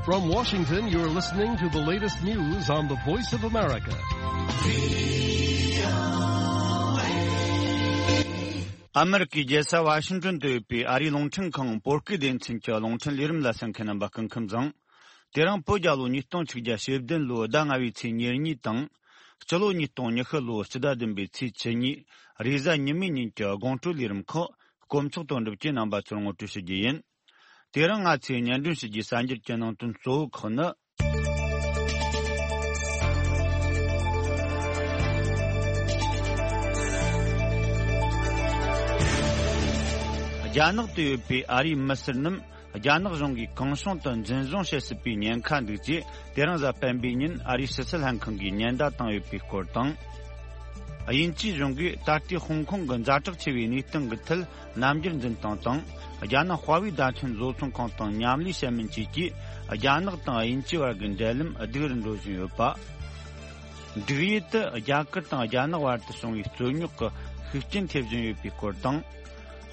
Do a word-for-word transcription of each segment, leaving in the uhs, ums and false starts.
From Washington, you're listening to the latest news on the Voice of America. ཨ་མི་རི་ཀའི་རྒྱལ་ས་ཝ་ཤིང་ཏོན་དུ་ཡོད་པའི་ཨ་རིའི་རླུང་འཕྲིན་ཁང་བོད་སྐད་སྡེ་ཚན་གྱི་རླུང་འཕྲིན་ལས་རིམ་ལ་གསན་མཁན་རྣམ་པ་སྐུ་ཁམས་བཟང་། དེ་རིང་བོད་རྒྱལ་ལོ་ཉིས་སྟོང་ཆིག་བརྒྱ་ཞེ་བདུན་ལོའི་ཟླ་ལྔ་བའི་ཚེས་ཉེར་གཉིས་དང་། སྤྱི་ལོ་ཉིས་སྟོང་ཉི་ཤུ་ལོའི་སྤྱི་ཟླ་བདུན་པའི་ཚེས་བཅུ་གཉིས་རེས་གཟའ་ཉི་མའི་ཉིན་གྱི་དགོང་དྲོའི་ལས་རིམ་ཁག་དཀོན་མཆོག་དོན་གྲུབ་ཀྱིས་རྣམ་པ་ཚོར་ངོ་སྤྲོད་ཞུ་རྒྱུ་ཡིན། དེ་རིང་ང་ཚོས་སྙན་སྒྲོན་ཞུ་རྒྱུའི་གསར་འགྱུར་གྱི་ནང་དོན་གཙོ་བོ་ཁག་ནི། རྒྱ་ནག་ཏུ་ཡོད་པའི་ཨ་རིའི་མི་སེར་རྣམས་རྒྱ་ནག་གཞུང་གིས་གང་བྱུང་དུ་འཛིན་བཟུང་བྱེད་སྲིད་པའི་ཉེན་ཁ་འདུག་ཅེས་དེ་རིང་གཟའ་སྤེན་པའི་ཉིན་ཨ་རིའི་ཕྱི་སྲིད་ལྷན་ཁང་གིས་ཉེན་བརྡ་བཏང་ཡོད་པའི་སྐོར་དང་། དབྱིན་ཇིའི་གཞུང་གིས་ད་ལྟའི་ཧོང་ཀོང་གི་ཛ་དྲག་ཆེ་བའི་གནས་སྟངས་ཀྱི་ཐད་རྣམ་འགྱུར་འཛིན་སྟངས་དང་། རྒྱ་ནག་ཧྭ་ཝེ་བརྡ་འཕྲིན་བཟོ་ཚོང་ཁང་དང་མཉམ་ལས་བྱེད་མིན་བཅས་ཀྱིས་རྒྱ་ནག་དང་དབྱིན་ཇི་བར་གྱི་འབྲེལ་ལམ་སྡུག་རུ་འགྲོ་བཞིན་ཡོད་པ། འབྲུག་ཡུལ་དུ་རྒྱ་གར་དང་རྒྱ་ནག་བར་དུ་བྱུང་བའི་རྩོད་རྙོག་གི་ཤུགས་རྐྱེན་ཐེབས་བཞིན་ཡོད་པའི་སྐོར་དང་།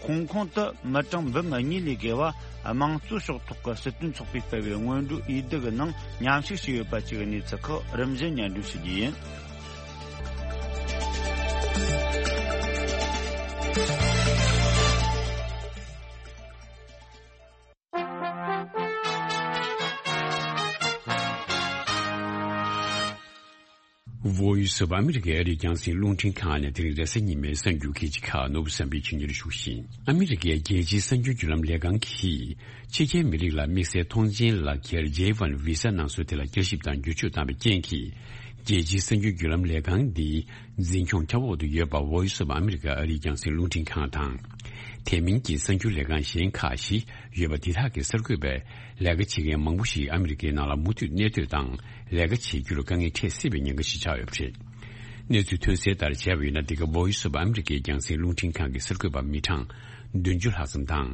ཧོང་ཀོང་དུ་མི་གྲངས་འབུམ་གཉིས་ལས་བརྒལ་བ་དམངས་གཙོའི་ཕྱོགས་གཏོགས་ཀྱི་སྲིད་དོན་ཚོགས་པས་སྤེལ་བའི་སྔོན་འགྲོའི་འོས་བསྡུ་གི་ནང་མཉམ་ཞུགས་བྱས་ཡོད་པ་བཅས་ཀྱི་གནས་ཚུལ་ཁག་རིམ་བཞིན་སྙན་སྒྲོན་ཞུ་རྒྱུ་ཡིན། Voice of America ཨ་རིའི་རྒྱང་སྲིང་རླུང་འཕྲིན་ཁང་ནས་དེ་རིང་རེས་གཟའ་ཉི་མའི་གསར་འགྱུར་གལ་ཆེ་ཁག་ནོར་བུ་བསམ་འཕེལ་གྱིས་སྙན་སྒྲོན་ཞུ་བཞིན། ཨ་མི་རི་ཀའི་རྒྱལ་སྤྱིའི་གསར་འགྱུར་བརྒྱུད་ལམ་ལས་ཁང་གིས་ཕྱི་རྒྱལ་མི་རིགས་ལ་དམིགས་བསལ་ཐོངས་མཆན་ལག་འཁྱེར་J one visa གནང་སྲོལ་དེ་ལ་བསྐྱར་ཞིབ་དང་བསྒྱུར་བཅོས་བཏང་བའི་རྐྱེན་གྱིས། རྒྱལ་སྤྱིའི་གསར་འགྱུར་བརྒྱུད་ལམ་ལས་ཁང་འདིའི་འཛིན་སྐྱོང་ཁྱབ་འོག་ཏུ་ཡོད་པ་Voice of America ཨ་རིའི་རྒྱང་སྲིང་རླུང་འཕྲིན་ཁང་དང་། དེ་མིན་གྱི་གསར་འགྱུར་ལས་ཁང་གཞན་ཁག་བཞི་ཡོད་པ་དེ་དག་གི་གསར་འགོད་པས་ལས་ཀ་བྱེད་མཁན་མང་པོ་ཞིག་ཨ་མི་རི་ཀའི་ནང་ལ་མུ་མཐུད་གནས་སྡོད་དང་ལས་ཀ་བྱེད་རྒྱུར་དཀའ་ངལ་འཕྲད་སྲིད་པའི་ཉེན་ཁ་ཞིག་ཆགས་ཡོད་པ་རེད། གནས་ཚུལ་ཐོན་གསལ་ལྟར་བྱས་པ་ཡིན་ན། འདི་ག་Voice of Americaའི་རྒྱང་སྲིང་རླུང་འཕྲིན་ཁང་གི་གསར་འགོད་པ་མི་གྲངས་བདུན་ཅུ་ལྷག་ཙམ་དང་།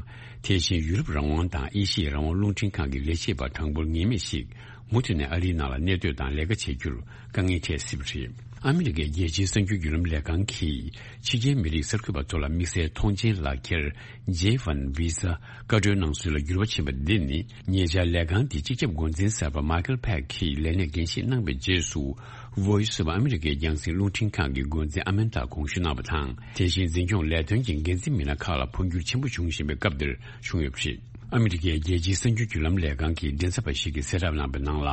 དེ་བཞིན་ཡུ་རོབ་རང་དབང་དང་ཨེ་ཤི་ཡའི་རང་དབང་རླུང་འཕྲིན་ཁང་གི་ལས་བྱེད་པ་གྲངས་འབོར་ངེས་མེད་ཞིག་མུ་མཐུད་ནས་ཨ་རིའི་ནང་ལ་གནས་སྡོད་དང་ལས་ཀ་བྱེད་རྒྱུར་དཀའ་ངལ་འཕྲད་སྲིད་པ་རེད། ཨ་མི་རི་ཀའི་རྒྱལ་སྤྱིའི་གསར་འགྱུར་བརྒྱུད་ལམ་ལས་ཁང་གིས་ཕྱི་རྒྱལ་མི་རིགས་གསར་འགོད་པ་ཚོ་ལ་དམིགས་བསལ་ཐོངས་མཆན་ལག་འཁྱེར་J one visa བཀའ་འཁྲོལ་གནང་སྲོལ་ལ་འགྱུར་བ་ཕྱིན་པ་འདི་ནི། ཉེ་ཆར་ལས་ཁང་འདིའི་སྤྱི་ཁྱབ་འགོ་འཛིན་གསར་པ་Michael Pack གིས་ལས་གནས་འགན་བཞེས་གནང་བའི་རྗེས་སུ། Voice of Americaའི་རྒྱང་སྲིང་རླུང་འཕྲིན་ཁང་གི་འགོ་འཛིན་ཨ་མན་ཏཱ་དགོངས་ཞུ་གནང་བ་དང་། དེ་བཞིན་འཛིན་སྐྱོང་ལས་དོན་གྱི་འགན་འཛིན་མི་སྣ་ཁག་ལ་འཕོ་འགྱུར་ཆེན་པོ་བྱུང་བཞིན་པའི་སྐབས་འདིར་བྱུང་ཡོད་པ་རེད། ཨ་མི་རི་ཀའི་རྒྱལ་སྤྱིའི་གསར་འགྱུར་བརྒྱུད་ལམ་ལས་ཁང་གི་མགྲིན་ཚབ་པ་ཞིག་གིས་གསལ་བསྒྲགས་གནང་བའི་ནང་ལ།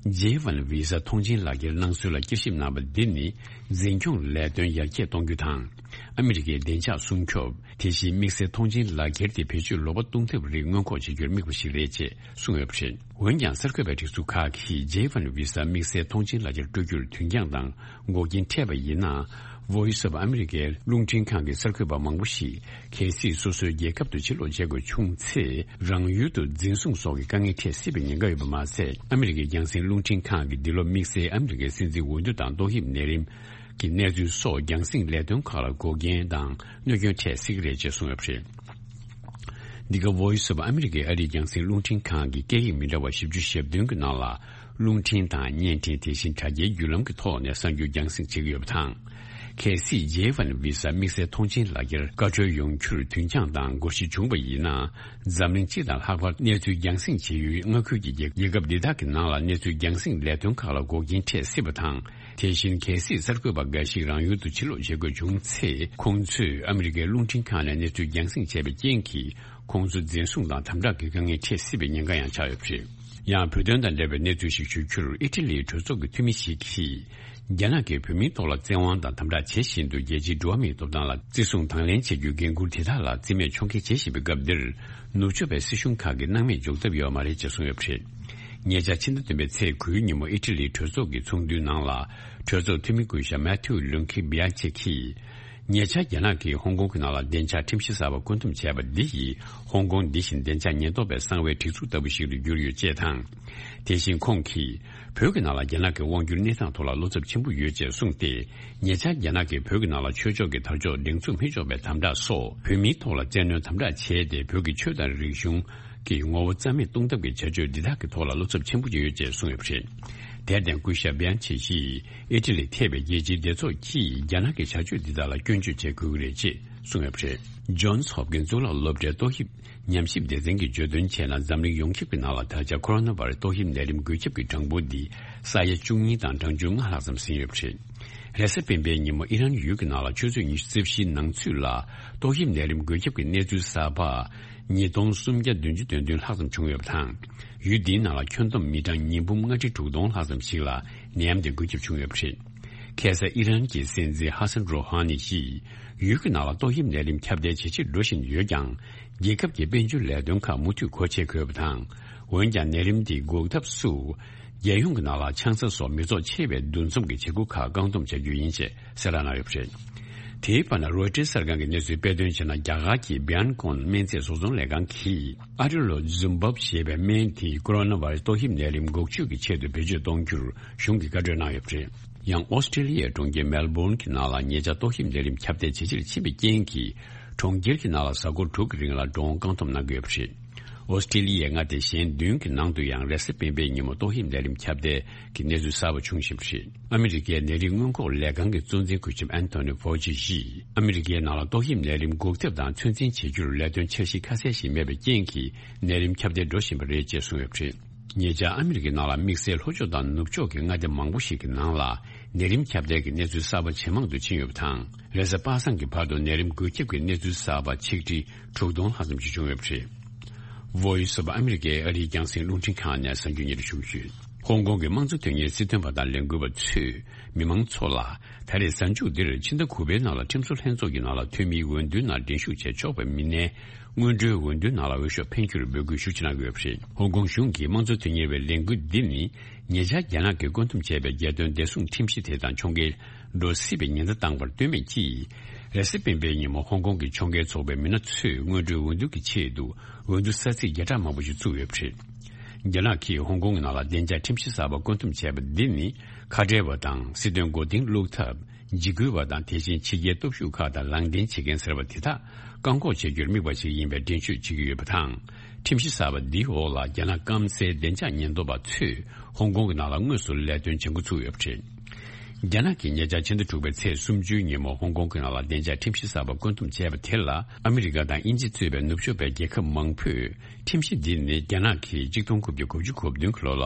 J one visa ཐོངས་མཆན་ལག་འཁྱེར་གནང་སྲོལ་ལ་བསྐྱར་ཞིབ་གནང་བ་འདི་ནི། འཛིན་སྐྱོང་ལས་དོན་ཡར་རྒྱས་གཏོང་རྒྱུ་དང་། ཨ་མི་རི་ཀའི་བདེ་འཇགས་སྲུང་སྐྱོབ། དེ་བཞིན་དམིགས་བསལ་ཐོངས་མཆན་ལག་འཁྱེར་དེ་བེད་སྤྱོད་ལོག་པ་གཏོང་ཐབས་རིགས་སྔོན་འགོག་བྱེད་རྒྱུར་དམིགས་པ་ཞིག་རེད་ཅེས་གསུངས་ཡོད་པ་རེད། འོན་ཀྱང་གསར་འགོད་པའི་སྒྲིག་འཛུགས་ཁག་གིས་J one visa དམིགས་བསལ་ཐོངས་མཆན་ལག་འཁྱེར་སྤྲོད་རྒྱུར་དུས་འགྱངས་དང་འགོག་རྐྱེན་འཕྲད་པ་ཡིན་ན། Voice of Americaའི་རླུང་འཕྲིན་ཁང་གི་གསར་འགོད་པ་མང་པོ་ཞིག་གལ་སྲིད་སོ་སོའི་རྒྱལ་ཁབ་ཏུ་ཕྱིར་ལོག་བྱེད་དགོས་བྱུང་ཚེ། རང་ཡུལ་དུ་འཛིན་བཟུང་སོགས་ཀྱི་དཀའ་ངལ་འཕྲད་སྲིད་པའི་ཉེན་ཁ་ཡོད་པ་མ་ཟད། ཨ་མི་རི་ཀའི་རྒྱང་སྲིང་རླུང་འཕྲིན་ཁང་གིས་འདི་ལོ་དམིགས་བསལ་ཨ་མི་རི་ཀའི་སྲིད་འཛིན་འོས་བསྡུ་དང་ཏོག་དབྱིབས་ནད་རིམས་ཀྱི་གནས་ཚུལ་སོགས་རྒྱང་སྲིང་ལས་དོན་ཁག་ལ་འགོག་རྐྱེན་དང་གནོད་སྐྱོན་འཕྲད་སྲིད་ཀྱི་རེད་ཅེས་གསུངས་ཡོད་པ་རེད། འདི་ག་Voice of Americaཨ་རིའི་རྒྱང་སྲིང་རླུང་འཕྲིན་ཁང་གི་སྐད་ཡིག་མི་འདྲ་བ་བཞི་བཅུ་ཞེ་བདུན་གྱི་ནང་ལ། རླུང་འཕྲིན་དང་བརྙན་འཕྲིན། དེ་བཞིན་དྲ་རྒྱའི་བརྒྱུད་ལམ་གྱི་ཐོག་ནས་གསར་འགྱུར་རྒྱང་སྲིང་བྱེད་ཀྱི་ཡོད་པ་དང་། གལ་སྲིད་J one visa དམིགས་བསལ་ཐོངས་མཆན་ལག་འཁྱེར་བཀའ་འཁྲོལ་ཡོང་རྒྱུར་དུས་འགྱངས་དང་འགོར་འགྱངས་བྱུང་བ་ཡིན་ན། འཛམ་གླིང་སྤྱི་དང་ལྷག་པར་གནས་ཚུལ་རྒྱང་སྲིང་བྱེད་ཡུལ་མངའ་ཁུལ་གྱི་རྒྱལ་རྒྱལ་ཁབ་འདི་དག་གི་ནང་ལ་གནས་ཚུལ་རྒྱང་སྲིང་ལས་དོན་ཁག་ལ་འགོག་རྐྱེན་འཕྲད་སྲིད་པ་དང་། དེ་བཞིན་གལ་སྲིད་གསར་འགོད་པ་འགའ་ཞིག་རང་ཡུལ་དུ་ཕྱིར་ལོག་བྱེད་དགོས་བྱུང་ཚེ། ཁོང་ཚོས་ཨ་མི་རི་ཀའི་རླུང་འཕྲིན་ཁང་ནས་གནས་ཚུལ་རྒྱང་སྲིང་བྱས་པའི་རྐྱེན་གྱིས། ཁོང་ཚོ་འཛིན་བཟུང་དང་དམ་དྲག་གི་དཀའ་ངལ་འཕྲད་སྲིད་པའི་ཉེན་ཁ་ཡང་ཆགས་ཡོད་པ་རེད། ཡང་བོད་དོན་དང་འབྲེལ་བའི་གནས་ཚུལ་ཞིག་ཞུ་རྒྱུར། ཨི་ཊ་ལིའི་གྲོས་ཚོགས་ཀྱི་འཐུས་མི་ཞིག་གིས། རྒྱ་ནག་གིས་བོད་མིའི་ཐོག་ལ་བཙན་དབང་དང་དམ་དྲག་བྱེད་བཞིན་དུ། རྒྱལ་སྤྱིའི་འགྲོ་བ་མིའི་ཐོབ་ཐང་ལ་བརྩི་སྲུང་དང་ལེན་བྱེད་རྒྱུའི་འགན་འཁུར་དེ་དག་ལ་རྩིས་མེད་ཕྱོགས་འགལ་བྱེད་བཞིན་པའི་སྐབས་འདིར། ནུབ་ཕྱོགས་པའི་སྲིད་གཞུང་ཁག་གིས་སྣང་མེད་འཇོག་ཐབས་ཡོད་མ་རེད་ཅེས་གསུངས་ཡོད་པ་རེད། ཉེ་ཆར་ཕྱི་ཟླ་བདུན་པའི་ཚེས་དགུའི་ཉིན་མོ་ཨི་ཊ་ལིའི་གྲོས་ཚོགས་ཀྱི་ཚོགས་འདུའི་ནང་ལ། གྲོས་ཚོགས་འཐུས་མི་སྐུ་ཞབས་མེ་ཐིའུ་ལུན་ཁི་བི་ཡ་ཆེ་གིས། ཉེ་ཆར་རྒྱ་ནག་གིས་ཧོང་ཀོང་གི་ནང་ལ་བདེ་འཇགས་ཁྲིམས་གཞི་གསར་པ་བཀོད་འདོམས་བྱས་པ་འདི་ཡིས། ཧོང་ཀོང་འདི་བཞིན་བདེ་འཇགས་ཉེན་རྟོག་པའི་གསང་བའི་སྒྲིག་འཛུགས་ལྟ་བུ་ཞིག་ཏུ་གྱུར་ཡོད་ཅེས་དང་། དེ་བཞིན་ཁོང་གིས། བོད་ཀྱི་ནང་ལ་རྒྱ་ནག་གི་དབང་སྒྱུར་གནས་སྟངས་ཐོག་ལ་བློ་འཚབ་ཆེན་པོ་ཡོད་ཅེས་གསུངས་ཏེ། ཉེ་ཆར་རྒྱ་ནག་གིས་བོད་ཀྱི་ནང་ལ་ཆོས་ཕྱོགས་ཀྱི་དར་ལྕོག་སྒྲེང་འཛུགས་མི་ཆོག་པའི་དམ་དྲག་སོགས། བོད་མིའི་ཐོག་ལ་བཙན་གནོན་དམ་དྲག་བྱས་ཏེ། བོད་ཀྱི་ཆོས་དང་རིག་གཞུང་གི་ངོ་བོ་རྩ་མེད་གཏོང་ཐབས་ཀྱི་བྱ་སྤྱོད་འདི་དག་གི་ཐོག་ལ་བློ་འཚབ་ཆེན་པོ་ཡོད་ཅེས་གསུངས་ཡོད་པ་རེད། དེར་བརྟེན། སྐུ་ཞབས་བྷི་ཡན་ཆེ་ཡིས། ཨི་ཊ་ལི་ཐེ་བའི་རྒྱལ་སྤྱིའི་སྡེ་ཚོགས་ཀྱིས་རྒྱ་ནག་གི་བྱ་སྤྱོད་འདི་དག་ལ་སྐྱོན་བརྗོད་བྱེད་དགོས་ཀྱི་རེད་ཅེས་ གསུངས་ཡོད་པ་རེད། ཇོན་སི་ཧོབ་ཀིན་གཙུག་ལག་སློབ་གྲྭའི་ཏོག་དབྱིབས་ཉམས་ཞིབ་སྡེ་ཚན་གྱིས་བརྗོད་དོན་བྱས་ན། འཛམ་གླིང་ཡོངས་ཁྱབ་ཀྱི་ནང་ལ་ད་ཆ་ཁོ་རོ་ན་བྷ་རེ་སི་ཏོག་དབྱིབས་ནད་རིམས་འགོས་ཁྱབ་ཀྱི་གྲངས་འབོར་འདི་ས་ཡ་བཅུ་གཉིས་དང་གྲངས་ཆུང་ལྔ་ལྷག་ཙམ་ཟིན་ཡོད་པ་རེད། རེས་གཟའ་སྤེན་པའི་ཉིན་མོ་ཨི་རན་ཡུལ་གྱི་ནང་ལ་ཆུ་ཚོད་ཉི་ཤུ་རྩ་བཞིའི་ནང་ཚུད་ལ་ཏོག་དབྱིབས་ནད་རིམས་འགོས་ཁྱབ་ཀྱི་གནས་ཚུལ་གསར་པ་ཉིས་སྟོང་སུམ་བརྒྱ་བདུན་ཅུ་དོན་བདུན་ལྷག་ཙམ་བྱུང་ཡོད་པ་དང་། ཡུལ་འདིའི་ནང་ལ་ཁྱོན་བསྡོམས་མི་གྲངས་ཉིས་འབུམ་ལྔ་ཁྲི་དྲུག་སྟོང་ལྷག་ཙམ་ཞིག་ལ་ནད་ཡམས་དེ་འགོས་ཁྱབ་བྱུང་ཡོད་པ་རེད། ཁ་སང་ཨི་རན་གྱི་སྲིད་འཛིན་ཧ་སན་རོ་ཧ་ནི་ཡིས་ཡུལ་གྱི་ནང་ལ་ཏོག་དབྱིབས་ནད་རིམས་ཁྱབ་གདལ་ཇེ་ཆེར་འགྲོ་བཞིན་ཡོད་ཀྱང་། རྒྱལ་ཁབ་ཀྱི་དཔལ་འབྱོར་ལས་དོན་ཁག་མུ་མཐུད་སྒོ་ཕྱེ་དགོས་པ་དང་། འོན་ཀྱང་ནད་རིམས་འདི་འགོག་ཐབས་སུ། རྒྱལ་ཡོངས་ཀྱི་ནང་ལ་ཆང་ས་སོགས་མི་ཚོགས་ཆེ་བའི་འདུ་འཛོམས་ཀྱི་བྱེད་སྒོ་ཁག་བཀག་སྡོམ་བྱ་རྒྱུ་ཡིན་ཞེས་གསལ་བསྒྲགས་གནང་ཡོད་པ་རེད། དེའི་བར་ན་རོའི་ཊར་གསར་ཁང་གི་གནས་ཚུལ་སྤེལ་དོན་བྱས་ན། རྒྱ་གར་གྱི་བྷི་ཡན་ཀོན་སྨན་རྫས་བཟོ་ཚོང་ལས་ཁང་གིས་ཨ་ཏྲི་ལོ་ཛུམ་བབ་ཞེས་པའི་སྨན་དེ་ཀོ་རོ་ན་བྷ་རེ་སི་ཏོག་དབྱིབས་ནད་རིམས་འགོག་བཅོས་ཀྱི་ཆེད་དུ་བེད་སྤྱོད་གཏོང་རྒྱུར་གཞུང་གིས་བཀའ་འཁྲོལ་གནང་ཡོད་པ་རེད། ཡང་ཨོ་སི་ཀྲེ་ལི་ཡའི་གྲོང་ཁྱེར་མེལ་བྷོན་གྱི་ནང་ལ་ཉེ་ཆར་ཏོག་དབྱིབས་ནད་རིམས་ཁྱབ་གདལ་ཇེ་ཆེར་ཕྱིན་པའི་རྐྱེན་གྱིས། གྲོང་ཁྱེར་གྱི་ནང་ལ་གཟའ་འཁོར་དྲུག་གི་རིང་ལ་འགྲོ་འོང་བཀག་སྡོམ་གནང་གི་ཡོད་པ་རེད། ཨོ་སི་ཀྲེ་ལི་ཡའི་མངའ་སྡེ་གཞན་བདུན་གྱི་ནང་དུ་ཡང་རེས་གཟའ་སྤེན་པའི་ཉིན་མོ་ཏོག་དབྱིབས་ནད་རིམས་ཁྱབ་གདལ་གྱི་གནས་ཚུལ་གསར་པ་བྱུང་བཞིན་པ་རེད། ཨ་མི་རི་ཀའི་ནད་རིགས་སྔོན་འགོག་ལས་ཁང་གི་གཙོ་འཛིན་སྐུ་ཞབས་ཨན་ཐོ་ནི་ཕའོ་ཆི་ཡིས། ཨ་མི་རི་ཀའི་ནང་ལ་ཏོག་དབྱིབས་ནད་རིམས་འགོག་ཐབས་དང་ཚོད་འཛིན་བྱེད་རྒྱུར་ལས་དོན་འཆར་གཞི་ཁ་གསལ་ཞིག་མེད་པའི་རྐྱེན་གྱིས། ནད་རིམས་ཁྱབ་གདལ་འགྲོ་བཞིན་པ་རེད་ཅེས་གསུངས་ཡོད་པ་རེད། ཉེ་ཆར་ཨ་མི་རི་ཀའི་ནང་ལ་དམིགས་བསལ་ལྷོ་ཕྱོགས་དང་ནུབ་ཕྱོགས་ཀྱི་མངའ་སྡེ་མང་པོ་ཞིག་གི་ནང་ལ་ནད་རིམས་ཁྱབ་གདལ་གྱི་གནས་ཚུལ་གསར་པ་ཇེ་མང་དུ་ཕྱིན་ཡོད་པ་དང་། རེས་གཟའ་པ་སངས་ཀྱི་བར་དུ་ནད་རིམས་འགོས་ཁྱབ་ཀྱི་གནས་ཚུལ་གསར་པ་ཆིག་ཁྲི་དྲུག་སྟོང་ལྷག་ཙམ་ཞིག་བྱུང་ཡོད་པ་རེད། Voice of America ཨ་རིའི་རྒྱང་སྲིང་རླུང་འཕྲིན་ཁང་ནས་གསར་འགྱུར་སྙན་སྒྲོན་ཞུ་གི་ཡོད། ཧོང་ཀོང་གི་དམངས་གཙོ་དོན་གཉེར་སྲིད་དོན་པ་དང་ལས་འགུལ་བ་ཚོས་མི་མང་ཚོ་ལ། ད་རེས་གཟའ་མཇུག་འདིར་ཕྱི་ཟླ་དགུ་པའི་ནང་ལ་ཁྲིམས་བཟོ་ལྷན་ཚོགས་ཀྱི་ནང་ལ་འཐུས་མིའི་འོས་བསྡུའི་ནང་འགྲན་ཞུགས་བྱས་ཆོག་པའི་མི་སྣའི་སྔོན་འགྲོའི་འོས་བསྡུའི་ནང་ལ་འོས་ཤོག་འཕེན་རྒྱུར་འབོད་སྐུལ་ཤུགས་ཆེ་གནང་གི་ཡོད་པ་རེད། ཧོང་ཀོང་གཞུང་གིས་དམངས་གཙོ་དོན་གཉེར་བའི་ལས་འགུལ་འདི་ནི། ཉེ་ཆར་རྒྱ་ནག་གིས་བཀོད་འདོམས་བྱས་པའི་རྒྱལ་དོན་བདེ་སྲུང་ཁྲིམས་གཞི་དེ་དང་ཕྱོགས་འགལ་འགྲོ་སྲིད་པའི་ཉེན་བརྡ་བཏང་བར་ལྟོས་མེད་ཀྱིས། རེས་གཟའ་སྤེན་པའི་ཉིན་མོ་ཧོང་ཀོང་གི་ཕྱོགས་འགལ་ཚོགས་པའི་མི་སྣ་ཚོས་སྔོན་འགྲོའི་འོས་བསྡུ་གི་ཆེད་དུ་འོས་བསྡུ་ས་ཚིགས་བརྒྱ་ཕྲག་མང་པོ་ཞིག་བཙུགས་ཡོད་པ་རེད། རྒྱ་ནག་གིས་ཧོང་ཀོང་གི་ནང་ལ་བདེ་འཇགས་ཁྲིམས་གཞི་གསར་པ་བཀོད་འདོམས་བྱས་པ་འདི་ནི། ཁ་བྲལ་བ་དང་སྲིད་དོན་མགོ་རྟིང་བླུག་ཐབས། འཇིགས་སྐུལ་བ་དང་། དེ་བཞིན་ཕྱི་རྒྱལ་སྟོབས་ཤུགས་ཁག་དང་ལངས་བསྟན་བྱེད་མཁན་ཟེར་བ་དེ་དག་བཀག་འགོག་བྱེད་རྒྱུར་དམིགས་པ་ཞིག་ཡིན་པའི་འགྲེལ་བརྗོད་བྱེད་ཀྱི་ཡོད་པ་དང་། ཁྲིམས་གཞི་གསར་པ་འདིའི་འོག་ལ་རྒྱ་ནག་སྐམ་སའི་བདེ་འཇགས་ཉེན་རྟོག་པ་ཚོས་ཧོང་ཀོང་གི་ནང་ལ་དངོས་སུ་ལས་དོན་བྱེད་འགོ་ཚུགས་ཡོད་པ་རེད། རྒྱ་ནག་གིས་ཉེ་ཆར་ཕྱི་ཟླ་དྲུག་པའི་ཚེས་སུམ་ཅུའི་ཉིན་མོ་ཧོང་ཀོང་གི་ནང་ལ་བདེ་འཇགས་ཁྲིམས་གཞི་གསར་པ་བཀོད་འདོམས་བྱས་པ་དེ་ལ། ཨ་མི་རི་ཀ་དང་དབྱིན་ཇི་གཙོས་པའི་ནུབ་ཕྱོགས་པའི་རྒྱལ་ཁབ་མང་པོས། ཁྲིམས་གཞི་འདི་ནི་རྒྱ་ནག་གིས་གཅིག་སྟོང་དགུ་བརྒྱ་དགུ་བཅུ་གོ་བདུན་གྱི་ལོ་ལ་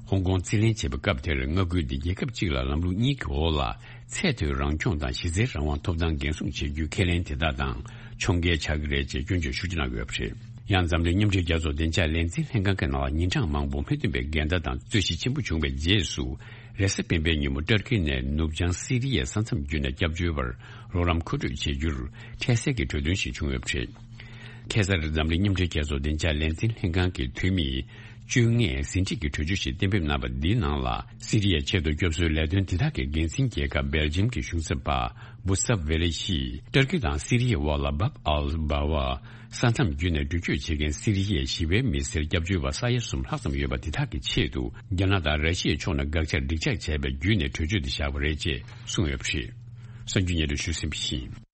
ཧོང་ཀོང་རྩིས་ལེན་བྱས་པའི་སྐབས་དེར་མངའ་ཁུལ་འདི་རྒྱལ་ཁབ་གཅིག་ལ་ལམ་ལུགས་གཉིས་ཀྱི་འོག་ལ་ཚད་མཐོའི་རང་སྐྱོང་དང་གཞི་རྩའི་རང་དབང་ཐོབ་ཐང་འགན་སྲུང་བྱེད་རྒྱུའི་ཁས་ལེན་དེ་དག་དང་ཕྱོགས་འགལ་ཆགས་ཀྱི་རེད་ཅེས་སྐྱོན་བརྗོད་ཤུགས་ཆེ་གནང་གི་ཡོད་པ་རེད། ཡང་འཛམ་གླིང་མཉམ་འབྲེལ་རྒྱལ་ཚོགས་བདེ་འཇགས་ལས་འཛིན་ལྷན་ཁང་གི་ནང་ལ་ཉིན་གྲངས་མང་པོ་མི་མཐུན་པའི་འགལ་ཟླ་དང་རྩོད་གཞི་ཆེན་པོ་བྱུང་བའི་རྗེས་སུ། རེས་གཟའ་སྤེན་པའི་ཉིན་མོ་ཏུར་ཀི་ནས་ནུབ་བྱང་སི་རི་ཡའི་ས་མཚམས་བརྒྱུད་ནས་སྐྱབས་བཅོལ་བར་རོགས་རམ་མཁོ་སྤྲོད་བྱེད་རྒྱུར་འཕྲལ་སེལ་གྱི་གྲོས་མཐུན་ཞིག་བྱུང་ཡོད་པ་རེད། ཁ་སང་འཛམ་གླིང་མཉམ་འབྲེལ་རྒྱལ་ཚོགས་བདེ་འཇགས་ལས་འཛིན་ལྷན་ཁང་གི་འཐུས་མིས་བཅོ་ལྔའི་ཟིན་བྲིས་ཀྱི་གྲོས་ཆོད་ཞིག་གཏན་འབེབས་གནང་བ་འདིའི་ནང་ལ། སི་རི་ཡའི་ཆེད་དུ་སྐྱོབ་གསོའི་ལས་དོན་དེ་དག་གི་འགན་འཛིན་རྒྱལ་ཁབ་སྦེལ་ཇམ་གྱི་གཞུང་ཚབ་པ་བུ་སབ་ཝེ་ལེ་ཡིས། ཏུར་ཀི་དང་སི་རི་ཡའི་དབར་ལ་བབ་ཨལ་སྦ་ཝ་ས་མཚམས་བརྒྱུད་ནས་འགྲུལ་སྐྱོད་བྱེད་མཁན་སི་རི་ཡའི་ཞི་བའི་མི་སེར་སྐྱབས་བཅོལ་བ་ས་ཡ་གསུམ་ལྷག་ཙམ་ཡོད་པ་དེ་དག་གི་ཆེད་དུ། རྒྱ་ནག་དང་ར་ཤི་ཡའི་ཕྱོགས་ནས་དགག་བྱར་འགྲིག་འཇགས་བྱས་པའི་བརྒྱུད་ནས་གྲོས་ཆོད་དེ་བཞག་པ་རེད་ཅེས་གསུངས་ཡོད་པ་རེད། གསར་འགྱུར་སྙན་སྒྲོན་ཞུས་ཟིན་པ་ཡིན།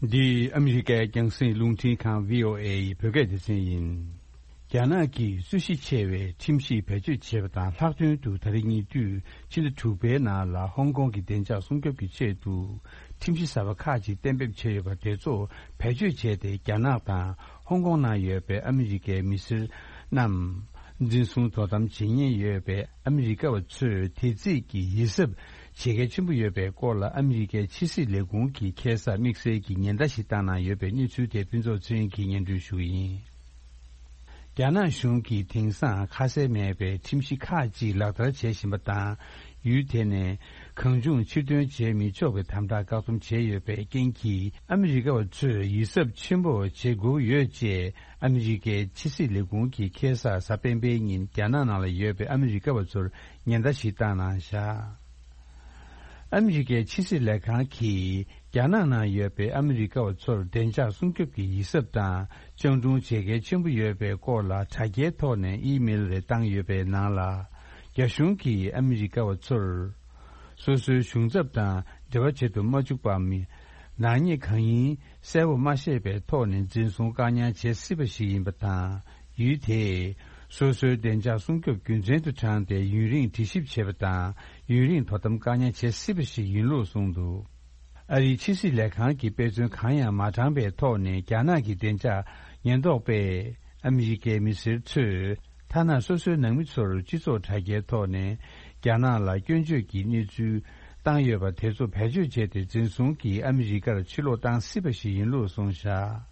འདི་ཨ་མི་རི་ཀའི་རྒྱང་སྲིང་རླུང་འཕྲིན་ཁང་བྷི་ཨོ་ཨེ་ཡི་བོད་སྐད་སྡེ་ཚན་ཡིན། རྒྱ་ནག་གིས་རྩོད་གཞི་ཆེ་བའི་ཁྲིམས་གཞི་བེད་སྤྱོད་བྱས་པ་དང་། ལྷག་དོན་དུ་ད་རེས་ཉེ་དུས་ཕྱི་ཟླ་དྲུག་པའི་ནང་ལ་ཧོང་ཀོང་གི་བདེ་འཇགས་སྲུང་སྐྱོབ་ཀྱི་ཆེད་དུ་ཁྲིམས་གཞི་གསར་པ་ཁག་ཅིག་གཏན་འབེབས་བྱས་ཡོད་པ་དེ་ཚོ་བེད་སྤྱོད་བྱས་ཏེ། རྒྱ་ནག་དང་ཧོང་ཀོང་ནང་ཡོད་པའི་ཨ་མི་རི་ཀའི་མི་སེར་རྣམས་འཛིན་བཟུང་དོ་དམ་བྱེད་ཉེན་ཡོད་པའི་ཨ་མི་རི་ཀ་བ་ཚོས་དེ་རྩིས་ཀྱི་ཡིད་གཟབ་བྱེད་གལ་ཆེན་པོ་ཡོད་པའི་སྐོར་ལ་ཨ་མི་རི་ཀའི་ཕྱི་སྲིད་ལས་ཁུངས་ཀྱིས་ཁ་སང་དམིགས་བསལ་གྱི་ཉེན་བརྡ་ཞིག་བཏང་གནང་ཡོད་པའི་གནས་ཚུལ་དེ་ཕུན་ཚོགས་ཚེ་རིང་གིས་སྙན་སྒྲོན་ཞུ་གི་ཡིན། རྒྱ་ནག་གཞུང་གིས་དེང་སང་ཁ་གསལ་མེད་པའི་ཁྲིམས་གཞི་ཁག་ཅིག་ལག་བསྟར་བྱེད་བཞིན་པ་དང་། ཡུལ་དེ་ནས་གང་བྱུང་ཕྱིར་ཐོན་བྱེད་མི་ཆོག་པའི་དམ་དྲག་བཀག་སྡོམ་བྱས་ཡོད་པའི་རྐྱེན་གྱིས། ཨ་མི་རི་ཀ་བ་ཚོས་ཡིད་གཟབ་ཆེན་པོ་བྱེད་དགོས་ཡོད་ཅེས་ཨ་མི་རི་ཀའི་ཕྱི་སྲིད་ལས་ཁུངས་ཀྱིས་ཁ་སང་གཟའ་སྤེན་པའི་ཉིན་རྒྱ་ནག་ནང་ལ་ཡོད་པའི་ཨ་མི་རི་ཀ་བ་ཚོར་ཉེན་བརྡ་ཞིག་བཏང་གནང་བཞག་ཨ་མི་རི་ཀའི་ཕྱི་སྲིད་ལས་ཁང་གིས་རྒྱ་ནག་ནང་ཡོད་པའི་ཨ་མི་རི་ཀ་བ་ཚོར་བདེ་འཇགས་སྲུང་སྐྱོབ་ཀྱི་ཡིད་གཟབ་དང་སྤྱང་གྲུང་བྱེད་གལ་ཆེན་པོ་ཡོད་པའི་སྐོར་ལ་དྲ་རྒྱའི་ཐོག་ནས་ཨི་མེལ་རེ་བཏང་ཡོད་པའི་ནང་ལ། རྒྱ་གཞུང་གིས་ཨ་མི་རི་ཀ་བ་ཚོར་སོ་སོའི་གཞུང་ཚབ་དང་འབྲེལ་བ་བྱེད་དུ་མ་བཅུག་པའམ། ནག་ཉེས་གང་ཡིན་གསལ་པོ་མ་ཤེས་པའི་ཐོག་ནས་འཛིན་བཟུང་བཀག་ཉར་བྱེད་སྲིད་པ་ཞིག་ཡིན་པ་དང་། ཡུལ་དེས་སོ་སོའི་བདེ་འཇགས་སྲུང་སྐྱོབ་རྒྱུ་མཚན་དུ་དྲངས་ཏེ་ཡུན་རིང་དྲི་ཞིབ་བྱེད་པ་དང་ ཡུན་རིང་དོ་དམ་བཀག་ཉར་བྱེད་སྲིད་པ་ཞིག་ཡིན་ལུགས་གསུངས་འདུག་ཨ་རིའི་ཕྱི་སྲིད་ལས་ཁང་གིས་དཔེ་མཚོན་གང་ཡང་མ་དྲངས་པའི་ཐོག་ནས། རྒྱ་ནག་གི་བདེ་འཇགས་ཉེན་རྟོག་པས་ཨ་མི་རི་ཀའི་མི་སེར་ཚོས་ཐ་ན་སོ་སོའི་ནང་མི་ཚོར་སྤྱི་ཚོགས་དྲ་རྒྱའི་ཐོག་ནས་རྒྱ་ནག་ལ་སྐྱོན་བརྗོད་ཀྱི་གནས་ཚུལ་བཏང་ཡོད་པ་དེ་ཚོ་བེད་སྤྱོད་བྱས་ཏེ། འཛིན་བཟུང་གིས་ཨ་མི་རི་ཀར་ཕྱིར་ལོག་བཏང་སྲིད་པ་ཞིག་ཡིན་ལུགས་གསུངས་བཞག་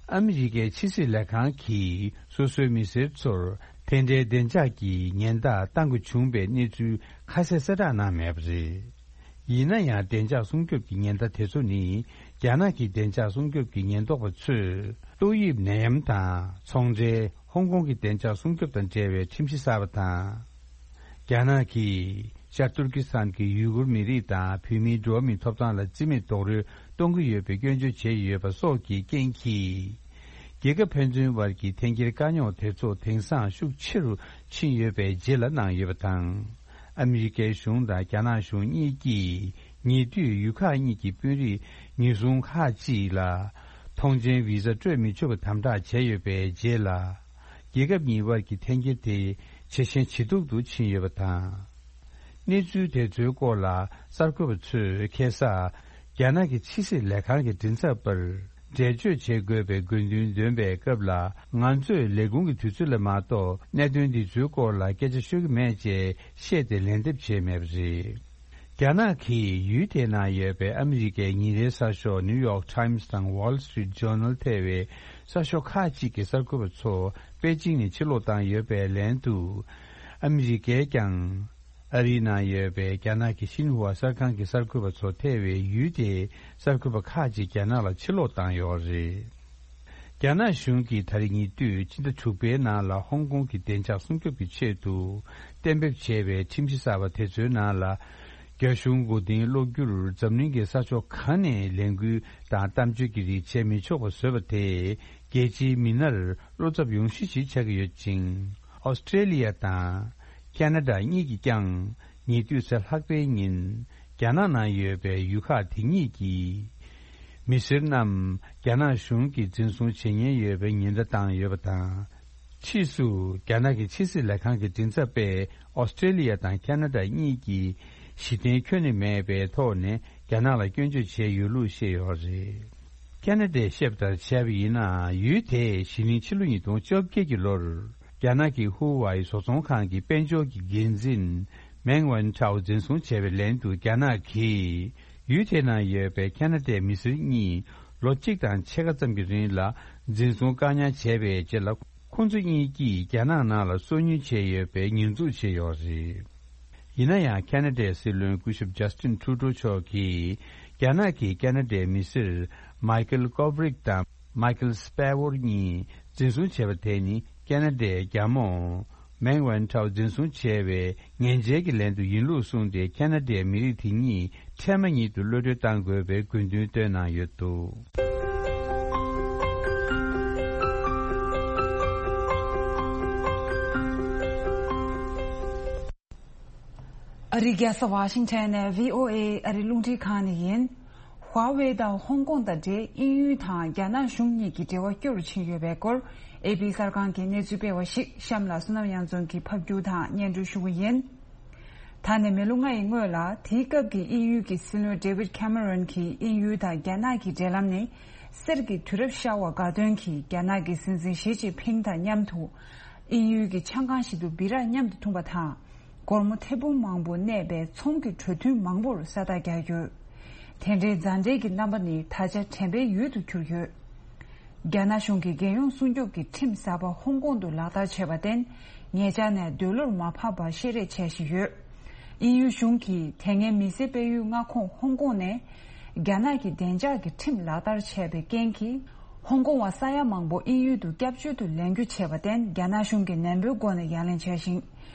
ཨ་མི་རི་ཀའི་ཕྱི་སྲིད་ལས་ཁང་གིས་སོ་སོའི་མི་སེར་ཚོར་དེ་འདྲའི་བདེ་འཇགས་ཀྱི་ཉེན་བརྡ་བཏང་དགོས་བྱུང་བའི་གནས་ཚུལ་ཁ་གསལ་གསལ་བསྒྲགས་གནང་མེད་པ་རེད། ཡིན་ན་ཡང་། བདེ་འཇགས་སྲུང་སྐྱོབ་ཀྱི་ཉེན་བརྡ་དེ་ཚོ་ནི། རྒྱ་ནག་གི་བདེ་འཇགས་སྲུང་སྐྱོབ་ཀྱི་ཉེན་རྟོག་པ་ཚོས་ཏོག་དབྱིབས་ནད་ཡམས་དང་ཚོང་འབྲེལ། ཧོང་ཀོང་གི་བདེ་འཇགས་སྲུང་སྐྱོབ་དང་འབྲེལ་བའི་ཁྲིམས་གཞི་གསར་པ་དང་། རྒྱ་ནག་གིས་ཤར་ཏུར་ཀི་སི་ཐན་གྱི་ཡུ་གུར་མི་རིགས་དང་བོད་མིའི་འགྲོ་བ་མིའི་ཐོབ་ཐང་ལ་བརྩི་མེད་རྡོག་རོལ་གཏོང་གི་ཡོད་པའི་སྐྱོན་བརྗོད་བྱས་ཡོད་པ་སོགས་ཀྱི་རྐྱེན་གྱིས། རྒྱལ་ཁབ་ཕན་ཚུན་དབར་གྱི་འཐེན་འཁྱེར་དཀའ་རྙོག་དེ་ཚོ་དེང་སང་ཤུགས་ཆེ་རུ་ཕྱིན་ཡོད་པའི་རྗེས་ལ་གནང་ཡོད་པ་དང་། ཨ་མི་རི་ཀའི་གཞུང་དང་རྒྱ་ནག་གཞུང་གཉིས་ཀྱིས་ཉེ་དུས་ཡུལ་ཁག་གཉིས་ཀྱི་དཔོན་རིགས་ཉེན་སྲུང་ཁག་ཅིག་ལ་ཐོངས་མཆན་བི་ཟ་སྤྲོད་མི་ཆོག་པའི་དམ་དྲག་བྱས་ཡོད་པའི་རྗེས་ལ། རྒྱལ་ཁབ་གཉིས་དབར་གྱི་འཐེན་འཁྱེར་དེ་ཇེ་ཞན་ཇེ་སྡུག་ཏུ་ཕྱིན་ཡོད་པ་དང་། གནས་ཚུལ་དེ་ཚོའི་སྐོར་ལ་གསར་འགོད་པ་ཚོས་ཁ་སང་རྒྱ་ནག་གི་ཕྱི་སྲིད་ལས་ཁང་གི་མགྲིན་ཚབ་པར་འགྲེལ་བརྗོད་བྱེད་དགོས་པའི་དགོས་འདུན་འདོན་པའི་སྐབས་ལ། ང་ཚོས་ལས་ཁུངས་ཀྱི་དུས་ཚོད་ལ་མ་གཏོགས་གནད་དོན་འདི་ཚོའི་སྐོར་ལ་སྐད་ཆ་ཤོད་ཀྱི་མེད་ཅེས་བཤད་དེ་ལན་འདེབས་བྱས་མེད་པ་རེད། རྒྱ་ནག་གིས་ཡུལ་དེའི་ནང་ཡོད་པའི་ཨ་མི་རི་ཀའི་ཉིན་རེའི་གསར་ཤོག་New York Times་དང་Wall Street Journal་ཐེ་བའི་གསར་ཤོག་ཁག་ཅིག་གི་གསར་འགོད་པ་ཚོ་པེ་ཅིང་ནས་ཕྱིར་ལོག་བཏང་ཡོད་པའི་ལན་དུ། ཨ་མི་རི་ཀས་ཀྱང་ཨ་རིའི་ནང་ཡོད་པའི་རྒྱ་ནག་གི་ཤིན་ཧྭ་གསར་ཁང་གི་གསར་འགོད་པ་ཚོ་ཐེ་བའི་ཡུལ་དེའི་གསར་འགོད་པ་ཁག་ཅིག་རྒྱ་ནག་ལ་ཕྱིར་ལོག་བཏང་ཡོད་རེད། རྒྱ་ནག་གཞུང་གིས་ད་རེས་ཉེ་དུས་ཕྱི་ཟླ་དྲུག་པའི་ནང་ལ་ཧོང་ཀོང་གི་བདེ་འཇགས་སྲུང་སྐྱོབ་ཀྱི་ཆེད་དུ་གཏན་འབེབས་བྱས་པའི་ཁྲིམས་གཞི་གསར་པ་དེ་ཚོའི་ནང་ལ། རྒྱ་གཞུང་མགོ་རྟིང་སློག་རྒྱུར་འཛམ་གླིང་གི་ས་ཕྱོགས་གང་ནས་ལས་འགུལ་དང་གཏམ་བརྗོད་ཀྱི་རིགས་བྱེད་མི་ཆོག་པ་བཟོས་པ་དེས། རྒྱལ་སྤྱིའི་མི་སྣར་བློ་འཚབ་ཡོང་གཞི་ཞིག་ཆགས་ཀྱི་ཡོད་ཅིང་། ཨོ་སི་ཀྲེ་ལི་ཡ་དང་ཁ་ན་ཌ་གཉིས་ཀྱིས་ཀྱང་ཉེ་དུས་ཚེ་ལྷག་པའི་ཉིན། རྒྱ་ནག་ནང་ཡོད་པའི་ཡུལ་ཁག་དེ་གཉིས་ཀྱི་མི་སེར་རྣམས་རྒྱ་ནག་གཞུང་གིས་འཛིན་བཟུང་བྱེད་ཉེན་ཡོད་པའི་ཉེན་བརྡ་བཏང་ཡོད་པ་དང་། ཕྱིས་སུ་རྒྱ་ནག་གི་ཕྱི་སྲིད་ལས་ཁང་གི་མགྲིན་ཚབ་པས་ཨོ་སི་ཀྲེ་ལི་ཡ་དང་ཁ་ན་ཌ་གཉིས་ཀྱིས་གཞི་རྟེན་ཁྱོན་ནས་མེད་པའི་ཐོག་ནས་རྒྱ་ནག་ལ་སྐྱོན་བརྗོད་བྱས་ཡོད་ལུགས་བཤད་ཡོད་རེད། ཁ་ན་ཌས་བཤད་པ་ལྟར་བྱས་པ་ཡིན་ན། ཡུལ་དེས་གཞེས་ནིང་ཕྱི་ལོ་ཉིས་སྟོང་བཅོ་བརྒྱད་ཀྱི་ལོར། རྒྱ་ནག་གི་ཧུ་ཝའི་བཟོ་ཚོང་ཁང་གི་དཔལ་འབྱོར་གྱི་འགན་འཛིན་མེང་ཝན་ཁྲའོ་འཛིན་བཟུང་བྱས་པའི་ལན་དུ། རྒྱ་ནག་གིས་ཡུལ་དེའི་ནང་ཡོད་པའི་ཁ་ན་ཌའི་མི་སེར་གཉིས་ལོ་གཅིག་དང་ཕྱེད་ཀ་ཙམ་གྱི་རིང་ལ་འཛིན་བཟུང་བཀག་ཉར་བྱས་པའི་རྗེས་ལ། ཁོང་ཚོ་གཉིས་ཀྱིས་རྒྱ་ནག་ནང་ལ་སོ་ཉུལ་བྱས་ཡོད་པའི་ཉེས་འཛུགས་བྱས་ཡོད་རེད། ཡིན་ན་ཡང་། ཁ་ན་ཌའི་སྲིད་བློན་སྐུ་ཞབས་ཇ་སི་ཊིན་ཊུ་རུ་ཌོ་མཆོག་གིས། རྒྱ་ནག་གིས་ཁ་ན་ཌའི་མི་སེར་མའི་ཁེལ་ཀོབ་རིག་དང་མའི་ཁེལ་སྤེ་ཝོར་གཉིས་འཛིན་བཟུང་བྱས་པ་དེ་ནི། ཁ་ན་ཌའི་རྒྱ་མོ་མེང་ཝན་ཁྲའོ་འཛིན་བཟུང་བྱས་པའི་ངན་འཇལ་གྱི་ལན་དུ་ཡིན་ལུགས་གསུངས་ཏེ། ཁ་ན་ཌའི་མི་རིགས་དེ་གཉིས་འཕྲལ་མ་ཉིད་དུ་གློད་གྲོལ་གཏང་དགོས་པའི་དགོས་འདུན་བཏོན་གནང་ཡོད་འདུག་ཨ་རིའི་རྒྱལ་ས་ཝ་ཤིང་ཊོན་ནས་བྷི་ཨོ་ཨེ་ཨ་རིའི་རླུང་འཕྲིན་ཁང་ནས་ཡིན། ཧྭ་ཝེ་དང་ཧོང་ཀོང་དང་འབྲེལ། དབྱིན་ཡུལ་དང་རྒྱ་ནག་གཞུང་གཉིས་ཀྱི་འབྲེལ་བ་སྐྱོ་རུ་ཕྱིན་ཡོད་པའི་སྐོར། ཨེ་པི་གསར་ཁང་གིས་གནས་ཚུལ་སྤེལ་བ་ཞིག་གཤམ་ལ་བསོད་ནམས་གཡང་འཛོམས་ཀྱིས་ཕབ་སྒྱུར་དང་སྙན་སྒྲོན་ཞུ་གི་ཡིན། ད་ནས་མི་ལོ་ལྔ་ཡི་སྔོན་ལ། དེའི་སྐབས་ཀྱི་དབྱིན་ཡུལ་གྱི་སྲིད་བློན་ཌེ་ཝིད་ཁེ་མེ་རོན་གྱིས་དབྱིན་ཡུལ་དང་རྒྱ་ནག་གི་འབྲེལ་ལམ་ནི། གསེར་གྱི་དུས་རབས་ཤར་བ་དགའ་སྟོན་གྱིས་རྒྱ་ནག་གི་སྲིད་འཛིན་ཞི་ཅིན་ཕིང་དང་མཉམ་དུ། དབྱིན་ཡུལ་གྱི་ཆང་ཁང་ཞིག་ཏུ་སྦི་རག་མཉམ་དུ་འཐུང་བ་དང་། སྒོར་མོ་ཐེར་འབུམ་མང་པོ་གནས་པའི་ཚོང་གི་གྲོས་མཐུན་མང་པོར་ས་རྟགས་བརྒྱབ་ཡོད། དེ་འདྲའི་མཛའ་འབྲེལ་གྱི་རྣམ་པ་ནི་ད་ཆ་དྲན་པའི་ཡུལ་དུ་གྱུར་ཡོད། རྒྱ་ནག་གཞུང་གིས་རྒྱལ་ཡོངས་སྲུང་སྐྱོབ་ཀྱི་ཁྲིམས་གསར་པ་ཧོང་ཀོང་དུ་ལག་བསྟར་བྱས་པར་བརྟེན། ཉེ་ཆར་ནས་འདོད་བློར་མ་བབས་པར་བཤད་རེས་བྱས་བཞིན་ཡོད། དབྱིན་ཡུལ་གཞུང་གིས་དེ་སྔའི་མི་སེར་སྤེལ་ཡུལ་མངའ་ཁོངས་ཧོང་ཀོང་ནས། རྒྱ་ནག་གི་བདེ་འཇགས་ཀྱི་ཁྲིམས་ལག་བསྟར་བྱས་པའི་རྐྱེན་གྱིས། ཧོང་ཀོང་བ་ས་ཡ་མང་པོ་དབྱིན་ཡུལ་དུ་སྐྱབས་བཅོལ་དུ་ལེན་རྒྱུ་བྱས་པར་བརྟེན། རྒྱ་ནག་གཞུང་གིས་ནན་པོའི་སྒོ་ནས་ཡ་ལན་བྱས་ཤིང་།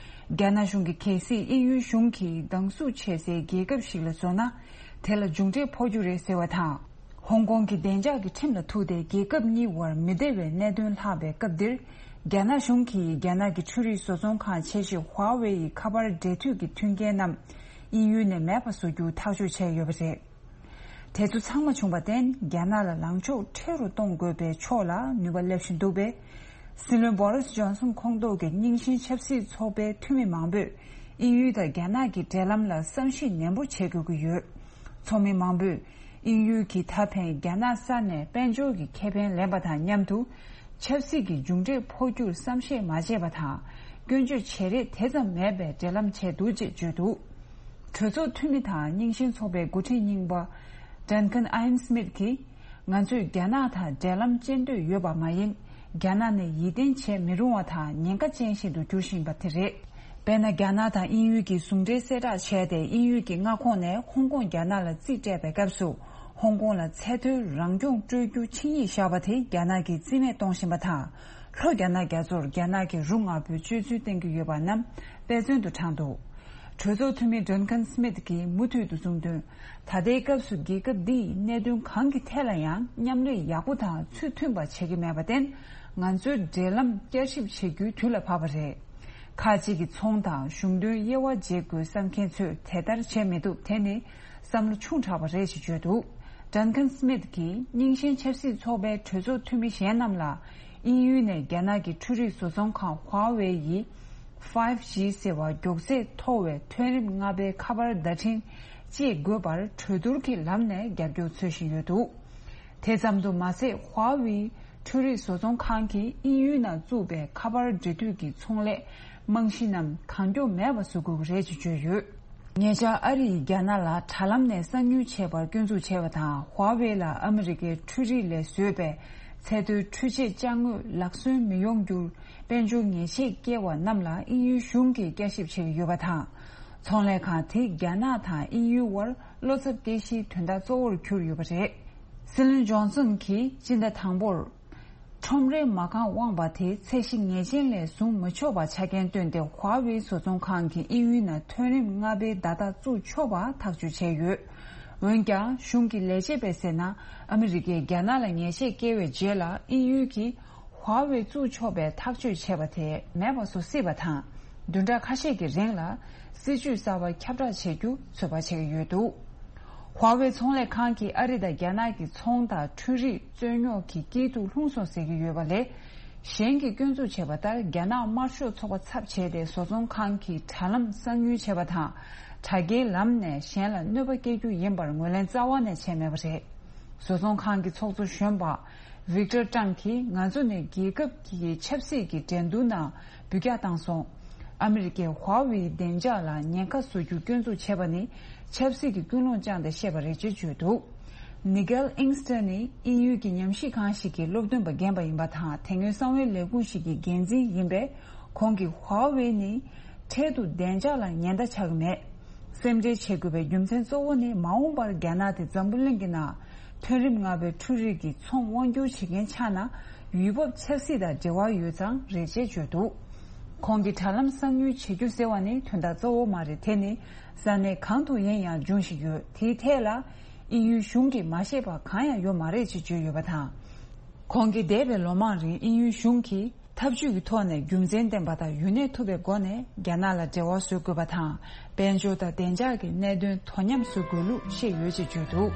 རྒྱ་ནག་གཞུང་གིས་གལ་སྲིད་དབྱིན་ཡུལ་གཞུང་གིས་སྡང་ཟུག་བྱེད་སའི་རྒྱལ་ཁབ་ཞིག་ལ་བཟོ་ན། དེ་ལ་མཇུག་འབྲས་ཕོག་རྒྱུ་རེད་ཟེར་བ་དང་། ཧོང་ཀོང་གི་བདེ་འཇགས་ཀྱི་ཁྲིམས་ལ་ཐུག་སྟེ། རྒྱལ་ཁབ་གཉིས་བར་མི་བདེ་བའི་གནད་དོན་ལྷག་པའི་སྐབས་འདིར། རྒྱ་ནག་གཞུང་གིས་རྒྱ་ནག་གི་འཕྲུལ་རིག་བཟོ་ཚོང་ཁང་ཆེ་ཤོས་ཧྭ་ཝེ་ཡི་ཁ་པར་འབྲེལ་མཐུད་ཀྱི་མཐུན་རྐྱེན་རྣམས་དབྱིན་ཡུལ་ནས་མེད་པ་བཟོ་རྒྱུ་ཐག་གཅོད་བྱས་ཡོད་པ་རེད། དེ་ཚོ་ཚང་མ་བྱུང་བར་བརྟེན། རྒྱ་ནག་ལ་ལངས་ཕྱོགས་ཁྲེལ་རུ་གཏོང་དགོས་པའི་ཕྱོགས་ལ་ནུས་པ་སླེབས་བཞིན་འདུག་པས། སྲིད་བློན་བོ་རིས་ཇོན་སོན་ཁོངས་གཏོགས་ཀྱི་རྙིང་ཞེན་ཆབ་སྲིད་ཚོགས་པའི་འཐུས་མི་མང་པོས། དབྱིན་ཡུལ་དང་རྒྱ་ནག་གི་འབྲེལ་ལམ་ལ་བསམ་གཞིག་ནན་པོ་བྱེད་དགོས་ཀྱི་ཡོད། ཚོགས་མི་མང་པོས་དབྱིན་ཡུལ་གྱིས་ད་ཕན་རྒྱ་ནག་ས་ནས་དཔལ་འབྱོར་གྱི་ཁེ་ཕན་ལེན་པ་དང་མཉམ་དུ། ཆབ་སྲིད་ཀྱི་མཇུག་འབྲས་འཕོག་རྒྱུར་བསམ་ཤེས་མ་བྱས་པ་དང་། སྐྱོན་བརྗོད་བྱེད་རེས་དེ་ཙམ་མེད་པའི་འབྲེལ་ལམ་བྱས་འདུག་ཅེས་བརྗོད་འདུག་གྲོས་ཚོགས་འཐུས་མི་དང་རྙིང་ཞེན་ཚོགས་པའི་འགོ་ཁྲིད་རྙིང་པ་Duncan Ian Smith གྱིས། ང་ཚོས་རྒྱ་ནག་དང་འབྲེལ་ལམ་བཅད་འདོད་ཡོད་པ་མ་ཡིན། རྒྱ་ནག་ནི་ཡིད་བརྟན་བྱེད་མི་རུང་བ་དང་ཉེན་ཁ་ཅན་ཞིག་ཏུ་འགྱུར་བཞིན་པ་དེ་རེད། དཔེར་ན། རྒྱ་ནག་དང་དབྱིན་ཡུལ་གྱིས་ཟུང་འབྲེལ་གསལ་བསྒྲགས་བྱས་ཏེ། དབྱིན་ཡུལ་གྱི་མངའ་ཁོངས་ནས་ཧོང་ཀོང་རྒྱ་ནག་ལ་རྩིས་སྤྲད་པའི་སྐབས་སུ། ཧོང་ཀོང་ལ་ཚད་མཐོའི་རང་སྐྱོང་སྤྲོད་རྒྱུ་ཆིངས་ཡིག་བཞག་པ་དེ་རྒྱ་ནག་གིས་རྩིས་མེད་གཏོང་བཞིན་པ་དང་། ལྷོ་རྒྱ་ནག་རྒྱ་མཚོར་རྒྱ་ནག་གི་རུ་དམར་པོའི་སྤྱོད་ཚུལ་བསྟན་གྱི་ཡོད་པ་རྣམས་དཔེ་མཚོན་དུ་དྲངས་འདུག་གྲོས་ཚོགས་འཐུས་མི་Duncan Smith གྱིས་མུ་མཐུད་དུ་གསུངས་དོན། ད་ལྟའི་སྐབས་སུ་རྒྱལ་ཁབ་འདིས་གནད་དོན་གང་གི་ཐད་ལ་ཡང་མཉམ་ལས་ཡག་པོ་དང་ཚུལ་མཐུན་པ་བྱེད་ཀྱི་མེད་པར་བརྟེན། ང་ཚོའི་འབྲེལ་ལམ་བསྐྱར་ཞིབ་བྱེད་རྒྱུའི་དུས་ལ་བབ་པ་རེད། ཁག་ཅིག་གི་ཚོང་དང་གཞུང་དོན་དབྱེ་བ་འབྱེད་དགོས་བསམ་མཁན་ཚོས་དེ་ལྟར་བྱེད་མི་ཐུབ། དེ་ནི་བསམ་བློ་ཆུང་དྲགས་པ་རེད་ཅེས་བརྗོད་འདུག Duncan Smith གྱིས་རྙིང་ཞེན་ཆབ་སྲིད་ཚོགས་པའི་གྲོས་ཚོགས་འཐུས་མི་གཞན་རྣམས་ལ། དབྱིན་ཡུལ་ནས་རྒྱ་ནག་གི་འཕྲུལ་རིག་བཟོ་ཚོང་ཁང་Huawei ཡིས་five G ཟེར་བ་མགྱོགས་ཚད་མཐོ་བའི་ཐོན་རིམ་ལྔ་པའི་ཁ་པར་བརྡ་འཕྲིན་སྤྱད་དགོས་པར་གྲོས་བསྡུར་གྱི་ལམ་ནས་རྒྱབ་སྐྱོར་འཚོལ་བཞིན་ཡོད་འདུག་དེ་ཙམ་དུ་མ་ཟད། Huawei འཕྲུལ་རིག་བཟོ་ཚོང་ཁང་གིས་དབྱིན་ཡུལ་ནང་བཙུགས་པའི་ཁ་པར་འབྲེལ་མཐུད་ཀྱི་ཚོང་ལས་རྨང་གཞི་རྣམས་གང་མགྱོགས་མེད་པ་བཟོ་དགོས་ཀྱི་རེད་ཅེས་བརྗོད་ཡོད། ཉེ་ཆར་ཨ་རི་ཡིས་རྒྱ་ནག་ལ་དྲ་ལམ་ནས་གསང་ཉུལ་བྱས་པར་སྐྱོན་འཛུགས་བྱས་པ་དང་། Huawei ལ་ཨ་མི་རི་ཀའི་འཕྲུལ་རིག་ལས་བཟོས་པའི་ཚད་མཐོའི་འཕྲུལ་ཆས་ཅ་དངོས་ལག་སོན་མི་ཡོང་རྒྱུར་དཔལ་འབྱོར་ཉེས་ཆད་བཀལ་བ་རྣམས་ལ་དབྱིན་ཡུལ་གཞུང་གིས་བསྐྱར་ཞིབ་བྱེད་ཀྱི་ཡོད་པ་དང་། ཚོང་ལས་ཁང་དེས་རྒྱ་ནག་དང་དབྱིན་ཡུལ་དབར་བློ་འཚབ་སྐྱེ་གཞིའི་དོན་དག་གཙོ་བོར་གྱུར་ཡོད་པ་རེད། སྲིད་བློན་ཇོན་སོན་གྱིས་སྤྱི་ཟླ་དང་པོར། ཁྲོམ་རའི་མ་རྐང་དབང་བ་དེ་ཚད་གཞི་ངེས་ཅན་ལས་བཟུང་མི་ཆོག་པ་ཆ་རྐྱེན་བཏོན་ཏེ། Huawei བཟོ་ཚོང་ཁང་གིས་དབྱིན་ཡུལ་ནང་ཐོན་རིམ་ལྔ་པའི་བརྡ་རྟགས་བཙུགས་ཆོག་པ་ཐག་གཅོད་བྱས་ཡོད། འོན་ཀྱང་། གཞུང་གི་ལས་བྱེད་པས་ཟེར་ན། ཨ་མི་རི་ཀས་རྒྱ་ནག་ལ་ཉེས་ཆད་བཀལ་བའི་རྗེས་ལ། དབྱིན་ཡུལ་གྱིས་Huawei བཙུགས་ཆོག་པའི་ཐག་གཅོད་བྱས་པ་དེ་མེད་པ་བཟོ་སྲིད་པ་དང་། བདུན་ཕྲག་ཁ་ཤས་ཀྱི་རིང་ལ་སྲིད་ཇུས་གསར་པ་ཁྱབ་བསྒྲགས་བྱེད་རྒྱུ་ཚོད་དཔག་བྱེད་ཀྱི་ཡོད་འདུག Huawei ཚོང་ལས་ཁང་གིས་ཨ་རི་དང་རྒྱ་ནག་གི་ཚོང་དང་འཕྲུལ་རིག་རྩོད་རྙོག་གི་དཀྱིལ་དུ་ལྷུང་སོང་ཟེར་གྱི་ཡོད་པ་ལས། གཞན་གྱིས་སྐྱོན་འཛུགས་བྱས་པ་ལྟར། རྒྱ་ནག་དམར་ཤོག་ཚོགས་པ་ཚབ་བྱས་ཏེ། བཟོ་ཚོང་ཁང་གི་དྲ་ལམ་གསང་ཉུལ་བྱས་པ་དང་། དྲ་རྒྱའི་ལམ་ནས་གཞན་ལ་གནོད་པ་སྐྱེལ་རྒྱུ་ཡིན་པར་ངོས་ལེན་རྩ་བ་ནས་བྱས་མེད་པ་རེད། བཟོ་ཚོང་ཁང་གི་ཚོགས་གཙོ་གཞོན་པ་Victor Tang གིས། ང་ཚོ་ནི་རྒྱལ་ཁབ་ཀྱི་ཆབ་སྲིད་ཀྱི་འགྲན་བསྡུར་ནང་འབུད་རྒྱག་བཏང་སོང་། ཨ་མི་རི་ཀས་Huawei བདེ་འཇགས་ལ་ཉེན་ཁ་བཟོ་རྒྱུ་སྐྱོན་འཛུགས་བྱས་པ་ནི། ཆབ་སྲིད་ཀྱི་ཀུན་སློང་བཅངས་ཏེ་བཤད་པ་རེད་ཅེས་བརྗོད་འདུག Nigel Engster ནི་དབྱིན་ཡུལ་གྱི་ཉམས་ཞིབ་ཁང་ཞིག་གི་སློབ་སྟོན་པ་རྒན་པ་ཡིན་པ་དང་། དེ་སྔོན་གསང་བའི་ལས་ཁུངས་ཤིག་གི་འགན་འཛིན་ཡིན་པས། ཁོང་གིས་Huawei ནི་འཕྲལ་དུ་བདེ་འཇགས་ལ་ཉེན་བརྡ་ཆགས་ཀྱི་མེད། སེམས་ཁྲལ་བྱེད་དགོས་པའི་རྒྱུ་མཚན་གཙོ་བོ་ནི། མ་འོངས་པར་རྒྱ་ནག་དེ་འཛམ་བུ་གླིང་གི་ནང་ཐོན་རིམ་ལྔ་པའི་འཕྲུལ་རིག་གི་ཚོང་དབང་སྒྱུར་བྱེད་མཁན་ཆགས་ན། ཡུལ་བབ་ཆབ་སྲིད་དང་འབྲེལ་བ་ཡོད་ཙང་རེད་ཅེས་བརྗོད་འདུག་ཁོང་གིས་དྲ་ལམ་གསང་ཉུལ་བྱེད་རྒྱུ་ཟེར་བ་ནི་དོན་དག་གཙོ་བོ་མ་རེད། དེ་ནི་ས་གནས་གང་དུ་ཡིན་ཡང་འབྱུང་བཞིན་ཡོད། དེའི་ཐད་ལ་དབྱིན་ཡུལ་གཞུང་གིས་མ་ཤེས་པ་གང་ཡང་ཡོད་མ་རེད་ཅེས་བརྗོད་ཡོད་པ་དང་། ཁོང་གིས་འདས་པའི་ལོ་མང་རིང་དབྱིན་ཡུལ་གཞུང་གིས་འཐབ་ཇུས་ཀྱི་ཐོག་ནས་རྒྱུ་མཚན་ལྡན་པ་དང་ཡུན་གནས་ཐུབ་པའི་སྒོ་ནས་རྒྱ་ནག་ལ་འབྲེལ་བ་བཟོ་དགོས་པ་དང་། དཔལ་འབྱོར་དང་བདེ་འཇགས་ཀྱི་གནད་དོན་དོ་མཉམ་བཟོ་དགོས་ལུགས་བཤད་ཡོད་ཅེས་བརྗོད་འདུག་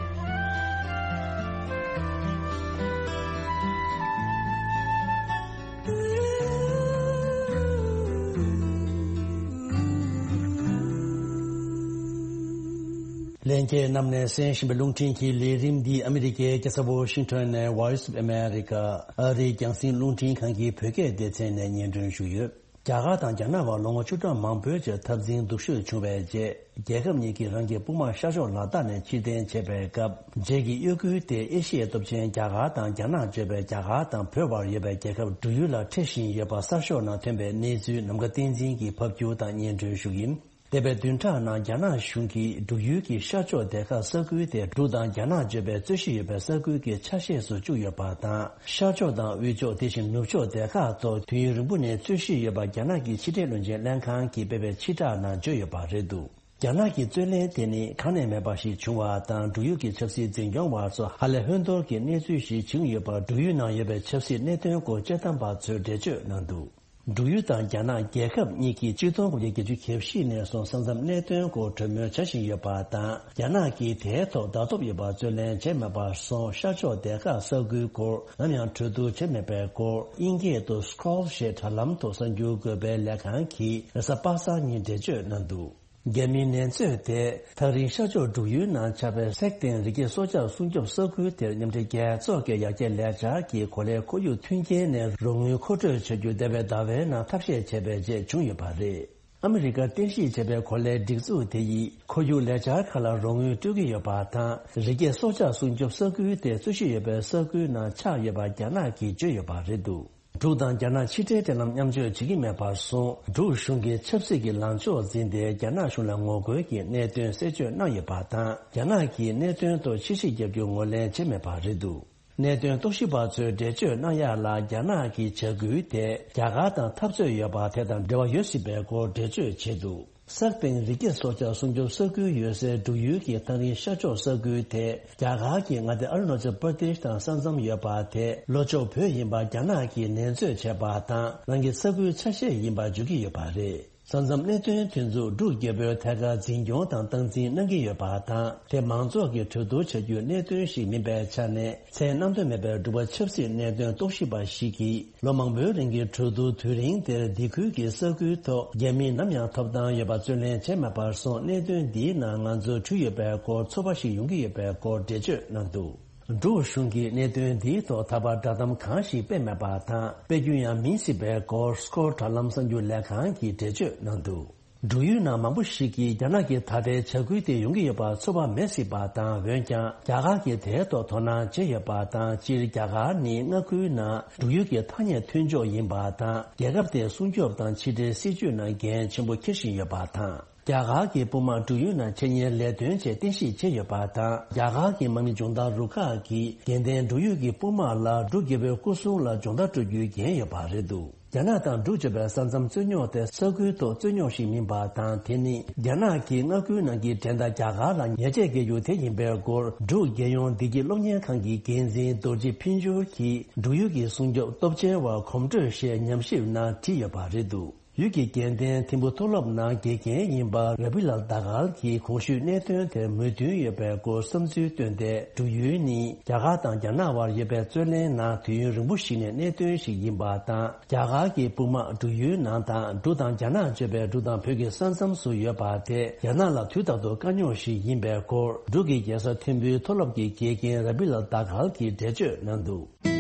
ལྷན་རྒྱས་རྣམས་ནས་གསན་བཞིན་པའི་རླུང་འཕྲིན་གྱི་ལས་རིམ་འདི་ཨ་མི་རི་ཀའི་རྒྱལ་ས་ཝོ་ཤིང་ཊོན་ནས་Voice of America ཨ་རིའི་རྒྱང་སྲིང་རླུང་འཕྲིན་ཁང་གི་བོད་སྐད་སྡེ་ཚན་ནས་སྙན་སྒྲོན་ཞུས་ཡོད། རྒྱ་གར་དང་རྒྱ་ནག་བར་ལོ་ངོ་བཅུ་ཕྲག་མང་པོའི་རྗེས་འཐབ་འཛིང་སྡུག་ཤོས་བྱུང་བའི་རྗེས། རྒྱལ་ཁབ་གཉིས་ཀྱིས་རང་གི་དཔུང་དམག་ཤར་ཕྱོགས་ལ་དྭགས་ནས་ཕྱིར་འཐེན་བྱས་པའི་སྐབས། རྗེས་ཀྱི་གཡོ་འགུལ་དེ་ཨེ་ཤི་ཡའི་སྟོབས་ཆེན་རྒྱ་གར་དང་རྒྱ་ནག་གཙོས་པའི་རྒྱ་གར་དང་བོད་བར་ཡོད་པའི་རྒྱལ་ཁབ་འབྲུག་ཡུལ་ལ་འཕྲད་བཞིན་ཡོད་པ་གསར་ཤོག་ནང་ཐོན་པའི་གནས་ཚུལ་ནམ་མཁའ་བསྟན་འཛིན་གྱིས་ཕབ་སྒྱུར་དང་སྙན་སྒྲོན་ཞུ་གི་ཡིན། འདས་པའི་བདུན་ཕྲག་ནང་རྒྱ་ནག་གཞུང་གིས་འབྲུག་ཡུལ་གྱི་ཤར་ཕྱོགས་སྡེ་ཁག་ས་ཁུལ་དེ་འབྲུག་དང་རྒྱ་ནག་གཙོས་པའི་རྩོད་གཞི་ཡོད་པའི་ས་ཁུལ་གྱི་ཆ་ཤས་སུ་བཅུག་ཡོད་པ་དང་། ཤར་ཕྱོགས་དང་དབུས་ཕྱོགས་དེ་བཞིན་ནུབ་ཕྱོགས་སྡེ་ཁག་ཐོག་དུས་ཡུན་རིང་པོ་ནས་རྩོད་གཞི་ཡོད་པ་རྒྱ་ནག་གི་ཕྱི་འབྲེལ་བློན་ཆེན་ལྷན་ཁང་གིས་སྤེལ་བའི་ཕྱིར་བསྒྲགས་ནང་བརྗོད་ཡོད་པ་རེད་འདུག་རྒྱ་ནག་གི་རྩོད་གླེང་དེ་ནི་གང་ནས་མེད་པ་ཞིག་བྱུང་བ་དང་། འབྲུག་ཡུལ་གྱི་ཆབ་སྲིད་འཛིན་སྐྱོང་བ་ཚོ་ཧ་ལས་ཧོན་ཐོར་གྱི་གནས་ཚུལ་ཞིག་བྱུང་ཡོད་པར། འབྲུག་ཡུལ་ནང་ཡོད་པའི་ཆབ་སྲིད་གནད་དོན་སྐོར་དཔྱད་གཏམ་པ་ཚོས་འགྲེལ་བརྗོད་གནང་འདུག་འབྲུག་ཡུལ་དང་རྒྱ་ནག་རྒྱལ་ཁབ་གཉིས་ཀྱིས་ཆིག་སྟོང་དགུ་བརྒྱ་བརྒྱད་ཅུ་གྱ་བཞི་ནས་བཟུང་ས་མཚམས་གནད་དོན་སྐོར་གྲོས་མོལ་བྱ་བཞིན་ཡོད་པ་དང་། རྒྱ་ནག་གིས་དེའི་ཐོག་བརྡ་ཐོ་ཡོད་པ་རྩོད་ལེན་བྱས་མེད་པར་སོང་ཤར་ཕྱོགས་སྡེ་ཁག་ས་ཁུལ་སྐོར་ནམ་ཡང་གྲོས་བསྡུར་བྱས་མེད་པའི་སྐོར། དབྱིན་སྐད་དུ་Scroll ཞེས་དྲ་ལམ་དུ་གསར་འགྱུར་འགོད་པའི་ལས་ཁང་གིས་རེས་གཟའ་པ་སངས་ཉིན་འགྲེལ་བརྗོད་གནང་འདུག་རྒྱ་མིའི་ནན་ཚོད་དེ། ཐག་རིང་ཤར་ཕྱོགས་འབྲུག་ཡུལ་ནང་ཆགས་པའི་སེག་ཏེང་རི་སྐྱེས་སྲོག་ཆགས་སྲུང་སྐྱོབ་ས་ཁུལ་དེར་མཉམ་འབྲེལ་རྒྱལ་ཚོགས་ཀྱི་ཡར་རྒྱས་ལས་འཆར་གྱི་གོ་ལའི་ཁོར་ཡུག་མཐུན་རྐྱེན་ནས་རོགས་དངུལ་མཁོ་སྤྲོད་བྱ་རྒྱུ་འདས་པའི་ཟླ་བའི་ནང་ཐབས་ཤེས་བྱས་པའི་རྗེས་བྱུང་ཡོད་པ་རེད། ཨ་མི་རི་ཀར་རྟེན་གཞི་བྱས་པའི་གོ་ལའི་སྒྲིག་འཛུགས་དེ་ཡིས་ཁོར་ཡུག་ལས་འཆར་ཁག་ལ་རོགས་དངུལ་སྤྲོད་ཀྱི་ཡོད་པ་དང་། རི་སྐྱེས་སྲོག་ཆགས་སྲུང་སྐྱོབ་ས་ཁུལ་དེ་རྩོད་གཞི་ཡོད་པའི་ས་ཁུལ་ནང་ཆགས་ཡོད་པ་རྒྱ་ནག་གིས་བརྗོད་ཡོད་པ་རེད་འདུག་འབྲུག་དང་རྒྱ་ནག་ཕྱི་འབྲེལ་འབྲེལ་ལམ་མཉམ་སྤྱོད་བྱེད་ཀྱི་མེད་པར་སོང་། འབྲུག་གཞུང་གིས་ཆབ་སྲིད་ཀྱི་ལངས་ཕྱོགས་འཛིན་ཏེ། རྒྱ་ནག་གཞུང་ལ་ངོ་རྒོལ་གྱི་གནད་དོན་གསལ་བརྗོད་གནང་ཡོད་པ་དང་། རྒྱ་ནག་གིས་གནད་དོན་ཐོག་ཕྱིར་བཤིག་བརྒྱབ་རྒྱུ་ངོས་ལེན་བྱས་མེད་པ་རེད་འདུག་གནད་དོན་རྟོག་ཞིབ་པ་ཚོས་འགྲེལ་བརྗོད་གནང་ཡག་ལ། རྒྱ་ནག་གི་བྱ་འགུལ་དེ་རྒྱ་གར་དང་འཐབ་རྩོད་ཡོད་པ་དེ་དང་འབྲེལ་བ་ཡོད་སྲིད་པའི་སྐོར་འགྲེལ་བརྗོད་བྱས་འདུག་སེག་ཏེང་རི་སྐྱེས་སྲོག་ཆགས་སྲུང་སྐྱོབ་ས་ཁུལ་ཡོད་སའི་འབྲུག་ཡུལ་གྱི་ཐག་རིང་ཤར་ཕྱོགས་ས་ཁུལ་དེ། རྒྱ་གར་གྱི་མངའ་སྡེ་ཨ་རུ་ན་ཅལ་པར་དེཤ་དང་ས་མཚམས་ཡོད་པ་དེ། ལྷོ་ཕྱོགས་བོད་ཡིན་པ་རྒྱ་ནག་གིས་ནན་བརྗོད་བྱས་པ་དང་། རང་གི་ས་ཁུལ་ཆ་ཤས་ཡིན་པ་བརྗོད་ཀྱི་ཡོད་པ་རེད། ས་མཚམས་གནད་དོན་དེ་ཚོ་འབྲུག་རྒྱལ་པོའི་ཐད་ཀར་འཛིན་སྐྱོང་དང་སྟངས་འཛིན་གནང་གི་ཡོད་པ་དང་། དེ་མང་ཚོགས་ཀྱིས་གྲོས་བསྡུར་བྱ་རྒྱུའི་གནད་དོན་ཞིག་མིན་པའི་ཆ་ནས། མཚན་རྣམ་དག་མེད་པའི་འབྲུག་པ་ཆབ་སྲིད་གནད་དོན་རྟོག་ཞིབ་པ་ཞིག་གིས། ལོ་མང་པོའི་རིང་གི་གྲོས་བསྡུར་དུས་རིང་དེར་འདི་ཁུལ་གྱི་ས་ཁུལ་ཐོག་རྒྱ་མིས་ནམ་ཡང་ཐོབ་ཐང་ཡོད་པ་རྩོད་ལེན་བྱས་མེད་པར་སོང་། གནད་དོན་འདིའི་ནང་ང་ཚོ་འཁྲུལ་ཡོད་པའི་སྐོར་ཚོར་བ་ཞིག་ཡོང་གི་ཡོད་པའི་སྐོར་འགྲེལ་བརྗོད་གནང་འདུག་འབྲུག་གཞུང་གིས་གནད་དོན་འདིའི་ཐོག་ད་བར་བསྒྲགས་གཏམ་གང་ཞིག་སྤེལ་མེད་པ་དང་། སྤེལ་རྒྱུ་ཡང་མིན་སྲིད་པའི་སྐོར། སྐོར་དྲ་ལམ་གསར་འགྱུར་ལས་ཁང་གིས་འགྲེལ་བརྗོད་གནང་འདུག་འབྲུག་ཡུལ་ནང་མང་པོ་ཞིག་གིས་རྒྱ་ནག་གི་ད་ལྟའི་བྱ་འགུལ་དེ་ཡོང་གི་ཡོད་པར་ཚོར་བ་མེད་སྲིད་པ་དང་། འོན་ཀྱང་རྒྱ་གར་གྱིས་དེའི་ཐོག་དོ་སྣང་བྱས་ཡོད་པ་དང་། སྤྱིར་རྒྱ་གར་ནི་མངའ་ཁུལ་ནང་འབྲུག་ཡུལ་གྱི་ཐ་སྙད་མཐུན་ཕྱོགས་ཡིན་པ་དང་། རྒྱལ་ཁབ་དེའི་སྲུང་སྐྱོབ་དང་ཕྱི་འབྲེལ་སྲིད་ཇུས་ནང་འགན་ཆེན་པོ་འཁྱེར་བཞིན་ཡོད་པ་དང་། རྒྱ་གར་གྱི་དཔུང་དམག་འབྲུག་ཡུལ་ནང་ཆེད་གཉེར་ལས་དོན་ཆེད་རྟེན་གཞི་བྱས་ཡོད་པ་དང་། རྒྱ་གར་གྱི་དམག་མི་སྦྱོང་བརྡར་རུ་ཁག་གིས་དགེ་ལྡན་འབྲུག་ཡུལ་གྱི་དཔུང་དམག་ལ་འབྲུག་རྒྱལ་པོའི་སྐུ་སྲུང་ལ་སྦྱོང་བརྡར་སྤྲོད་རྒྱུའི་འགན་ཡོད་པ་རེད་འདུག་རྒྱ་ནག་དང་འབྲུག་བཅས་པའི་ས་མཚམས་རྩོད་རྙོག་དེ་ས་ཁུལ་ཐོག་རྩོད་རྙོག་ཞིག་མིན་པ་དང་། དེ་ནི་རྒྱ་ནག་གིས་མངའ་ཁུལ་ནང་གི་འགྲན་ཟླ་རྒྱ་གར་ལ་ཉེས་ཆད་འགེལ་རྒྱུ་དེ་ཡིན་པའི་སྐོར། འབྲུག་རྒྱལ་ཡོངས་བདེ་སྐྱིད་སློབ་གཉེར་ཁང་གི་འགན་འཛིན་རྡོ་རྗེ་ཕུན་སྦྱོར་གྱིས་འབྲུག་ཡུལ་གྱི་སྲུང་སྐྱོབ་སྟོབས་ཆེན་བར་གོམ་བགྲོད་ཞེས་ཉམས་ཞིབ་ནང་བྲིས་ཡོད་པ་རེད་འདུག་ཡུལ་གྱི་རྒྱལ་བསྟན་ཐིམ་ཕུ་མཐོ་སློབ་ནང་དགེ་རྒན་ཡིན་པ་ར་བི་ལལ་དཱ་གལ་གྱིས་གོང་ཞུས་གནད་དོན་དེར་མོས་མཐུན་ཡོད་པའི་སྐོར་བསམ་ཚུལ་བཏོན་ཏེ། འབྲུག་ཡུལ་ནི་རྒྱ་གར་དང་རྒྱ་ནག་བར་ཡོད་པའི་རྩོད་གླེང་ནང་དུས་ཡུན་རིང་པོ་ཞིག་ནས་གནད་དོན་ཞིག་ཡིན་པ་དང་། རྒྱ་གར་གྱི་དཔུང་དམག་འབྲུག་ཡུལ་ནང་དང་། འབྲུག་དང་རྒྱ་ནག་གཅོད་པའི་འབྲུག་དང་བོད་ཀྱི་ས་མཚམས་སུ་ཡོད་པ་དེ་རྒྱ་ནག་ལ་དུས་རྟག་ཏུ་དཀའ་རྙོག་ཞིག་ཡིན་པའི་སྐོར། འབྲུག་གི་རྒྱལ་ས་ཐིམ་ཕུའི་མཐོ་སློབ་ཀྱི་དགེ་རྒན་ར་བི་ལལ་དཱ་གལ་གྱིས་འགྲེལ་བརྗོད་གནང་འདུག་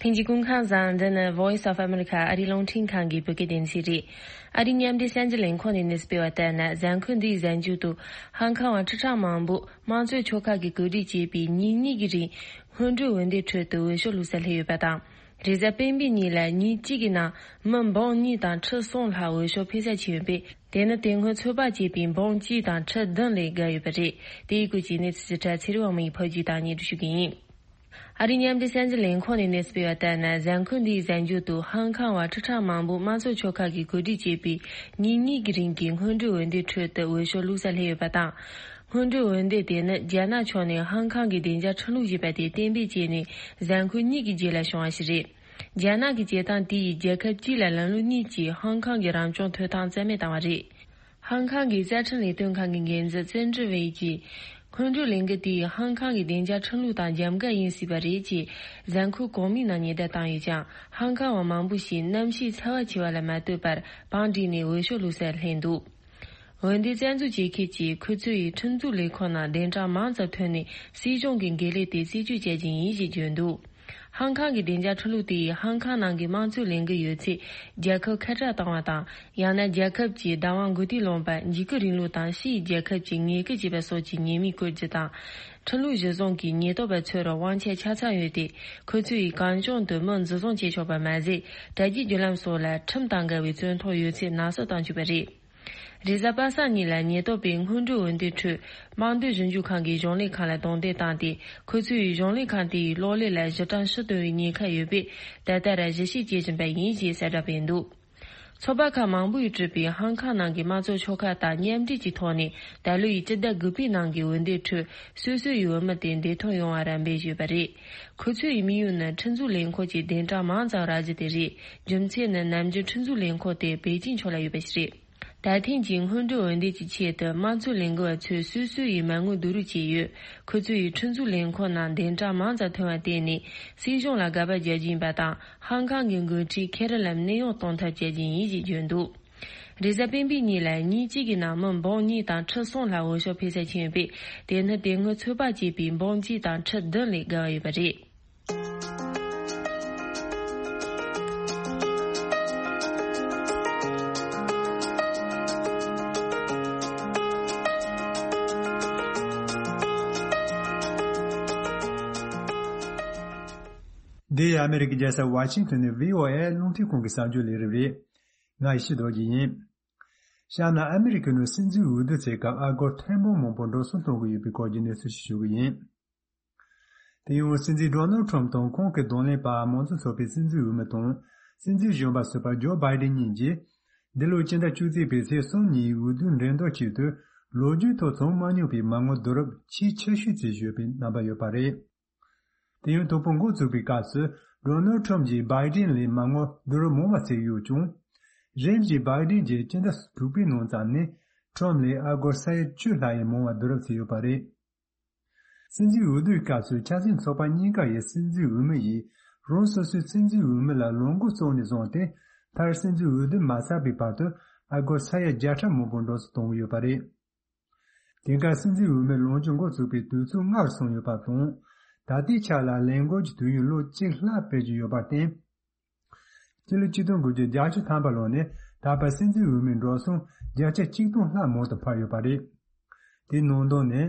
ལྷན་རྒྱས་སྐུ་ཁམས་བཟང་། འདི་ནི་Voice of America ཨ་རིའི་རླུང་འཕྲིན་ཁང་གི་བོད་སྐད་སྡེ་ཚན་རེད། ཨ་རིའི་མཉམ་འབྲེལ་གསར་འགྱུར་ལས་ཁུངས་ནས་གནས་ཚུལ་སྤེལ་བ་ལྟར་ན། གཟའ་འཁོར་འདིའི་གཟའ་མཇུག་ཏུ་ཧང་ཀང་བ་ཁྲི་ཕྲག་མང་པོ་དམངས་གཙོའི་ཕྱོགས་ཁག་གིས་གོ་སྒྲིག་བྱས་པའི་ཉིན་གཉིས་ཀྱི་རིང་སྔོན་འགྲོའི་འོས་འདེམས་ཁྲོད་དུ་འོས་ཤོག་བླུགས་སར་སླེབས་ཡོད་པ་དང་། རེས་གཟའ་སྤེན་པའི་ཉིན་ལ་ཉིན་གཅིག་གི་ནང་མི་འབུམ་གཉིས་དང་ཁྲི་གསུམ་ལྷག་འོས་ཤོག་ཕུལ་ས་ཕྱིན་ཡོད་པས། དེ་ནི་དེ་སྔོན་ཚོད་དཔག་བྱས་པའི་འབུམ་གཅིག་དང་ཁྲི་བདུན་ལས་བརྒལ་ཡོད་པ་རེད། དེའི་སྐོར་གྱི་གནས་ཚུལ་ཞིབ་ཕྲ་ཚེ་རིང་དབང་མོས་ཕབ་སྒྱུར་དང་སྙན་སྒྲོན་ཞུ་གི་ཡིན། ཨ་རིའི་མཉམ་འབྲེལ་གསར་འགྱུར་ལས་ཁུངས་ནས་གནས་ཚུལ་སྤེལ་བ་ལྟར་ན། གཟའ་འཁོར་འདིའི་གཟའ་མཇུག་ཏུ་ཧང་ཀང་བ་ཁྲི་ཕྲག་མང་པོ་དམངས་གཙོ་ཕྱོགས་ཁག་གིས་གོ་སྒྲིག་བྱས་པའི་ཉིན་གཉིས་ཀྱི་རིང་གི་སྔོན་འགྲོའི་འོས་འདེམས་ཁྲོད་དུ་འོས་ཤོག་བླུགས་སར་སླེབས་ཡོད་པ་དང་། སྔོན་འགྲོའི་འོས་འདེམས་དེ་ནི་རྒྱ་ནག་ཕྱོགས་ནས་ཧང་ཀང་གི་བདེ་འཇགས་ཁྲིམས་ལུགས་ཞེས་པ་དེ་གཏན་འབེབས་བྱས་ནས་གཟའ་འཁོར་གཉིས་ཀྱི་རྗེས་ལ་བྱུང་བ་ཞིག་རེད། རྒྱ་ནག་གི་བྱེད་སྟངས་དེ་ཡིས་རྒྱལ་ཁབ་གཅིག་ལ་ལམ་ལུགས་གཉིས་ཀྱི་ཧང་ཀང་གི་རང་སྐྱོང་ཐོབ་ཐང་རྩ་མེད་བཏང་བ་རེད། ཧང་ཀང་གི་རྩ་ཁྲིམས་ལས་དོན་ཁང་གི་འགན་འཛིན་ཙེན་ཀྲི་ཝེ་གྱིས། སྔོན་འགྲོའི་ལས་འགུལ་དེས་ཧང་ཀང་གི་བདེ་འཇགས་ཁྲིམས་ལུགས་དང་འཇམ་འགལ་ཡིན་སྲིད་པ་རེད་ཅེས་གཟའ་འཁོར་གོང་མའི་ནང་ཉེན་བརྡ་བཏང་ཡོད་ཀྱང་། ཧང་ཀང་བ་མང་པོ་ཞིག་གནམ་གཤིས་ཚ་བ་ཆེ་བ་ལ་མ་ལྟོས་པར་བང་བསྒྲིགས་ནས་འོས་ཤོག་བླུགས་སར་ལྷན་འདུག་འོས་འདེམས་རྩ་འཛུགས་བྱེད་མཁན་གྱིས་ཁོ་ཚོ་ཡི་ཁྲིམས་འཛུགས་ལས་ཁུངས་ནང་བདེན་དྲང་མང་ཙམ་ཐོན་ནས་སྲིད་གཞུང་གི་འགན་ལས་དེ་རྩད་གཅོད་བྱ་རྒྱུ་ཡིན་ཞེས་བརྗོད་འདུག་ཧང་ཀང་གི་བདེ་འཇགས་ཁྲིམས་ལུགས་དེ་ཡིས་ཧང་ཀང་ནང་གི་དམངས་གཙོའི་ལས་འགུལ་ཡོད་ཚད་རྒྱལ་ཁབ་ཁ་བྲལ་བཏང་བ་དང་། ཡང་ན་རྒྱལ་ཁབ་ཀྱི་བདག་དབང་མགོ་རྟིང་སློང་པ། འཇིགས་སྐུལ་རིང་ལུགས་དང་ཕྱིའི་རྒྱལ་ཁབ་ཀྱི་ཉེས་སྐྱོན་བྱེད་པ་སོགས་ཀྱི་ཉེས་མིང་བཀོད་རྒྱུ་དང་། ཁྲིམས་ལུགས་གཞིར་བཟུང་གིས་ཉེན་རྟོག་པ་ཚོར་དབང་ཆ་ཆ་ཚང་ཡོད་དེ། ཁོ་ཚོ་ཡིས་གང་བྱུང་དུ་མི་འཛིན་བཟུང་བྱེད་ཆོག་པ་མ་ཟད། དྲ་རྒྱའི་བརྒྱུད་ལམ་སོགས་ལ་ཁྲིམས་དང་འགལ་བའི་རྩོད་ཐོག་ཡོད་ཚད་ནག་གསུབ་བཏང་བཅུག་པ་རེད། རེས་གཟའ་པ་སངས་ཉིན་ལ་ཉེན་རྟོག་པས་སྔོན་འགྲོའི་འོས་འདེམས་ཁྲོད། དམངས་དོན་ཞིབ་འཇུག་ཁང་གིས་གཞུང་ལས་ཁང་ལ་རྡུང་རྡེག་བཏང་སྟེ། ཁོ་ཚོས་གཞུང་ལས་ཁང་དེའི་གློག་ཀླད་ལ་གཞི་གྲངས་ཕྱིར་གཏོང་བའི་ཉེན་ཁ་ཡོད་པས། ད་ལྟ་ར་ཞིབ་བཤེར་བྱེད་བཞིན་པ་ཡིན་ཞེས་གསལ་བསྒྲགས་སྤེལ་འདུག་ཚོགས་པ་ཁག་མང་པོས་གྲུབ་པའི་ཧང་ཀང་ནང་གི་དམངས་གཙོ་ཕྱོགས་ཁག་དང་མཉམ་འབྲེལ་གྱི་ཐོག་ནས། ད་ལོ་ཡི་སྤྱི་ཟླ་དགུ་པའི་ནང་གི་འོས་འདེམས་ཁྲོད་སོ་སོ་ཡི་འོས་མི་དེ་འདེམས་ཐོན་ཡོང་བར་རམ་འབེབས་ཞུས་པ་རེད། ཁོ་ཚོའི་དམིགས་ཡུལ་ནི་ཁྲིམས་བཟོ་ལས་ཁུངས་ཀྱི་བདུན་ཕྲག་མང་ཙམ་རག་རྒྱུ་དེ་རེད། རྒྱུ་མཚན་ནི་ནམ་རྒྱུན་ཁྲིམས་བཟོ་ལས་ཁུངས་དེ་པེ་ཅིང་ཕྱོགས་ལ་ཡོད་པ་ཞིག་རེད། ད་ཐེངས་ཀྱི་སྔོན་འགྲོའི་འོས་འདེམས་ཀྱི་ཆེད་དུ་དམངས་གཙོའི་ལས་འགུལ་བ་ཚོས་སོ་སོ་ཡི་མ་དངུལ་བསྡུ་རུབ་བྱས་ཡོད། ཁོ་ཚོ་ཡིས་ཁྲིམས་བཟོ་ལས་ཁུངས་ནང་བདུན་ཕྲག་མང་ཙམ་ཐོན་པར་བརྟེན་ནས། སྲིད་གཞུང་ལ་དགག་པ་རྒྱག་རྒྱུ་ཡིན་པ་དང་། ཧང་ཀང་གི་འགོ་ཁྲིད་ཁེ་རི་ལམ་གནས་དབྱུང་གཏོང་ཐབས་བྱ་རྒྱུ་ཡིན་ཞེས་བརྗོད་འདུག་རེས་གཟའ་སྤེན་པའི་ཉིན་ལ་ཉིན་གཅིག་གི་ནང་མི་འབུམ་གཉིས་དང་ཁྲི་གསུམ་ལྷག་འོས་ཤོག་ཕུལ་ས་ཕྱིན་ཡོད་པས། དེ་ནི་དེ་སྔོན་ཚོད་དཔག་བྱས་པའི་འབུམ་གཅིག་དང་ཁྲི་བདུན་ལས་བརྒལ་བ་ཡོད་པ་རེད། འདི་ཨ་མེ་རི་ཀའི་རྒྱལ་ས་ཝ་ཤིང་ཏོན་ནས་བྷི་ཨོ་ཨེ་རླུང་འཕྲིན་ཁང་གི་གསར་འགྱུར་ལས་རིམ་རེད། ང་ཡེ་ཤེས་རྡོ་རྗེ་ཡིན། ཤར་ནུབ་ཨ་མེ་རི་ཀའི་ནང་སྲིད་འཛིན་འོས་བསྡུ་བྱེད་སྐབས་ཨ་སྒོར་ཐེར་འབུམ་མང་པོ་འགྲོ་སོང་གཏོང་གི་ཡོད་པའི་སྐོར་གྱི་གནས་ཚུལ་ཞིག་ཞུ་གི་ཡིན། དེ་ཡང་སྲིད་འཛིན་ཌོ་ནལ་ཁྲམ་དང་ཁོང་གི་གདོང་ལེན་པ་མང་གཙོ་ཚོགས་པའི་སྲིད་འཛིན་འོས་མི་དང་། སྲིད་འཛིན་གཞོན་པ་ཟུར་པ་ཇོ་བྷའི་ཌེན་གཉིས་ཀྱིས། འདི་ལོའི་སྤྱི་ཟླ་བཅུ་གཅིག་པའི་ཚེས་གསུམ་ཉིན་འོས་བསྡུའི་འགྲན་བསྡུར་ཆེད་དུ། ལོ་རྒྱུས་ཐོག་བྱུང་མ་མྱོང་པའི་མ་དངུལ་བསྡུ་རུབ་ཆེས་ཆེ་ཤོས་བྱས་ཡོད་པའི་རྣམ་པ་ཡོད་པ་རེད། དེ་ཡང་དོ་ཕོག་འགོ་བཙུགས་པའི་སྐབས་སུ། ཌོ་ནལ་ཁྲམ་གྱིས་བྷའི་ཌེན་ལས་མ་དངུལ་བསྡུ་རུབ་མང་བ་བྱས་ཡོད་ཀྱང་། རིམ་བཞིན་བྷའི་ཌེན་གྱིས་སྤྱི་ཟླ་དྲུག་པའི་ནང་ཙམ་ནས། ཁྲམ་ལས་ཨ་སྒོར་ས་ཡ་བཅུ་ལྷག་ཡས་མང་བ་བསྡུ་རུབ་བྱས་ཡོད་པ་རེད། སྲིད་འཛིན་འོས་བསྡུའི་སྐབས་སུ་ཆབ་སྲིད་ཚོགས་པ་གཉིས་ཀ་ཡི་སྲིད་འཛིན་འོས་མི་ཡིས། རང་སོ་སོའི་སྲིད་འཛིན་འོས་མི་ལ་ལངས་འགུལ་བརྩམས་ནས་བཟུང་སྟེ། མཐར་སྲིད་འཛིན་འོས་བསྡུ་མ་ཚར་བའི་བར་དུ། ཨ་སྒོར་ས་ཡ་བརྒྱ་ཕྲག་མང་པོ་འགྲོ་སོང་གཏོང་གི་ཡོད་པ་རེད། དེང་སྐབས་སྲིད་འཛིན་འོས་མི་ལངས་རྒྱུ་འགོ་ཚུགས་པའི་དུས་ཚོད་སྔར་སོང་ཡོད་པ་དང་། ད་ལྟའི་ཆ་ལ་ལས་འགུལ་གྱི་དུས་ཡུན་ལོ་གཅིག་ལྷག་སྤེལ་གྱི་ཡོད་པར་བརྟེན། སྤྱི་ལོ་ཆིག་སྟོང་དགུ་བརྒྱ་བརྒྱད་ཅུ་ཐམ་པ་ལོ་ནས་ད་བར་སྲིད་འཛིན་འོས་མིའི་འགྲོ་སོང་བརྒྱ་ཆ་གཅིག་སྟོང་ལྷག་མང་དུ་འཕར་ཡོད་པ་རེད། དེའི་ནང་དོན་ནི།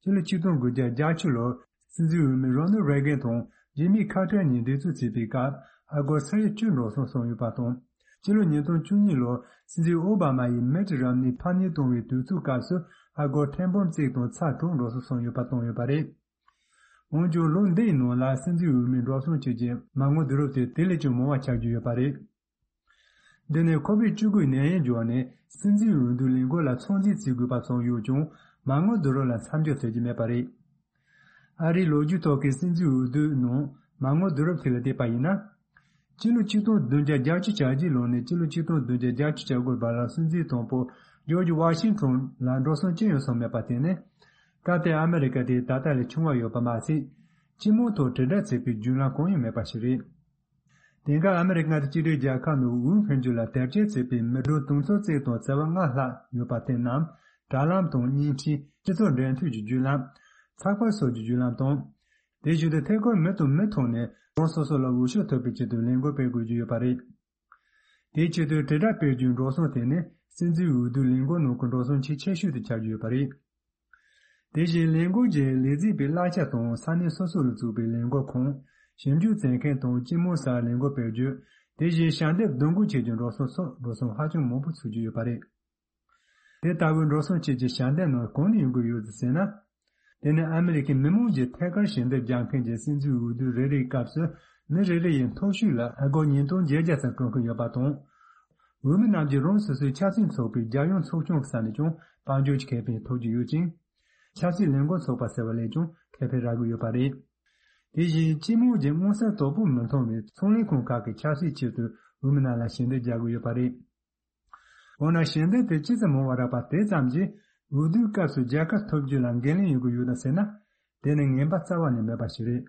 སྤྱི་ལོ་ཆིག་སྟོང་དགུ་བརྒྱ་བརྒྱད་ཅུ་ལོར་སྲིད་འཛིན་འོས་མི་རོ་ནལ་རེ་གན་དང་ཇི་མི་ཁ་ཏར་གཉིས་འགྲན་རྩོད་བྱས་པའི་སྐབས་ཨ་སྒོར་ས་ཡ་བཅུ་འགྲོ་སོང་སོང་ཡོད་པ་དང་། སྤྱི་ལོ་ཉིས་སྟོང་བཅུ་གཉིས་ལོར་སྲིད་འཛིན་ཨོ་བྷ་མ་ཡིས་མིཊ་རམ་ནི་ཕམ་ཉེས་གཏོང་བའི་དུས་ཚོད་སྐབས་སུ་ཨ་སྒོར་ཐེར་འབུམ་གཅིག་དང་ཚེག་དྲུག་འགྲོ་སོང་སོང་ཡོད་པ་བཏང་ཡོད་པ་རེད། འོན་ཀྱང་ལོ་འདིའི་ནང་ལ་སྲིད་འཛིན་འོས་མིའི་འགྲོ་སོང་བཅས་ཀྱི་མ་དངུལ་བསྡུ་རུབ་དེ་དེ་ལས་ཀྱང་མང་བ་ཆགས་ཀྱི་ཡོད་པ་རེད། འདི་ནི་ཁོ་བིཌ་བཅུ་དགུའི་ནད་ཡམས་འབྱུང་བ་ནས་སྲིད་འཛིན་འོས་བསྡུའི་ལས་འགུལ་ལ་ཚོད་འཛིན་བྱེད་དགོས་པ་བྱུང་ཡོད་ཀྱང་མ་དངུལ་བསྡུ་རུབ་ལ་མཚམས་འཇོག་བྱེད་ཀྱི་མེད་པ་རེད། ཨ་རིའི་ལོ་རྒྱུས་ཐོག་གི་སྲིད་འཛིན་འོས་བསྡུའི་ནང་མ་དངུལ་བསྡུ་རུབ་དེ་ལ་བལྟས་པ་ཡིན་ན། སྤྱི་ལོ་ཆིག་སྟོང་བདུན་བརྒྱ་བརྒྱད་ཅུ་གྱ་གཅིག་ལོ་ནས་སྤྱི་ལོ་ཆིག་སྟོང་བདུན་བརྒྱ་བརྒྱད་ཅུ་གྱ་དགུ་བར་ལ་སྲིད་འཛིན་དང་པོ་ཇོརྗ་ཝ་ཤིང་ཊོན་ལ་འགྲོ་སོང་ཅི་ཡང་སོང་མེད་པ་དེ་ནི། སྐབས་དེར་ཨ་མེ་རི་ཀ་དེ་ད་ལྟ་ལས་ཆུང་བ་ཡོད་པ་མ་ཟད། སྤྱི་དམངས་ཐོག་དྲིལ་བསྒྲགས་བྱེད་པའི་བརྒྱུད་ལམ་གང་ཡང་མེད་པ་ཞིག་རེད། དེང་སྐབས་ཨ་མེ་རི་ཀ་མངའ་སྡེ་གཅིག་སྒྲིལ་རྒྱལ་ཁབ་ནང་འོས་འཕེན་རྒྱུ་ལ་དེབ་སྐྱེལ་བྱེད་པའི་མི་གྲངས་དུང་ཕྱུར་གཅིག་དང་བྱེ་བ་ལྔ་ལྷག་ཡོད་པ་དེ་རྣམས་དྲ་ལམ་དང་བརྙན་འཕྲིན་སྤྱི་ཚོགས་འབྲེལ་མཐུད་ཀྱི་བརྒྱུད་ལམ། ཚགས་པར་སོགས་ཀྱི་བརྒྱུད་ལམ་དང་། དེ་བཞིན་དུ་ཐད་ཀར་མི་དང་མི་ཐོག་ནས་རང་སོ་སོ་ལ་འོས་ཤོག་ཐོབ་པའི་ཆེད་དུ་ལས་འགུལ་སྤེལ་དགོས་ཀྱི་ཡོད་པ་རེད། དེའི་ཆེད་དུ་དྲིལ་བསྒྲགས་སྤེལ་རྒྱུའི་འགྲོ་སོང་དེ་ནི་སྲིད་འཛིན་འོས་བསྡུའི་ལས་འགུལ་ནང་གི་འགྲོ་སོང་ཆེས་ཆེ་ཤོས་དེ་ཆགས་ཀྱི་ཡོད་པ་རེད། དེ་བཞིན་ལས་འགུལ་གྱི་ལས་རྩིས་པའི་གླ་ཆ་དང་ས་གནས་སོ་སོ་ལ་བཙུགས་པའི་ལས་འགུལ་ཁང་། ཞིབ་འཇུག་བྱེད་མཁན་དང་སྤྱི་དམངས་སར་ལས་འགུལ་སྤེལ་རྒྱུ། དེ་བཞིན་ཞལ་འདེབས་བསྡུ་འགོད་བྱེད་རྒྱུའི་འགྲོ་སོང་སོགས་འགྲོ་སོང་ཧ་ཅང་མང་པོ་ཚུད་ཀྱི་ཡོད་པ་རེད། དེ་ལྟ་བུའི་འགྲོ་སོང་བཅས་ཀྱི་ཞལ་འདེབས་རྣམས་གང་ནས་ཡོང་གི་ཡོད་ཟེར་ན། དེ་ནི་ཨ་མེ་རི་ཁའི་མི་མང་གིས་ཐད་ཀར་ཞལ་འདེབས་རྒྱག་མཁན་གྱི་སྲིད་འཛིན་འོས་བསྡུ་རེ་རེའི་སྐབས་སུ་མི་རེ་རེ་ཡི་མཐོ་ཤོས་ལ་ཨ་སྒོར་ཉིས་སྟོང་བརྒྱད་བརྒྱ་ཙམ་སྤྲོད་ཀྱི་ཡོད་པ་དང་། འོས་མི་རྣམས་ཀྱིས་རང་སོ་སོའི་ཆབ་སྲིད་ཚོགས་པའི་རྒྱལ་ཡོངས་ཚོགས་ཆུང་གི་ས་ནས་ཀྱང་དཔལ་འབྱོར་གྱི་ཁེ་ཕན་ཐོབ་ཀྱི་ཡོད་ཅིང་། ཆབ་སྲིད་ལས་འགུལ་ཚོགས་པ་ཟེར་བ་ལས་ཀྱང་ཁེ་ཕན་རག་གི་ཡོད་པ་རེད། དེ་བཞིན་སྤྱི་དམངས་ཀྱི་མངོན་གསལ་དོད་པོ་མི་མཐོང་བའི་ཚོང་ལས་ཁང་ཁག་གི་ཆབ་སྲིད་ཆེད་དུ་འོས་མི་རྣམས་ལ་ཞལ་འདེབས་རྒྱག་གི་ཡོད་པ་རེད། འོ་ན་ཞལ་འདེབས་དེ་ཅི་ཙམ་མང་བ་རག་པ་དེ་ཙམ་གྱིས་འོས་བསྡུའི་སྐབས་སུ་རྒྱལ་ཁ་ཐོབ་རྒྱུ་ལ་འགན་ལེན་ཡོང་གི་ཡོད་དམ་ཟེར་ན། དེ་ནི་ངན་པ་རྩ་བ་ནས་མེད་པ་ཞིག་རེད།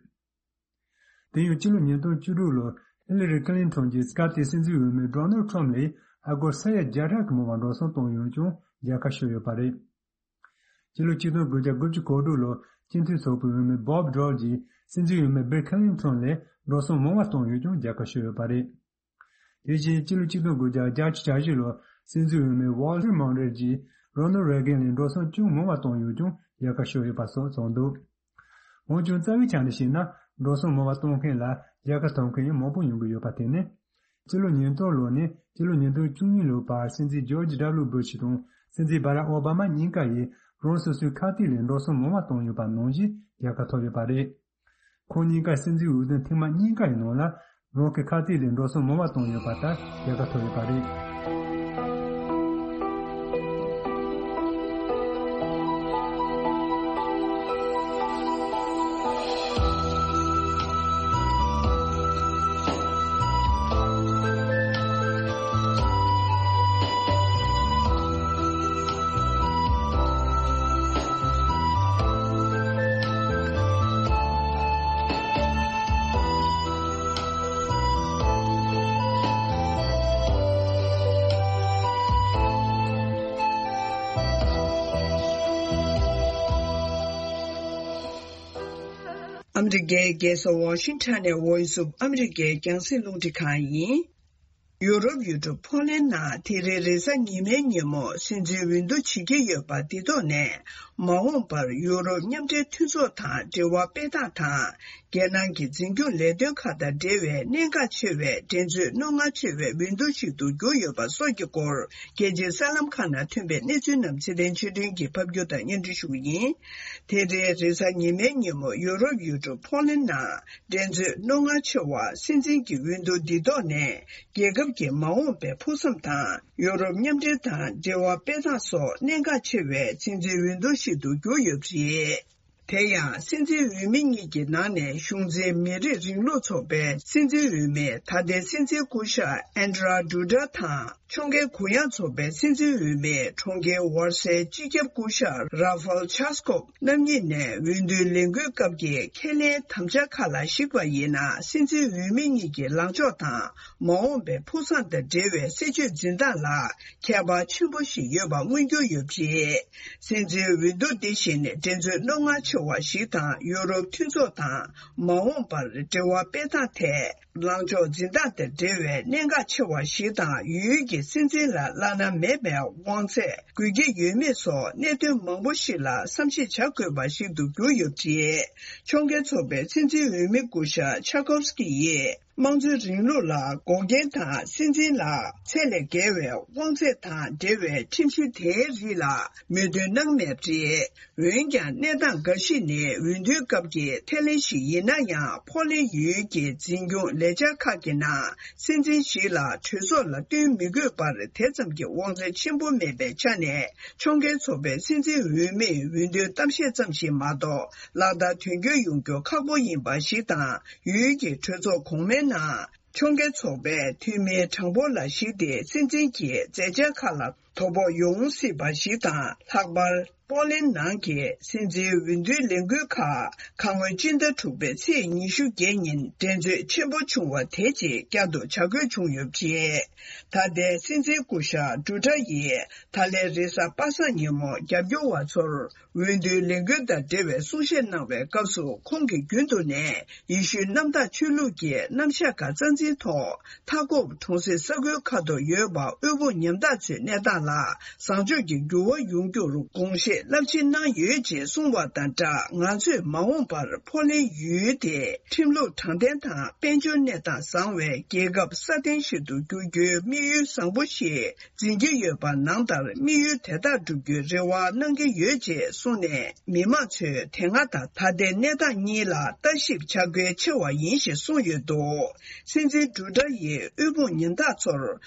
དེ་ཡང་སྤྱི་ལོ་ཉིས་སྟོང་བཅུ་དྲུག་ལོར་ཧི་ལི་རི་ཀི་ལིན་ཊོན་གྱིས་སྐབས་དེའི་སྲིད་འཛིན་འོས་མི་ཌོ་ནལ་ཁྲམ་ལས་ཨ་སྒོར་ས་ཡ་བརྒྱ་ཕྲག་གི་མང་བ་འགྲོ་སོང་བཏང་ཡོད་ཀྱང་རྒྱལ་ཁ་ཤོར་ཡོད་པ་རེད། སྤྱི་ལོ་ཆིག་སྟོང་དགུ་བརྒྱ་དགུ་བཅུ་གོ་དྲུག་ལོར་སྤྱི་མཐུན་ཚོགས་པའི་འོས་མི་བྷོབ་ཌོལ་གྱིས་སྲིད་འཛིན་འོས་མི་བྷིལ་ཁི་ལིན་ཊོན་ལས་འགྲོ་སོང་མང་བ་བཏང་ཡོད་ཀྱང་རྒྱལ་ཁ་ཤོར་ཡོད་པ་རེད། དེ་བཞིན་སྤྱི་ལོ་ཆིག་སྟོང་དགུ་བརྒྱ་བརྒྱད་ཅུ་གྱ་བཞི་ལོར་སྲིད་འཛིན་འོས་མི་ཝོལ་ཊར་མོན་རོ་གྱིས་རོ་ནལ་རེ་གན་ལས་འགྲོ་སོང་ཅུང་མང་བ་བཏང་ཡོད་ཀྱང་རྒྱལ་ཁ་ཤོར་ཡོད་པ་སོགས་གསུངས་འདུག་འོན་ཀྱང་རྩ་བའི་ཆ་ནས་བཤད་ན་འགྲོ་སོང་མང་བ་གཏོང་མཁན་ལ་རྒྱལ་ཁ་ཐོབ་མཁན་ཡང་མང་པོ་ཡོང་གི་ཡོད་པ་དེ་ནི། སྤྱི་ལོ་ཉིས་སྟོང་ལོ་ནས་སྤྱི་ལོ་ཉིས་སྟོང་བཅུ་གཉིས་ལོའི་བར་སྲིད་འཛིན་ཇོརྗ་ཌབ་ལུ་སྦུ་ཤི་དང་སྲིད་འཛིན་བྷ་རག་ཨོ་བྷ་མ་གཉིས་ཀ་ཡིས་རང་སོ་སོའི་ཁ་གཏད་ལས་འགྲོ་སོང་མང་བ་བཏང་ཡོད་པ་ནང་བཞིན་རྒྱལ་ཁ་ཐོབ་ཡོད་པ་རེད། ཁོང་གཉིས་ཀ་སྲིད་འཛིན་འོས་བསྡུ་ཐེངས་མ་གཉིས་ཀ་ཡི་ནང་ལ་རང་གི་ཁ་གཏད་ལས་འགྲོ་སོང་མང་བ་བཏང་ཡོད་པ་ལྟར་རྒྱལ་ཁ་ཐོབ་ཡོད་པ་རེད། ཨ་མི་རི་ཀའི་རྒྱལ་ས་ཝ་ཤིང་ཊོན་ནས་Voice of America་རྒྱང་སྲིང་རླུང་འཕྲིན་ཁང་ཡིན། ཡུ་རོབ་ཡུལ་གྲུ་ཕོ་ལན་ནང་དེ་རིང་རེས་གཟའ་ཉི་མའི་ཉིན་མོ་སྲིད་འཛིན་འོས་བསྡུ་བྱེད་ཀྱི་ཡོད་པ་འདི་ཐོག་ནས། མ་འོངས་པར་ཡུ་རོབ་མཉམ་འབྲེལ་མཐུན་ཚོགས་དང་འབྲེལ་བ་སྤེལ་སྟངས་དང་། རྒྱལ་ནང་གི་འཛིན་སྐྱོང་ལས་དོན་ཁག་དང་འབྲེལ་བའི་གནད་འགག་ཆེ་བའི་འགྲན་རྩོད་རྣོ་ངར་ཆེ་བའི་འོས་བསྡུ་ཞིག་ཏུ་གྱུར་ཡོད་པ་སོགས་ཀྱི་སྐོར། རྒྱལ་སྤྱིའི་གསར་ལམ་ཁག་ནང་ཐོན་པའི་གནས་ཚུལ་རྣམས་ཚེ་བརྟན་ཆོས་སྒྲོན་གྱིས་ཕབ་སྒྱུར་དང་སྙན་སྒྲོན་ཞུ་གི་ཡིན། དེ་རིང་རེས་གཟའ་ཉི་མའི་ཉིན་མོ་ཡུ་རོབ་ཡུལ་གྲུ་ཕོ་ལན་ནང་འགྲན་རྩོད་རྣོ་ངར་ཆེ་བ་སྲིད་འཛིན་གྱི་འོས་བསྡུ་འདི་ཐོག་ནས། རྒྱལ་ཁབ་ཀྱི་མ་འོངས་པའི་ཕུགས་བསམ་དང་། ཡུ་རོབ་མཉམ་འབྲེལ་དང་འབྲེལ་བ་སྤེལ་སྟངས་སོགས་གནད་འགག་ཆེ་བའི་སྲིད་འཛིན་འོས་བསྡུ་ཞིག་ཏུ་གྱུར་ཡོད་པ་རེད། དེ་ཡང་སྲིད་འཛིན་འོས་མི་གཉིས་ཀྱི་ནང་ནས་གཞུང་འཛིན་མི་རིགས་རིང་ལུགས་ཚོགས་པའི་སྲིད་འཛིན་འོས་མི་ད་ལྟའི་སྲིད་འཛིན་སྐུ་ཞབས་ཨན་ཌྲ་ཌུ་ཌ་དང་། ཕྱོགས་འགལ་གུ་ཡངས་ཚོགས་པའི་སྲིད་འཛིན་འོས་མི་གྲོང་ཁྱེར་ཝར་སའི་སྤྱི་ཁྱབ་སྐུ་ཞབས་ར་ཧྥལ་ཆཱ་སྐོབ་རྣམ་གཉིས་ནས་འོས་བསྡུའི་ལས་འགུལ་སྐབས་ཀྱི་ཁས་ལེན་དམ་བཅའ་ཁག་ལ་གཞིགས་པ་ཡིན་ན། སྲིད་འཛིན་འོས་མི་གཉིས་ཀྱི་ལངས་ཕྱོགས་དང་། མ་འོངས་པའི་ཕུགས་བསམ་དང་འབྲེལ་བའི་སྲིད་བྱུས་འཛིན་སྟངས་ལ་ཁྱད་པར་ཆེན་པོ་ཞིག་ཡོད་པ་མངོན་གྱུར་ཡོད་པ་རེད། སྲིད་འཛིན་འོས་བསྡུ་འདི་བཞིན་འགྲན་རྩོད་རྣོ་ངར་ཆེ་བ་ཞིག་དང་། ཡུ་རོབ་མཐུན་ཚོགས་དང་མ་འོངས་པར་འབྲེལ་བ་སྤེལ་སྟངས་ཐད། ལངས་ཕྱོགས་འཛིན་སྟངས་དང་འབྲེལ་བའི་གནད་འགག་ཆེ་བ་ཞིག་དང་། ཡུལ་གྱི་སྲིད་འཛིན་ལ་བླ་ན་མེད་པའི་དབང་ཚད་དགོས་ཀྱི་ཡོད་མེད་སོགས་གནད་དོན་མང་པོ་ཞིག་ལ་བསམ་གཞིག་བྱ་དགོས་པ་ཞིག་ཏུ་གྱུར་ཡོད་པ་རེད། ཕྱོགས་འགལ་ཚོགས་པའི་སྲིད་འཛིན་འོས་མི་སྐུ་ཞབས་ཆཱ་ཀོབ་སི་ཀི་ཡིས། དམངས་གཙོའི་རིང་ལུགས་ལ་འགོག་རྐྱེན་དང་། སྲིད་འཛིན་ལ་ཚད་ལས་བརྒལ་བའི་དབང་ཚད་དང་འབྲེལ་བའི་ཁྲིམས་གཞི་དེའི་རིགས་ལ་མོས་མཐུན་གནང་མེད་པ་རེད། འོན་ཀྱང་། གནས་སྟངས་འགའ་ཞིག་ནི་འོས་བསྡུའི་སྐབས་ཀྱི་ཐད་ལན་ཞིག་ཡིན་ན་ཡང་། ཕོ་ལན་ཡུལ་གྱི་འཛིན་སྐྱོང་ལས་འཆར་ཁག་གི་ནང་། སྲིད་འཛིན་ཞིག་ལ་གྲོས་ཚོགས་ལ་བསྟུན་མི་དགོས་པར། དེ་ཙམ་གྱི་དབང་ཚད་ཆེན་པོ་མེད་པའི་ཆ་ནས། ཕྱོགས་འགལ་ཚོགས་པའི་སྲིད་འཛིན་འོས་མིས་འོས་བསྡུའི་གཏམ་བཤད་ཙམ་ཞིག་མ་གཏོགས། ལག་བསྟར་དོན་འཁྱོལ་ཡོང་རྒྱུ་ཁག་པོ་ཡིན་པ་ཞིག་དང་། ཡུལ་གྱི་གྲོས་ཚོགས་གོང་མའི་ནང་། ཕྱོགས་འགལ་ཚོགས་པའི་འཐུས་མིའི་གྲངས་འབོར་ལ་གཞིགས་ཏེ། སྲིད་འཛིན་གྱི་མཛད་འཆར་ཁག་ལ་དོ་ཕོག་ཡོང་སྲིད་པ་ཞིག་དང་། ལྷག་པར། པོ་ལན་ནང་གི་སྲིད་འཛིན་འོས་བསྡུའི་ལས་འགུལ་ཁག་ཁ་སྔོན་སྤྱི་ཟླ་དྲུག་པའི་ཚེས་ཉི་ཤུ་བརྒྱད་ཉིན་འགྲན་རྩོད་ཆེན་པོ་བྱུང་བ་དེ་རྗེས་བསྐྱར་དུ་བྱ་དགོས་བྱུང་ཡོད་པ་རེད། ད་ལྟའི་སྲིད་འཛིན་སྐུ་ཞབས་ཌུ་ཌ་ཡིས་ད་ལན་རེས་གཟའ་པ་སངས་ཉིན་མོ་རྒྱབ་སྐྱོར་བ་ཚོར། འོས་བསྡུའི་ལས་འགུལ་དང་འབྲེལ་བའི་གསུང་བཤད་གནང་བའི་སྐབས་སུ། ཁོང་གིས་རྒྱུན་དུ་ནས་ཡེ་ཤུའི་གནམ་བདག་ཆོས་ལུགས་ཀྱི་རྣམ་གཞག་ཁག་རྩ་འཛིན་ཐོག། མཐའ་འཁོབ་གྲོང་གསེབ་ས་ཁུལ་ཁག་ཏུ་ཡོད་པ། དབུལ་ཕོངས་ཉམ་ཐག་ཚོའི་གནས་སྟངས་ལ་བཟང་ཕྱོགས་ཀྱི་འགྱུར་བ་ཡོང་རྒྱུར་དགོངས་བཞེས་རླབས་ཆེན་གནང་ཡོད་ཅེས་གསུངས་བ་དང་སྦྲགས། ང་ཚོས་མ་འོངས་པར་ཕོ་ལན་ཡུལ་དེ་ཁྲིམས་ལུགས་དྲང་བདེན་དང་། དཔལ་འབྱོར་གནས་སྟངས་བཟང་བའི་རྒྱལ་ཁབ་སྲ་བརྟན་ཞིག་ཏུ་འགྱུར་རྒྱུའི་དམིགས་ཡུལ་བཟང་པོ་ཞིག་འཛིན་གྱི་ཡོད་པ་ནང་ལྟར། དམིགས་ཡུལ་དེ་དག་བསྒྲུབ་རྒྱུའི་རེ་བ་གནང་གི་ཡོད་ཅེས་གསུངས་ནས། མི་མང་ཚོས་དེ་སྔ་དང་ད་ལྟའི་གནས་སྟངས་གཉིས་ལ་ལྟ་ཞིབ་བྱ་དགོས་ཆེ་བ་ཡིན་ཞེས་གསུངས་ཡོད་འདུག་སྲིད་འཛིན་ཌུ་ཌ་ཡིས་དབུལ་ཕོངས་ཉམ་ཐག་ཚོར་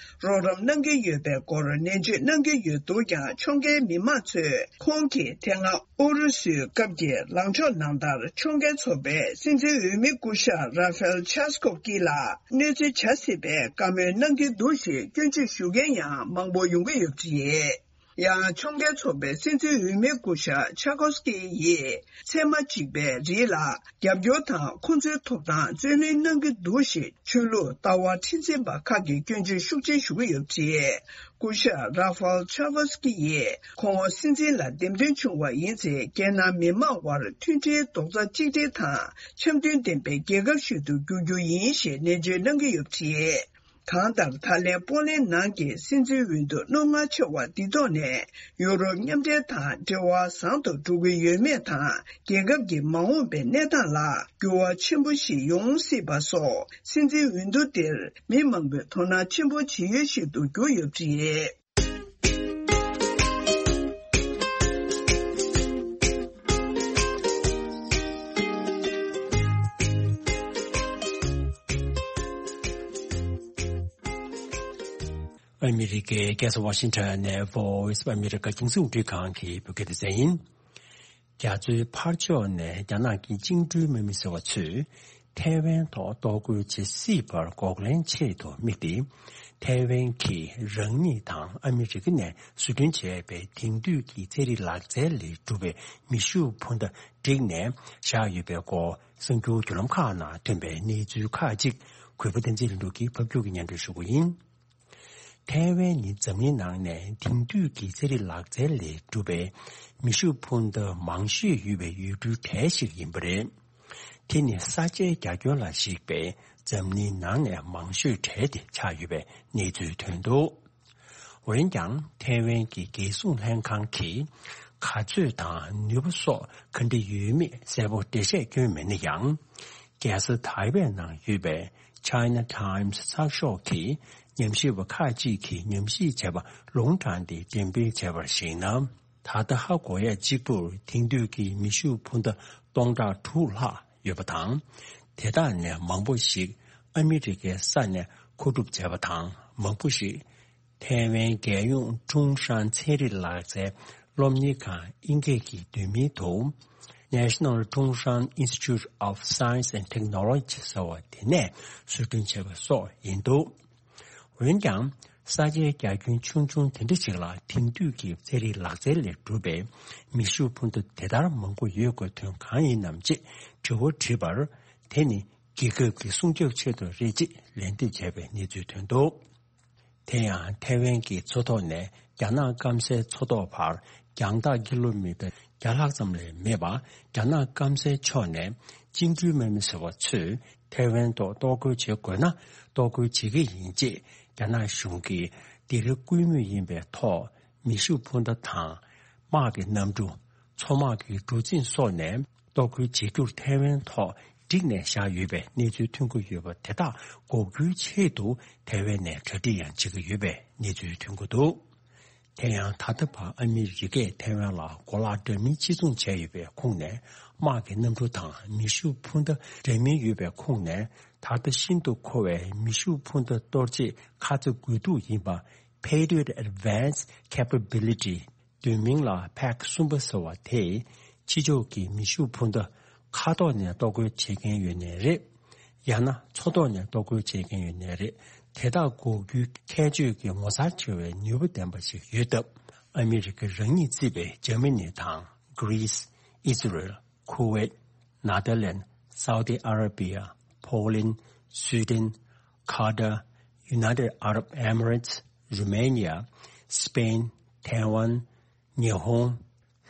རོགས་རམ་གནང་གི་ཡོད་པའི་སྐོར་ནན་བརྗོད་གནང་གི་ཡོད་འདུག་ཀྱང་། ཕྱོགས་འགལ་མི་མང་ཚོས་ཁོང་གིས་དེ་སྔ་ཨུ་རུ་སུའི་སྐབས་ཀྱི་ལངས་ཕྱོགས་ནང་ལྟར། ཕྱོགས་འགལ་ཚོགས་པའི་སྲིད་འཛིན་འོས་མི་སྐུ་ཞབས་ར་ཧྥེལ་ཆཱ་སྐོབ་ཀི་ལ་གནོད་འཚེ་བྱ་སྲིད་པའི་བཀའ་མོལ་གནང་གི་འདུག་ཞེས་སྐྱོན་བརྗོད་ཞུ་མཁན་ཡང་མང་པོ་ཡོང་གི་ཡོད་པ་རེད། ཡང་ཕྱོགས་འགལ་ཚོགས་པའི་སྲིད་འཛིན་འོས་མི་སྐུ་ཞབས་ཆཱ་ཀོབ་སི་ཀི་ཡིས་ཚེས་མ་གཅིག་པའི་རིང་ལ་རྒྱབ་སྐྱོར་དང་ཁོང་ཚོའི་ཐོབ་ཐང་རྩོད་ལེན་གནང་གི་འདུག་ཞེས་ཆོས་ལུགས་ལྟ་བ་མཁྲེགས་འཛིན་པ་ཁག་གིས་སྐྱོན་བརྗོད་ཤུགས་ཆེ་ཞུ་གི་ཡོད་པ་རེད། སྐུ་ཞབས་ར་ཧྥལ་ཆཱ་ཀོབ་སི་ཀི་ཡིས་ཁོང་སྲིད་འཛིན་ལ་འདེམས་ཐོན་བྱུང་བ་ཡིན་ཚེ། རྒྱལ་ནང་མི་མང་དབར་མཐུན་སྒྲིལ་རྡོག་རྩ་གཅིག་སྒྲིལ་དང་འཆམ་མཐུན་ལྡན་པའི་རྒྱལ་ཁབ་ཞིག་ཏུ་འགྱུར་རྒྱུ་ཡིན་ཞེས་ནན་བརྗོད་གནང་གི་ཡོད་པ་རེད། གང་ལྟར། ད་ལན་པོ་ལན་ནང་གི་སྲིད་འཛིན་འོས་བསྡུ་རྣོ་ངར་ཆེ་བ་འདི་ཐོག་ནས། ཡུ་རོབ་མཉམ་འབྲེལ་དང་འབྲེལ་བ་བཟང་དུ་འགྲོ་གི་ཡོད་མེད་དང་། རྒྱལ་ཁབ་ཀྱི་མ་འོངས་པའི་གནས་སྟངས་ལ་འགྱུར་བ་ཆེན་པོ་ཞིག་ཡོང་སྲིད་པ་སོགས། སྲིད་འཛིན་འོས་བསྡུ་འདིར་མི་མང་པོས་དོ་སྣང་ཆེན་པོ་བྱེད་ཡུལ་ཞིག་ཏུ་གྱུར་ཡོད་པ་རེད། ཨ་མི་རི་ཀའི་རྒྱལ་ས་ཝ་ཤིང་ཊོན་ནས་Voice of America་རྒྱང་སྲིང་རླུང་འཕྲིན་ཁང་གི་བོད་སྐད་སྡེ་ཚན་ཡིན། རྒྱ་མཚོའི་ཕར་ཕྱོགས་ནས་རྒྱ་ནག་གི་བཅིངས་འགྲོལ་དམག་མི་ཟེར་བ་ཚོས་ཐའེ་ཝན་ཐོག་གཏོར་རྒོལ་བྱེད་སྲིད་པར་འགོག་ལན་ཆེད་དུ་དམིགས་ཏེ། ཐའེ་ཝན་གྱིས་རང་ཉིད་དང་ཨ་མི་རི་ཀ་ནས་བཟོ་སྐྲུན་བྱས་པའི་དེང་དུས་ཀྱི་ཚན་རིག་ལག་རྩལ་ལས་གྲུབ་པའི་མེ་ཤུགས་འཕུར་མདའ་བསྒྲིགས་ནས་བཞག་ཡོད་པའི་སྐོར། གསར་འགྱུར་བརྒྱུད་ལམ་ཁག་ནང་ཐོན་པའི་གནས་ཚུལ་ཁག་ཅིག་གུས་པ་བསྟན་འཛིན་ལྷུན་གྲུབ་ཀྱིས་ཕབ་སྒྱུར་གྱིས་སྙན་སྒྲོན་ཞུ་གི་ཡིན། ཐའེ་ཝན་ནི་འཛམ་གླིང་ནང་ནས་དེང་དུས་ཀྱི་ཚན་རིག་ལག་རྩལ་ལས་གྲུབ་པའི་མེ་ཤུགས་འཕུར་མདའ་མང་ཤོས་ཡོད་པའི་ཡུལ་གྲུའི་གྲས་ཤིག་ཡིན་པ་རེད། དེ་ནི་ས་ཆའི་རྒྱ་ཁྱོན་ལ་གཞིགས་པའི་འཛམ་གླིང་ནང་ནས་མང་ཤོས་གྲས་དེ་ཆགས་ཡོད་པའི་གནས་ཚུལ་ཐོན་འདུག་འོན་ཀྱང་། ཐའེ་ཝན་གྱི་རྒྱལ་སྲུང་ལྷན་ཁང་གིས་ག་ཚོད་དང་ནུས་པ་སོགས་ག་འདྲ་ཡོད་མེད་གསལ་པོ་འགྲེལ་བཤད་བསྐྱོན་མེད་ན་ཡང་། རྒྱལ་ས་ཐའེ་ཝན་ནང་ཡོད་པའི་China Times་ཚགས་ཤོག་གིས་ཉམས་ཞིབ་པ་ཁག་ཅིག་གིས་ཉམས་ཞིབ་བྱས་པ་ལུང་དྲངས་ཏེ་འགྲེམས་སྤེལ་བྱས་པར་གཞིགས་ན། ད་ལྟ་ཧ་གོ་ཡ་གཅིག་པུར་དེང་དུས་ཀྱི་མེ་ཤུགས་འཕུར་མདའ་སྟོང་ཕྲག་དྲུག་ལྷག་ཡོད་པ་དང་། དེ་དག་ནས་མང་པོ་ཞིག་ཨ་མི་རི་ཀའི་ས་ནས་མཁོ་སྒྲུབ་བྱས་པ་དང་། མང་པོ་ཞིག་ཐའེ་ཝན་རྒྱལ་ཡོངས་ཀྲུང་ཧྲན་ཚན་རིག་ལག་རྩལ་སློབ་གཉེར་ཁང་ཨིན་སྐད་ཀྱི་བསྡུས་མིང་དུ། National Zhongshan Institute of Science and Technology ཟེར་བ་དེ་ནས་བཟོ་སྐྲུན་བྱས་པ་སོགས་ཡིན་འདུག་འོན་ཀྱང་། ས་ཆའི་རྒྱ་ཁྱོན་ཆུང་ཆུང་དེ་འདྲ་ཞིག་ལ་དེང་དུས་ཀྱི་ཚན་རིག་ལག་རྩལ་ལས་གྲུབ་པའི་མེ་ཤུགས་འཕུར་མདའ་དེ་ལྟར་མང་པོ་ཡོད་དགོས་དོན་གང་ཡིན་ནམ་ཅེས་དྲི་བ་དྲིས་པར། དེ་ནི་རྒྱལ་ཁབ་ཀྱི་སྲུང་སྐྱོབ་ཆེད་དུ་རེད་ཅེས་ལན་འདེབས་བྱས་པའི་གནས་ཚུལ་ཐོན་འདུག་དེ་ཡང་ཐའེ་ཝན་གྱི་མཚོ་ཐོག་ནས་རྒྱ་ནག་སྐམ་སའི་མཚོ་ཐོག་བར་རྒྱང་ཐག་ཀི་ལོ་མི་ཊར་བརྒྱ་ལྷག་ཙམ་ལས་མེད་པ། རྒྱ་ནག་སྐམ་སའི་ཕྱོགས་ནས་བཅིངས་འགྲོལ་དམག་མི་ཟེར་བ་ཚོས་ཐའེ་ཝན་ཐོག་གཏོར་རྒོལ་བྱེད་དགོས་ན་གཏོར་རྒོལ་བྱེད་ཀྱི་ཡིན་ཅེས་རྒྱ་ནག་གཞུང་གིས་སྡིགས་ར་སྐུལ་མུས་ཡིན་པའི་ཐོག་མེ་ཤུགས་འཕུར་མདའ་དང་། དམག་གི་གནམ་གྲུ། མཚོ་དམག་གི་གྲུ་གཟིངས་སོགས་ནས་གཏོར་རྒོལ་བྱེད་རྒྱུར་ཐའེ་ཝན་ཐོག་བསྒྲིགས་ནས་བཞག་ཡོད་པའི་གནས་ཚུལ་ཐོན་གྱི་ཡོད་པ་དེ་དག་འགོག་རྒྱུའི་ཆེད་དུ་ཐའེ་ཝན་ནས་གྲ་སྒྲིག་ཡང་བྱེད་ཀྱི་ཡོད་པའི་གནས་ཚུལ་ཐོན་གྱི་འདུག་དེ་ཡང་ད་ལྟ་བར་ཨ་མི་རི་ཀས་ཐའེ་ཝན་ལ་གོ་ལག་འདྲ་མིན་ཕྱིར་ཚོང་བྱས་ཡོད་པའི་ཁོངས་ནས། དམག་གི་གནམ་གྲུ་དང་མེ་ཤུགས་འཕུར་མདའ་འདྲ་མིན་ཡོད་པའི་ཁོངས་ནས། ད་ལྟ་ཤིན་ཏུ་མཁོ་བའི་མེ་ཤུགས་འཕུར་མདའ་གཏོར་ཆེད་ཁ་ཚ་དགོས་གཏུགས་ཡིན་པ། Patriot Advanced Capability། བསྡུས་མིང་ལ་ཕེག་གསུམ་པ་ཟེར་བ་དེས། ཕྱི་ཕྱོགས་ཀྱི་མེ་ཤུགས་འཕུར་མདའ་མཁའ་ཐོག་ནས་གཏོར་རྒོལ་བྱེད་མཁན་ཡོད་ནའི་རེད། ཡང་ན་མཚོ་ཐོག་ནས་གཏོར་རྒོལ་བྱེད་མཁན་ཡོད་ནའི་རེད། དེ་དག་འགོག་རྒྱུའི་ཁྱད་ཆོས་ཀྱི་ངོ་མཚར་ཆེ་བའི་ནུས་པ་ལྡན་པ་ཞིག་ཡོད་སྟབས། ཨ་མི་རི་ཀ་རང་ཉིད་གཙོས་པའི་འཇར་མ་ནི་དང་། Greece། Israel། Kuwait། Netherlands། Saudi Arabia། Poland། Sweden། Qatar། United Arab Emirates། Romania། Spain། Taiwan། ཉི་ཧོང་།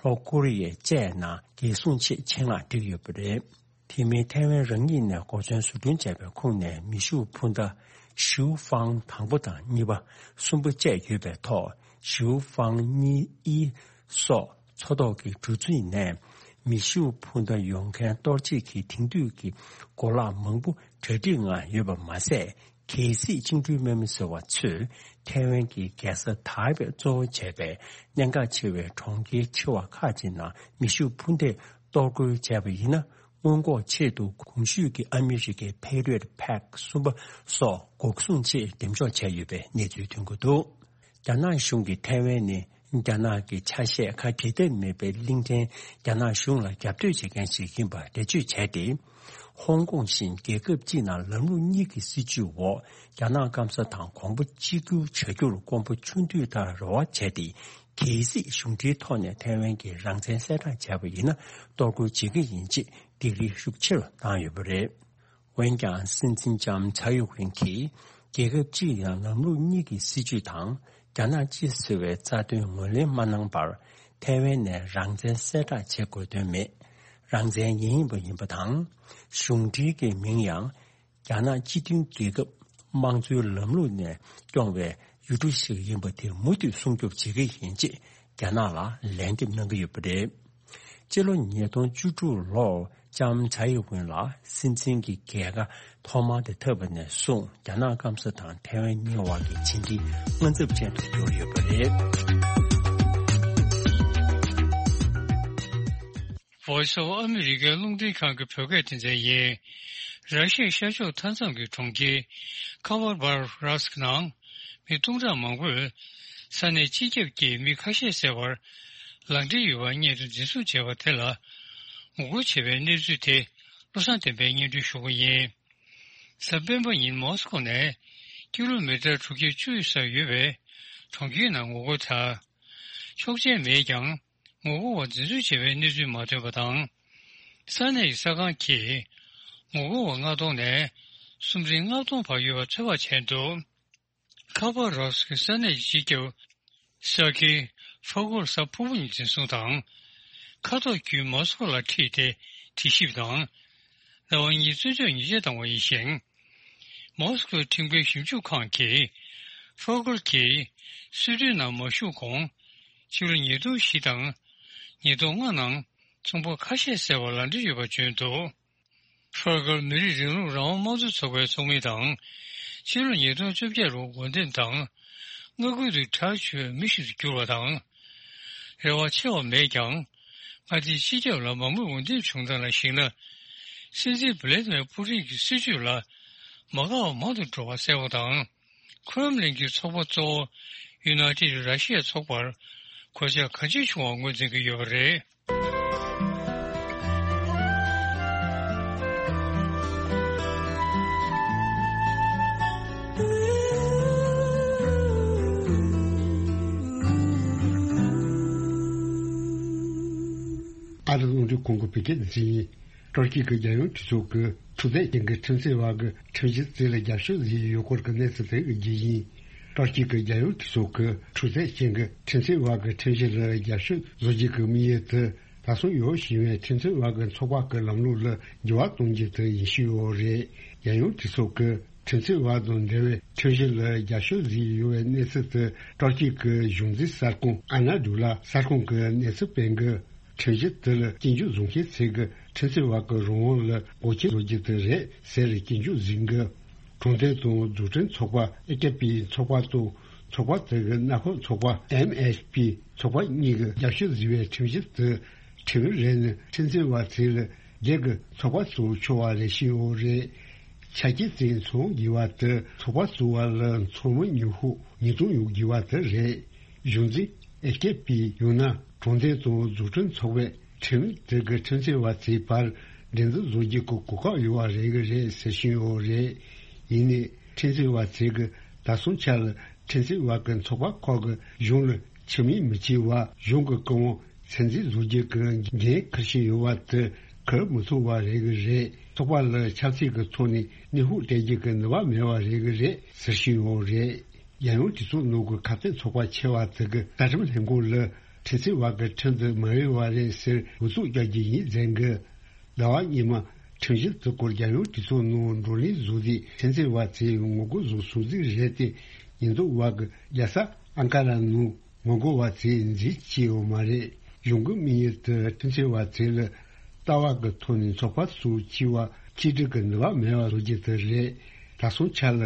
ལྷོ་ཀོ་རི་ཡ་བཅས་ནང་རྒྱལ་སྲུང་ཆེད་ཆེད་མངགས་བསྒྲིགས་ཡོད་པ་རེད། དེ་མིན་ཐའེ་ཝན་རང་ཉིད་ནས་འགོ་མཚོན་བཟོ་སྐྲུན་བྱས་པའི་ཁོངས་ནས་མེ་ཤུགས་འཕུར་མདའ་ཞིའུ་ཧྥང་དང་པོ་དང་གཉིས་པ། གསུམ་པ་བཅས་ཡོད་པའི་ཐོག་ཞིའུ་ཧྥང་གཉིས་ཨི་སོགས་མཚོ་ཐོག་གི་གྲུ་གཟིངས་ནས་མེ་ཤུགས་འཕུར་མདའ་ཡོང་མཁན་གཏོར་བྱེད་ཀྱི་དེང་དུས་ཀྱི་གོ་ལག་མང་པོ་གྲ་སྒྲིག་ངང་ཡོད་པ་མ་ཟད། གལ་སྲིད་བཅིངས་འགྲོལ་དམག་མི་ཟེར་བ་ཚོས་ཐའེ་ཝན་གྱི་རྒྱལ་ས་ཐའེ་པེ་གཙོ་བོ་བྱས་པའི་གནད་འགག་ཆེ་བའི་གྲོང་ཁྱེར་ཆེ་བ་ཁག་ཅིག་ནང་མེ་ཤུགས་འཕུར་མདས་གཏོར་རྒོལ་བྱས་པ་ཡིན་ན། སྔོན་འགོག་ཆེད་དུ་གོང་ཞུས་ཀྱི་ཨ་མི་རི་ཀའི་Patriot ཕེག་གསུམ་པ་སོགས་འགོག་སྲུང་ཆེད་འདེམས་འཇོག་བྱས་ཡོད་པའི་གནས་ཚུལ་ཐོན་གྱི་འདུག་རྒྱ་ནག་གཞུང་གིས་ཐའེ་ཝན་ནི་རྒྱ་ནག་གི་ཆ་ཤས་ཁ་འབྲལ་ཐབས་མེད་པའི་གླིང་ཕྲན་རྒྱ་ནག་གཞུང་ལ་རྒྱབ་གཏོད་བྱེད་མཁན་ཞིག་ཡིན་པ་འགྲེལ་བརྗོད་བྱས་ཏེ། ཧོང་ཀོང་བཞིན་རྒྱལ་ཁབ་གཅིག་ནང་ལམ་ལུགས་གཉིས་ཀྱི་སྲིད་བྱུས་འོག་རྒྱ་ནག་སྐམ་ས་དང་གོང་བུ་གཅིག་གྱུར་བྱ་རྒྱུར་དཀོན་པོ་ཆུང་དུས་ལྟར་རེ་བ་བྱས་ཏེ། གལ་སྲིད་གཞུང་འབྲེལ་ཐོག་ནས་ཐའེ་ཝན་གྱི་རང་བཙན་གསལ་བསྒྲགས་བྱས་པ་ཡིན་ན། གཏོར་རྒོལ་བྱེད་ཀྱི་ཡིན་ཅེས་སྡིགས་ར་ཤུགས་ཆེ་རུ་བཏང་ཡོད་པ་རེད། འོན་ཀྱང་། སྲིད་འཛིན་ལྕམ་ཚའེ་ཡུ་ཝེན་གྱིས་རྒྱལ་ཁབ་གཅིག་ཡང་ལམ་ལུགས་གཉིས་ཀྱི་སྲིད་བྱུས་དང་རྒྱ་ནག་སྤྱི་ཟེར་བའི་རྩ་དོན་ངོས་ལེན་མ་གནང་བར། ཐའེ་ཝན་ནས་རང་བཙན་གསལ་བསྒྲགས་བྱེད་དགོས་དོན་མེད། རང་བཙན་ཡིན་ཡིན་པ་ཡིན་པ་དང་། གཞུང་འབྲེལ་གྱི་མིང་ཡང་རྒྱ་ནག་སྤྱི་མཐུན་རྒྱལ་ཁབ་དམངས་གཙོའི་ལམ་ལུགས་ནས་སྐྱོང་བའི་ཡུལ་གྲུ་ཞིག་ཡིན་པ་དེ་མུ་མཐུད་སྲུང་སྐྱོབ་བྱེད་ཀྱི་ཡིན་ཅེས་རྒྱ་ནག་ལ་ལན་འདེབས་གནང་གི་ཡོད་པ་རེད། སྤྱི་ལོ་ཉིས་སྟོང་བཅུ་དྲུག་ལོར་ལྕམ་ཚའེ་ཡུ་ཝེན་ལ་སྲིད་འཛིན་གྱི་རྒྱལ་ཁ་ཐོག་མར་དེ་ཐོབ་པ་ནས་བཟུང་རྒྱ་ནག་སྐམ་ས་དང་ཐའེ་ཝན་གཉིས་དབར་གྱི་ཕྱི་འབྲེལ་དངངས་འཚབ་ཅན་དུ་གྱུར་ཡོད་པ་རེད། Voice of America རླུང་འཕྲིན་ཁང་གི་བོད་སྐད་སྡེ་ཚན་ཡིན། ར་ཤི་ཡའི་ཤར་ཕྱོགས་མཐའ་མཚམས་ཀྱི་གྲོང་ཁྱེར་ཁ་བ་བར་ར་སི་ཀི་ནང་མི་སྟོང་ཕྲག་མང་པོས་ས་གནས་སྤྱི་ཁྱབ་ཀྱིས་མི་ཁ་ཤས་བསད་པར་ལག་འབྲེལ་ཡོད་པ་སྔོན་དུ་འཛིན་བཟུང་བྱས་པ་དེ་ལ་ངོ་རྒོལ་བྱེད་པའི་གནས་ཚུལ་དེ་བློ་བཟང་བསྟན་པས་སྙན་སྒྲོན་ཞུ་གི་ཡིན། གཟའ་སྤེན་པ་ཉིན་མོ་སི་ཀོ་ནས་ཀི་ལོ་མི་ཊར་དྲུག་བརྒྱ་བཅུ་ཡི་སར་ཡོད་པའི་གྲོང་ཁྱེར་ནང་ངོ་རྒོལ་དང་། ཆོག་མཆན་མེད་ཀྱང་། ངོ་རྒོལ་བ་འཛིན་བཟུང་བྱས་པའི་གནས་ཚུལ་མ་ཐོན་པ་དང་། ས་གནས་ཀྱི་གསར་ཁང་གིས་ངོ་རྒོལ་བ་ལྔ་སྟོང་ནས་སུམ་ཁྲི་ལྔ་སྟོང་བར་ཡོད་པ་ཚོད་དཔག་བྱས་འདུག་ཁ་པ་རོ་སི་ཀི་ས་གནས་ཀྱི་སྤྱི་ཁྱབ་ས་ཁི་ཧྥ་གོར་གཟའ་ཕུར་བུ་ཉིན་འཛིན་བཟུང་དང་། མཁའ་ཐོག་བརྒྱུད་མོ་སི་ཀོ་ལ་ཁྲིད་དེ་དྲི་ཞིབ་དང་། ཟླ་བ་གཉིས་རྩོད་གཅོད་ཉེས་ཆད་བཏང་བ་ཡིན་ཞིང་། མོ་སི་ཀོའི་ཁྲིམས་འགལ་ཞིབ་འཇུག་ཁང་གིས་ཧྥོ་གལ་གྱིས་སྲིད་གྲོས་ནང་མ་ཞུགས་གོང་། ཕྱི་ལོ་ཉིས་སྟོང་བཞི་དང་ཉིས་སྟོང་ལྔ་ནང་ཚོང་པ་ཁ་ཤས་བསད་པར་ལག་འབྲེལ་ཡོད་པ་བརྗོད་འདུག་ཧྥོ་གལ་མི་རིགས་རིང་ལུགས་རང་དབང་དམངས་གཙོ་ཚོགས་པའི་ཚོགས་མི་དང་། ཕྱི་ལོ་ཉིས་སྟོང་བཅོ་བརྒྱད་ལོར་འོས་འདེམས་དང་མངའ་ཁུལ་དུ་གྲགས་ཆེ་བའི་མི་ཞིག་ཏུ་གྱུར་བ་དང་། རེ་བ་ཆེ་བ་མེད་ཀྱང་། མངའ་སྡེའི་སྤྱི་ཁྱབ་ལ་མང་མོས་འོས་འདེམས་བྱུང་སྟངས་ལ་གཞིགས་ན། སྲིད་འཛིན་བྷི་ལེ་ཏི་མེར་པུ་ཏིན་གྱི་སྲིད་བྱུས་ལ་མ་དགའ་བ་མང་དུ་འགྲོ་བ་གསལ་པོ་དང་། ཁྲོམ་གླིང་གི་ཚོགས་པ་གཙོ་བོ་ཡུ་ནའི་ཊེཌ་ར་ཤི་ཡ་ཚོགས་པར་གོད་ཆག་གང་ཅི་བྱུང་བ་ངོས་འཛིན་གྱི་ཡོད་པ་རེད། ཨ་རི་རླུང་འཕྲིན་ཁང་གི་བོད་སྐད་སྡེ་ཚན་ཡིན། ཏུར་ཀི་གི་རྒྱལ་ཡོངས་གྲོས་ཚོགས་ཀྱི་འཁྲུག་རྩོད་ཅན་གྱི་ཁྲིམས་རྩོད་པ་གི་ཁྲིམས་གཞི་དེ་ལ་རྒྱབ་སྐྱོར་བཟོས་ཡོད་སྐོར་གྱི་གནས་ཚུལ་དེ་གི་རྒྱུ་ཡིན། ཏུར་ཀི་གི་རྒྱལ་ཡོངས་གྲོས་ཚོགས་ཀྱི་འཁྲུག་རྩོད་ཅན་གྱི་ཁྲིམས་རྩོད་པ་གི་ཁྲིམས་གཞི་ལ་རྒྱབ་སྐྱོར་བཟོ་རྒྱུ་གི་དམིགས་ཡུལ་དེ། ད་སོང་ཡོད་བཞིན་པའི་ཁྲིམས་རྩོད་པ་གི་ཚོགས་པ་གི་ལམ་ལུགས་ལ་འགྱུར་བ་གཏོང་རྒྱུ་དེ་ཡིན་ཞུས་ཡོད་རེད། རྒྱལ་ཡོངས་གྲོས་ཚོགས་ཀྱི་ཁྲིམས་རྩོད་པ་དང་འབྲེལ་བའི་ཁྲིམས་གཞི་ལ་རྒྱབ་སྐྱོར་བཟོས་ཡོད་པའི་གནས་ཚུལ་དེ་ཏུར་ཀི་གི་གཞུང་འཛིན་གསར་ཁང་ཨ་ན་ཌུ་ལ་གསར་ཁང་གི་གནས་ཚུལ་སྤེལ་གྱི། ཁྲིམས་གཞི་དེ་ལ་སྐྱོན་བརྗོད་བཟུང་མཁན་ཚོས་ཀྱི་ཁྲིམས་རྩོད་པ་གི་རང་དབང་ལ་འགོག་རྐྱེན་བཟོ་རྒྱུ་དེ་རེད་ཟེར་སྐྱོན་བརྗོད་བཟུང་གི། གྲོང་སྡེ་དང་འཛུགས་སྐྲུན་ཚོགས་པ་ཨེ་ཀེ་པི་ཚོགས་པ་དང་ཚོགས་པ་དེ་གི་མནའ་འཁོར་ཚོགས་པ་ཨེམ་ཨེཆ་པི་ཚོགས་པ་གཉིས་ཀྱིས་རྒྱབ་སྐྱོར་བཟོས་པའི་ཁྲིམས་གཞི་དེ་ཁྲིམས་རེ་ནི་ཁྲིམས་རྩོད་པ་ཚོས་ལ་སྒེར་གྱི་ཚོགས་པ་བཙུགས་ཆོག་པ་རེད་ཞུས་ཡོད་རེད། ཆ་རྐྱེན་དེ་ཚང་དགོས་པ་དེ་ཚོགས་པ་བཙུགས་པ་ལ་འཚོ་བའི་ཉོ་ཤུགས་ཉིས་སྟོང་ཡོད་དགོས་པ་དེ་རེད། གཞུང་འཛིན་ཨེ་ཀེ་པི་ཡང་ན་གྲོང་སྡེ་དང་འཛུགས་སྐྲུན་ཚོགས་པས་ཁྲིམས་དེ་གི་ཁྲིམས་རྩོད་པ་ཚོའི་བར་འགྲན་བསྡུར་བཟོ་རྒྱུ་གི་གོ་སྐབས་ཡོད་པ་རེད་གི་རེད་ཟེར་བཞིན་ཡོད་རེད། ཡིན་ནའི་ཁྲིམས་རྩོད་པ་ཚོས་གི་ད་སོང་ཆ་ལ་ཁྲིམས་རྩོད་པ་གི་ཚོགས་པ་ཁག་གི་གཞུང་ལ་ཆ་མེད་མི་བྱེད་པ། གཞུང་གི་བཀའ་དབང་ཚད་འཛིན་བཟོ་རྒྱུ་གི་འགན་འཁུར་བཞིན་ཡོད་པ་དེ་འཁུར་མི་ཐུབ་པ་རེད་གི་རེད། ཚོགས་པ་ལ་ཆབ་སྲིད་ཀྱི་ཐོག་ནས་གནོན་ཤུགས་སྤྲད་རྒྱུ་གི་ནུས་པ་མེད་པ་རེད་གི་རེད་ཟེར་བཞིན་ཡོད་རེད། རྒྱལ་ཡོངས་གྲོས་ཚོགས་ནང་གི་ཁ་གཏད་ཚོགས་པ་ཆེ་བ་དེ་གི་རྩ་ཁྲིམས་ལྷན་ཁང་ལ་ཁྲིམས་རྩོད་པ་གི་ཁྲིམས་དེ་མ་འོས་པ་རེད་ཟེར་འུ་ཚུགས་རྒྱག་རྒྱུ་ཡིན་ཟེར་གི། ཟླ་བ་སྔོན་མ་ཁྲིམས་གཞི་དེ་སྐོར་རྒྱལ་ཡོངས་གྲོས་ཚོགས་ནང་བགྲོ་གླེང་བཟོས་ཏེ་ཁྲིམས་རྩོད་པ་ཚོས་ངོ་རྒོལ་བཟོ་སྲོལ་ཞིག་རེད་དེ། ཉེན་རྟོག་པ་གི་རྒྱལ་ས་ཨང་ཀ་ར་ནང་ངོ་རྒོལ་བ་ཚོས་འཛིང་བྱས་ཡོད་མ་རེད། གཞུང་གི་དམིགས་ཡུལ་དེ་ཁྲིམས་རྩོད་པ་ཚོ་ལ་ལྟ་བ་གི་ཐོག་ནས་ཚོགས་པ་སོགས་བྱས་པ་གཅིག་སྒྲིལ་གྱི་ནུས་པ་མེད་པ་བཟོ་རྒྱུ་དེ་རེད། ད་སོང་ཆ་ལ་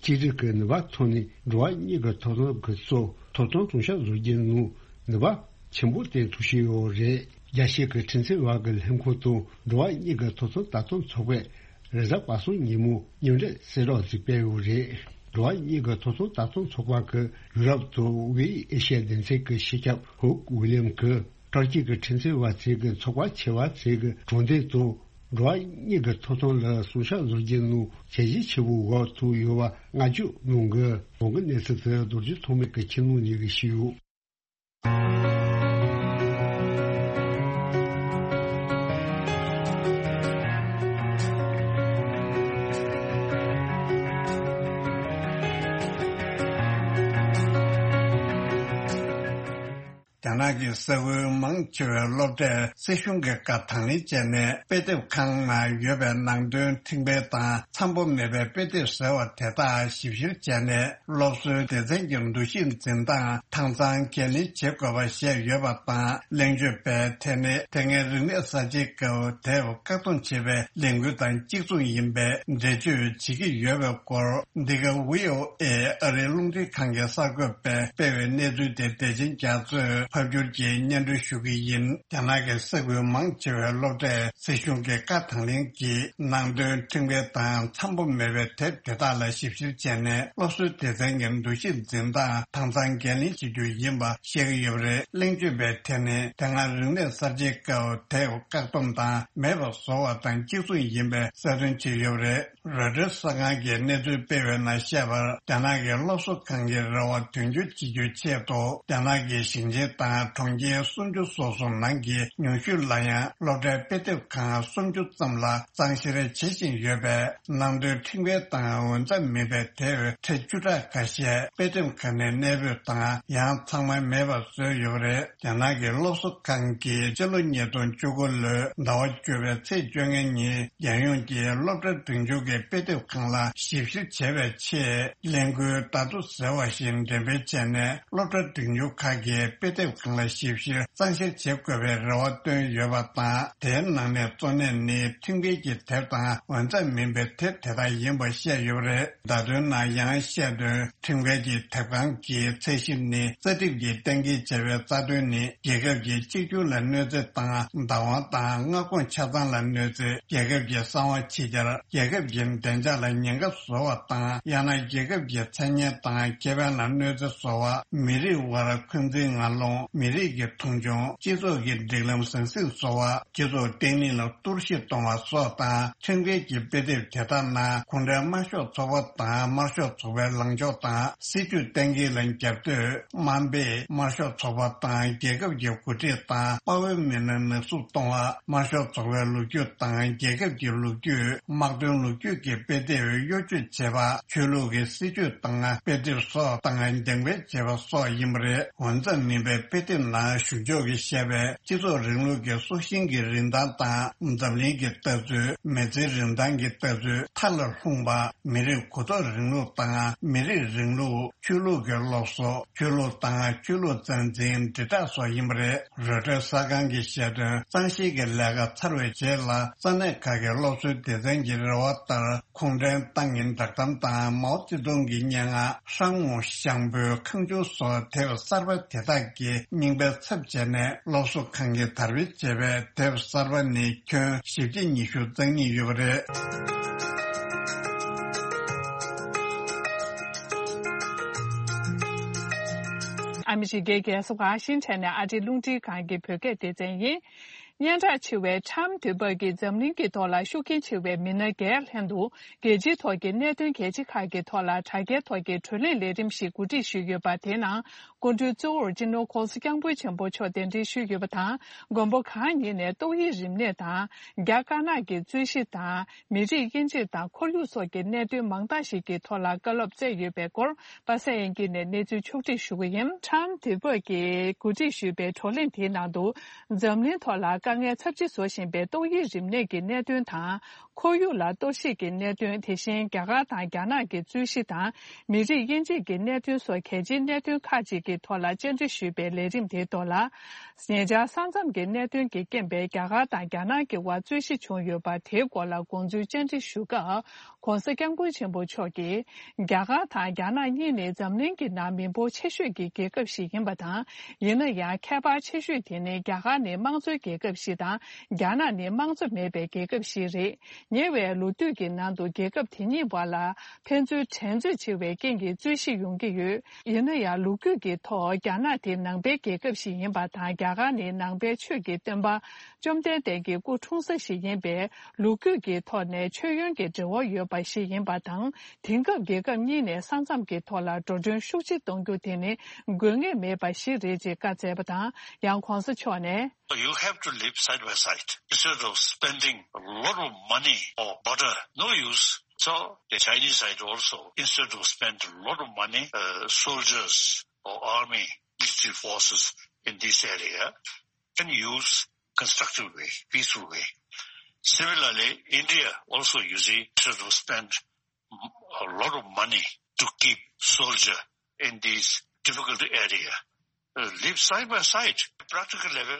གཅིག་སྒྲིལ་གྱི་ནུས་པ་ཐོག་ནས་འགྲོ་བ་གཉིས་ཀྱི་ཐོབ་ཐང་གི་སྲོལ་ཐོབ་ཐང་སྲུང་སྐྱོབ་བཟོ་རྒྱུ་ནང་ནུས་པ་ཆེན་པོ་བསྟན་ཐུབ་བཞིན་ཡོད་རེད། རྒྱལ་སྤྱི་གི་ཁྲིམས་རྩོད་པ་གི་ལྷན་ཁང་དང་འགྲོ་བ་གཉིས་ཀྱི་ཐོབ་ཐང་ལྟ་སྟངས་ཚོགས་པས་རེས་གཟའ་པ་སངས་ཉིན་མོ་མཉམ་འབྲེལ་གསལ་བསྒྲགས་ཤིག་སྤེལ་ཡོད་རེད། འགྲོ་བ་གཉིས་ཀྱི་ཐོབ་ཐང་ལྟ་སྟངས་ཚོགས་པ་གི་ཡུ་རོབ་དང་དབུས་ཨེ་ཤི་ཡའི་སྡེ་ཚན་གྱི་སྤྱི་ཁྱབ་ཧུག་ཝི་ལིམ་གྱིས་ཏུར་ཀི་གི་ཁྲིམས་རྩོད་པ་ཚོས་ཀྱི་ཚོགས་པ་ཆེ་བ་ཚོས་ཀྱི་གྲོང་སྡེ་དང་འགྲོ་བ་གཉིས་ཀྱི་ཐོབ་ཐང་ལ་སྲུང་སྐྱོབ་བཟོ་རྒྱུ་ནང་བྱས་རྗེས་ཆེ་བོ་འགྲོ་ཐུབ་ཡོད་པ་བསྔགས་བརྗོད་གནང་གི། གོང་གི་གནས་ཚུལ་དེ་རྡོ་རྗེ་ཐོགས་མེད་ཀྱིས་ཁྱིམ་ནང་ཉིད་ཀྱིས་ཞུས་ཡོད། རྒྱ་ནག་གི་ས་ཁུལ་མང་ཆེ་བའི་སློབ་གྲྭས་སྲིད་གཞུང་གི་བཀའ་དང་ལེན་བྱས་ནས་དཔེ་དེབ་ཁང་ནང་ཡོད་པའི་ནང་དོན་ཕྲེང་བའི་དང་འཚམ་པོ་མེད་པའི་དཔེ་དེབ་ཟེར་བ་དེ་དག་ཞིབ་བཤེར་བྱས་ནས་སློབ་གསོའི་སྡེ་ཚན་གྱི་འདུ་ཤེས་འཛིན་སྟངས་དྭངས་གཙང་འགན་ལེན་བྱེད་དགོས་པ་བཤད་ཡོད་པ་དང་། གླེང་བརྗོད་པས་དེ་ནི་དེ་སྔའི་རིག་གནས་གསར་བརྗེའི་སྐབས་དེབ་བཀག་སྡོམ་བྱས་པའི་ལས་འགུལ་དང་གཅིག་མཚུངས་ཡིན་པའི་འགྲེལ་བརྗོད་བྱེད་ཀྱི་ཡོད་པའི་སྐོར། འདི་ག་ཝི་ཨོ་ཨེ་ཨ་རིའི་རླུང་འཕྲིན་ཁང་གི་གསར་འགོད་པས་སྤེལ་བའི་གནས་ཚུལ་དེ་བདེ་ཆེན་རྒྱ་མཚོས་ཕབ་སྒྱུར་གྱིས་སྙན་སྒྲོན་ཞུ་གི་ཡིན། རྒྱ་ནག་གི་ས་ཁུལ་མང་ཆེ་བའི་སློབ་གྲྭས་སྲིད་གཞུང་གི་བཀའ་དང་ལེན་གྱིས་ནང་དོན་ཕྲེང་བའི་དང་འཚམ་པོ་མེད་པའི་དེབ་དེ་དག་ལ་ཞིབ་བཤེར་བྱས་ནས་སློབ་གསོའི་སྡེ་ཚན་གྱི་འདུ་ཤེས་འཛིན་སྟངས་དྭངས་གཙང་འགན་ལེན་བྱེད་རྒྱུ་ཡིན་པ་བཤད་ཀྱི་ཡོད་པ་རེད། གླེང་བརྗོད་པས་དེ་ནི་དེ་སྔ་རིག་གནས་གསར་བརྗེའི་སྐབས་དེབ་བཀག་སྡོམ་དང་མེད་པ་བཟོ་བ་དང་གཅིག་མཚུངས་ཡིན་པའི་གསལ་སྟོན་བྱས་ཡོད་པ་རེད། རོའི་ཊར་གསར་ཁང་གིས་གནས་ཚུལ་སྤེལ་བའི་ནང་བཤད་པར། རྒྱ་ནག་གི་སློབ་གསོ་ཁང་གི་རེ་བ་དོན་འཁྱོལ་བྱེད་རྒྱུའི་ཆེད་དུ། རྒྱ་ནག་གི་ཞིང་ཆེན་དང་ གྲོང་ཁྱེར་སུམ་ཅུ་སོ་གསུམ་ནང་གི་ཉུང་ཤོས་ལ་ཡང་སློབ་གྲྭའི་དཔེ་དེབ་ཁང་སུམ་ཅུ་ཙམ་ལ་གཙང་བཤེར་བྱེད་བཞིན་ཡོད་པས། ནང་དོན་ཁྲིམས་འགལ་དང་འོས་འཚམ་མིན་པའི་དེབ་ཁྲི་བཅུ་ཕྲག་ཁ་ཤས་དཔེ་དེབ་ཁང་ནས་གནས་སྤོས་དང་ཡང་ཚང་མ་མེད་པར་བཟོས་ཡོད་པ་རེད། རྒྱ་ནག་གི་སློབ་གསོ་ཁང་གིས་སྤྱི་ལོ་ཉིས་སྟོང་བཅུ་དགུ་ལོའི་ཟླ་བ་བཅུ་པའི་ཚེས་བཅོ་ལྔ་ཉིན། རྒྱལ་ཡོངས་ཀྱི་སློབ་གྲྭ་འབྲིང་ཆུང་གི་དཔེ་དེབ་ཁང་ལ་ཞིབ་བཤེར་བྱེད་པའི་ཆེད། གླིང་ཁུལ་ད་དུ་ཟེར་བ་བཞིན་འགྲེམས་སྤེལ་བྱས་ནས། སློབ་གྲྭ་འབྲིང་ཆུང་ཁག་གི་དཔེ་དེབ་ཁང་ལ་ཞིབ་བཤེར་གཙང་བཤེར་བྱེད་དགོས་པའི་རེ་བ་བཏོན་ཡོད་པ་དང་། དེའི་ནང་ནས་གཙོ་གནད་ནི་ཁྲིམས་འགལ་གྱི་དེབ་དང་འོས་འཚམ་མིན་པའི་དེབ་དེ་དག་ཡིན་པ་བཤད་ཡོད་པ་རེད། བརྡ་དོན་ནང་ཡང་བཤད་དོན། ཁྲིམས་འགལ་གྱི་དེབ་ཁང་གི་ཚད་གཞི་ནི། རྩ་ཁྲིམས་ཀྱིས་གཏན་འཁེལ་བྱས་པའི་རྩ་དོན་ནི། རྒྱལ་ཁབ་ཀྱི་གཅིག་གྱུར་ལ་གནོད་འཚེ་དང་བདག་དབང་དང་མངའ་ཁོངས་ཆ་ཚང་ལ་གནོད་འཚེ། རྒྱལ་ཁབ་ཀྱི་གསང་བ་ཕྱི་གྱར། རྒྱལ་ཁབ་ཀྱི་བདེ་འཇགས་ལ་ཉེན་ཁ་བཟོ་བ་དང་། ཡང་ན་རྒྱལ་ཁབ་ཀྱི་མཚན་སྙན་དང་ཁེ་ཕན་ལ་གནོད་འཚེ་བཟོ་བ། མི་རིགས་དབར་འཁོན་འཛིན་ངན་སློང་། མི་རིགས་ཀྱི་མཐོང་ཆུང་། སྤྱི་ཚོགས་ཀྱི་སྒྲིག་ལམ་ཟང་ཟིང་བཟོ་བ། སྤྱི་ཚོགས་བརྟན་ལྷིང་ལ་གཏོར་བཤིག་གཏོང་བ་སོགས་དང་། ཁྲིམས་འགལ་གྱི་དཔེ་དེབ་དེ་དག་ནང་གུང་ཁྲན་དམར་ཤོག་ཚོགས་པ་དང་དམར་ཤོག་ཚོགས་པའི་ལངས་ཕྱོགས་དང་། སྲིད་ཇུས་གཏན་འཁེལ་ལ་རྒྱབ་གཏོད། དམའ་འབེབས། དམར་ཤོག་ཚོགས་པ་དང་རྒྱལ་ཁབ་ཀྱི་འགོ་ཁྲིད་དང་དཔའ་བོའི་མི་སྣ་ནག་བསུབ་གཏོང་བ། དམར་ཤོག་ཚོགས་པའི་ལོ་རྒྱུས་དང་རྒྱལ་ཁབ་ཀྱི་ལོ་རྒྱུས། དམག་དོན་ལོ་རྒྱུས་ཀྱི་དཔེ་དེབ་གཡོ་སྒྱུ་བྱེད་པ། ཆོས་ལུགས་ཀྱི་སྲིད་ཇུས་དང་དཔེ་དེབ་སོགས་དང་འགྲེམས་སྤེལ་བྱེད་པ་སོགས་ཡིན་པ་རེད། འོས་འཚམ་མིན་པའི་དཔེ་དེབ་ནང་གཞུང་ཕྱོགས་ཀྱིས་བཤད་པའི་སྤྱི་ཚོགས་རིང་ལུགས་ཀྱི་སྲོག་ཤིང་གི་རིན་ཐང་དང་འཛམ་གླིང་གི་ལྟ་ཚུལ། མི་ཚེའི་རིན་ཐང་གི་ལྟ་ཚུལ་མཐའ་ལ་ལྷུང་བ། མི་རིགས་གོ་རྟོགས་རིང་ལུགས་དང་མི་རིགས་རིང་ལུགས། ཆོས་ལུགས་ཀྱི་སློབ་གསོ། ཆོས་ལུགས་དང་ཆོས་ལུགས་རྩ་འཛིན་དྲིལ་བསྒྲགས་སོགས་ཡིན་པ་རེད། རོའི་ཊར་གསར་ཁང་གིས་བཤད་དོན། གཙང་བཤེར་གྱི་ལས་ཀ་ཚར་བའི་རྗེས་ལ། ས་གནས་ཁག་གི་སློབ་གསོའི་སྡེ་ཚན་གྱི་རེ་བ་ལྟར། གུང་ཁྲན་ཏང་གི་བསྒྲགས་གཏམ་དང་མའོ་ཙེ་ཏུང་གི་སྙན་ངག་ཧྲང་ངུ་ཞང་པོའི་ཁང་ཆུང་སོགས་དེབ་གསར་པ་དེ་དག་གི་རྙིང་པའི་ཚབ་བྱས་ནས། སློབ་གསོ་ཁང་གིས་དར་སྤེལ་བྱས་པའི་དེབ་གསར་པ་ནི་ཁྱོན་བཞི་བཅུ་ཉི་ཤུ་རྩ་གཉིས་ཡོད་པ་རེད། ཨ་མི་རི་ཀའི་རྒྱལ་ས་ཝ་ཤིང་ཊོན་ནས་ཨ་རིའི་རླུང་འཕྲིན་ཁང་གི་བོད་སྐད་སྡེ་ཚན་ཡིན། སྙན་གྲགས་ཆེ་བའི་ཊམ་དུས་བབ་ཀྱིས་འཛམ་གླིང་གི་ཐོག་ལ་ཤུགས་རྐྱེན་ཆེ་བའི་མི་སྣ་བརྒྱད་ལྷན་དུ། རྒྱལ་སྤྱིའི་ཐོག་གི་གནད་དོན་གལ་ཆེ་ཁག་གི་ཐོག་ལ་དྲ་རྒྱའི་ཐོག་གི་བགྲོ་གླེང་ལས་རིམ་ཞིག་གོ་སྒྲིག་ཞུས་ཡོད་པ། དེའི་ནང་སྐུ་མགྲོན་གཙོ་བོར་སྤྱི་ནོར་༧གོང་ས་༧སྐྱབས་མགོན་ཆེན་པོ་མཆོག་གདན་འདྲེན་ཞུས་ཡོད་པ་དང་། མགོན་པོ་གང་ཉིད་ནས་ཏོག་དབྱིབས་རིམས་ནད་དང་། རྒྱ་དཀར་ནག་གི་རྩོད་གཞི་དང་། མི་རིགས་དབྱེ་འབྱེད་དང་ཁོར་ཡུག་སོགས་ཀྱི་གནད་དོན་མང་དག་ཞིག་གི་ཐོག་ལ་བཀའ་སློབ་སྩལ་ཡོད་པའི་སྐོར། པ་སངས་དབྱངས་སྐྱིད་ནས་གནས་ཚུལ་ཕྱོགས་སྒྲིག་ཞུ་གི་ཡིན། ཊམ་དུས་བབ་ཀྱིས་གོ་སྒྲིག་ཞུས་པའི་བགྲོ་གླེང་དེའི་ནང་དུ། འཛམ་གླིང་ཐོག་ལ་དཀའ་ངལ་ཚབས་ཆེ་བཟོ་བཞིན་པའི་ཏོག་དབྱིབས་རིམས་ནད་ཀྱི་གནད་དོན་དང་། ཁོར་ཡུག་ལ་གཏོར་བཤིག་གི་གནད་དོན། དེ་བཞིན་རྒྱ་གར་དང་རྒྱ་ནག་གི་རྩོད་གཞི་དང་། མི་རིགས་དབྱེ་འབྱེད་ཀྱི་གནད་དོན་སོགས་གལ་ཆེའི་གནད་དོན་ཁག་ཅིག་གི་ཐོག་ལ་བཅར་འདྲི་ཞུས་པའི་ལས་རིམ་དེའི་ཐོག་ལ། ཉེ་ཆར་ས་མཚམས་ཀྱི་གནད་དོན་གྱིས་རྐྱེན་པས་རྒྱ་གར་དང་རྒྱ་ནག་གི་དབར་རྩོད་གཞི་བྱུང་ཡོད་པ། དེའི་སྐོར་ལ་དགོངས་ཚུལ་བཅར་འདྲི་ཞུ་སྐབས། ༧གོང་ས་༧སྐྱབས་མགོན་ཆེན་པོ་མཆོག་གིས། རྒྱ་གར་དང་རྒྱ་ནག་གཉིས་ནི་འཛམ་གླིང་གི་ནང་མི་འབོར་ཆེ་ཤོས་ཀྱི་རྒྱལ་ཁབ་ཞིག་ཡིན་པ་དང་། ཡིན་ན་ཡང་ཁྱད་པར་ཆེ་ཤོས་དེ་ནི་རྒྱ་གར་ནི་དམངས་གཙོའི་རྒྱལ་ཁབ་ཞིག་དང་། རྒྱ་ནག་ནི་དམངས་གཙོ་མེད་པའི་རྒྱལ་ཁབ་ཞིག་རེད། ཉེ་བའི་ལོ་དུས་ཀྱི་ནང་དུ་རྒྱལ་ཁབ་དེ་གཉིས་བར་ལ་ཕན་ཚུན་འགྲན་རྩོད་ཆེ་བའི་རྐྱེན་གྱིས་རྩོད་གཞི་ཡོང་གི་ཡོད། ཡིན་ན་ཡང་ལོ་རྒྱུས་ཀྱི་ཐོག་རྒྱ་ནག་དེ་ནང་པའི་རྒྱལ་ཁབ་ཞིག་ཡིན་པ་དང་། རྒྱ་གར་ནི་ནང་པའི་ཆོས་ཀྱི་སྟོན་པ་བཅོམ་ལྡན་འདས་ཀྱི་སྐུ་འཁྲུངས་ས་ཞིག་ཡིན་པས། ལོ་རྒྱུས་ཀྱི་ཐོག་ནས་མཆོད་ཡོན་གྱི་འབྲེལ་བ་ཡོད་པ་ཞིག་ཡིན་པ་དང་། དེང་སྐབས་རྒྱལ་ཁབ་གཉིས་ནས་ས་མཚམས་ཀྱི་ཐོག་ལ་འགྲོ་གྲོན་ཤུགས་ཆེ་གཏོང་རྒྱུ་དེ་ནི་དགོས་ངེས་མེད་པ་ཞིག་རེད་ཅེས་བཀའ་སྩལ་བ་དང་། ཡང་གོང་ས་མཆོག་ནས། You have to live side by side instead of spending a lot of money or border. No use. So the Chinese side also, instead of spend a lot of money, uh, soldiers or army, military forces in this area, can use constructive way, peaceful way. Similarly, India also, you see, instead of spend a lot of money to keep soldier in this difficult area, uh, live side by side, practical level,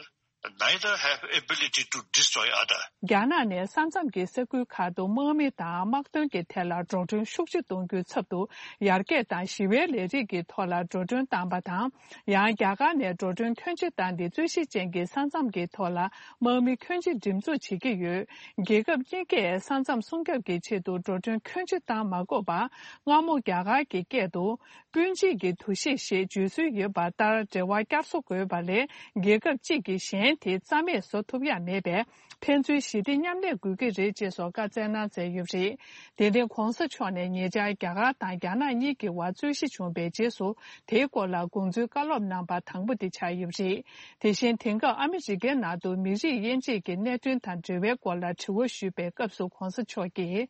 neither have ability to destroy other. རྒྱ་ནག་ནས་ས་མཚམས་ཀྱི་ས་ཁུལ་ཁག་ཏུ་དམག་མི་དང་དམག་དོན་གྱི་ཐད་ལ་འགྲོ་གྲོན་ཤུགས་ཆེ་གཏོང་རྒྱུའི་ཚབ་ཏུ། ཡར་རྒྱས་དང་ཞི་བའི་ལས་རིགས་ཀྱི་ཐོག་ལ་འགྲོ་གྲོན་བཏང་པ་དང་། ཡང་རྒྱ་གར་ནས་འགྲོ་གྲོན་ཁྱོན་ཆེ་བཏང་སྟེ། རྩོད་གཞི་ཅན་གྱི་ས་མཚམས་ཀྱི་ཐོག་ལ་དམག་མི་ཁྱོན་ཆེ་འགྲེམས་འཛུགས་བྱེད་ཀྱི་ཡོད། རྒྱལ་ཁབ་གཉིས་ཀས་ས་མཚམས་སྲུང་སྐྱོབ་ཀྱི་ཆེད་དུ་འགྲོ་གྲོན་ཁྱོན་ཆེ་བཏང་མ་དགོས་པར། སྔ་མོ་རྒྱ་གར་གྱི་སྐད་དུ། སྤུན་མཆེད་ཀྱི་འདུ་ཤེས་ཞེས་བརྗོད་སྲོལ་ཡོད་པ་ལྟར། འབྲེལ་བ་བསྐྱར་གསོ་དགོས་པ་ལས། རྒྱལ་ཁབ་གཅིག་གིས་གཞན། དེ་རྩ་མེད་བཟོ་ཐུབ་ཡ་མེད་པས། ཕན་ཚུན་ཞི་བདེ་མཉམ་གནས་དགོས་ཀྱི་རེད་ཅེས་སོགས་བཀའ་སྩལ་གནང་མཛད་ཡོད་པ་རེད། དེ་རིང་གོང་ས་མཆོག་ནས་ཉེ་ཆར་རྒྱ་གར་དང་རྒྱ་ནག་གཉིས་ཀྱི་བར་རྩོད་གཞི་བྱུང་བའི་རྗེས་སུ། དེའི་སྐོར་ལ་དགོངས་ཚུལ་བཀའ་སློབ་གནང་པ་དང་པོ་དེ་ཆགས་ཡོད་པ་རེད། དེ་བཞིན་དེང་སྐབས་ཨ་མི་རི་ཀའི་ནང་དུ་མི་རིགས་དབྱེ་འབྱེད་ཀྱི་གནད་དོན་དང་འབྲེལ་བའི་སྐོར་ལ་དྲི་བ་ཞུས་པའི་སྐབས་སུ་གོང་ས་མཆོག་གིས།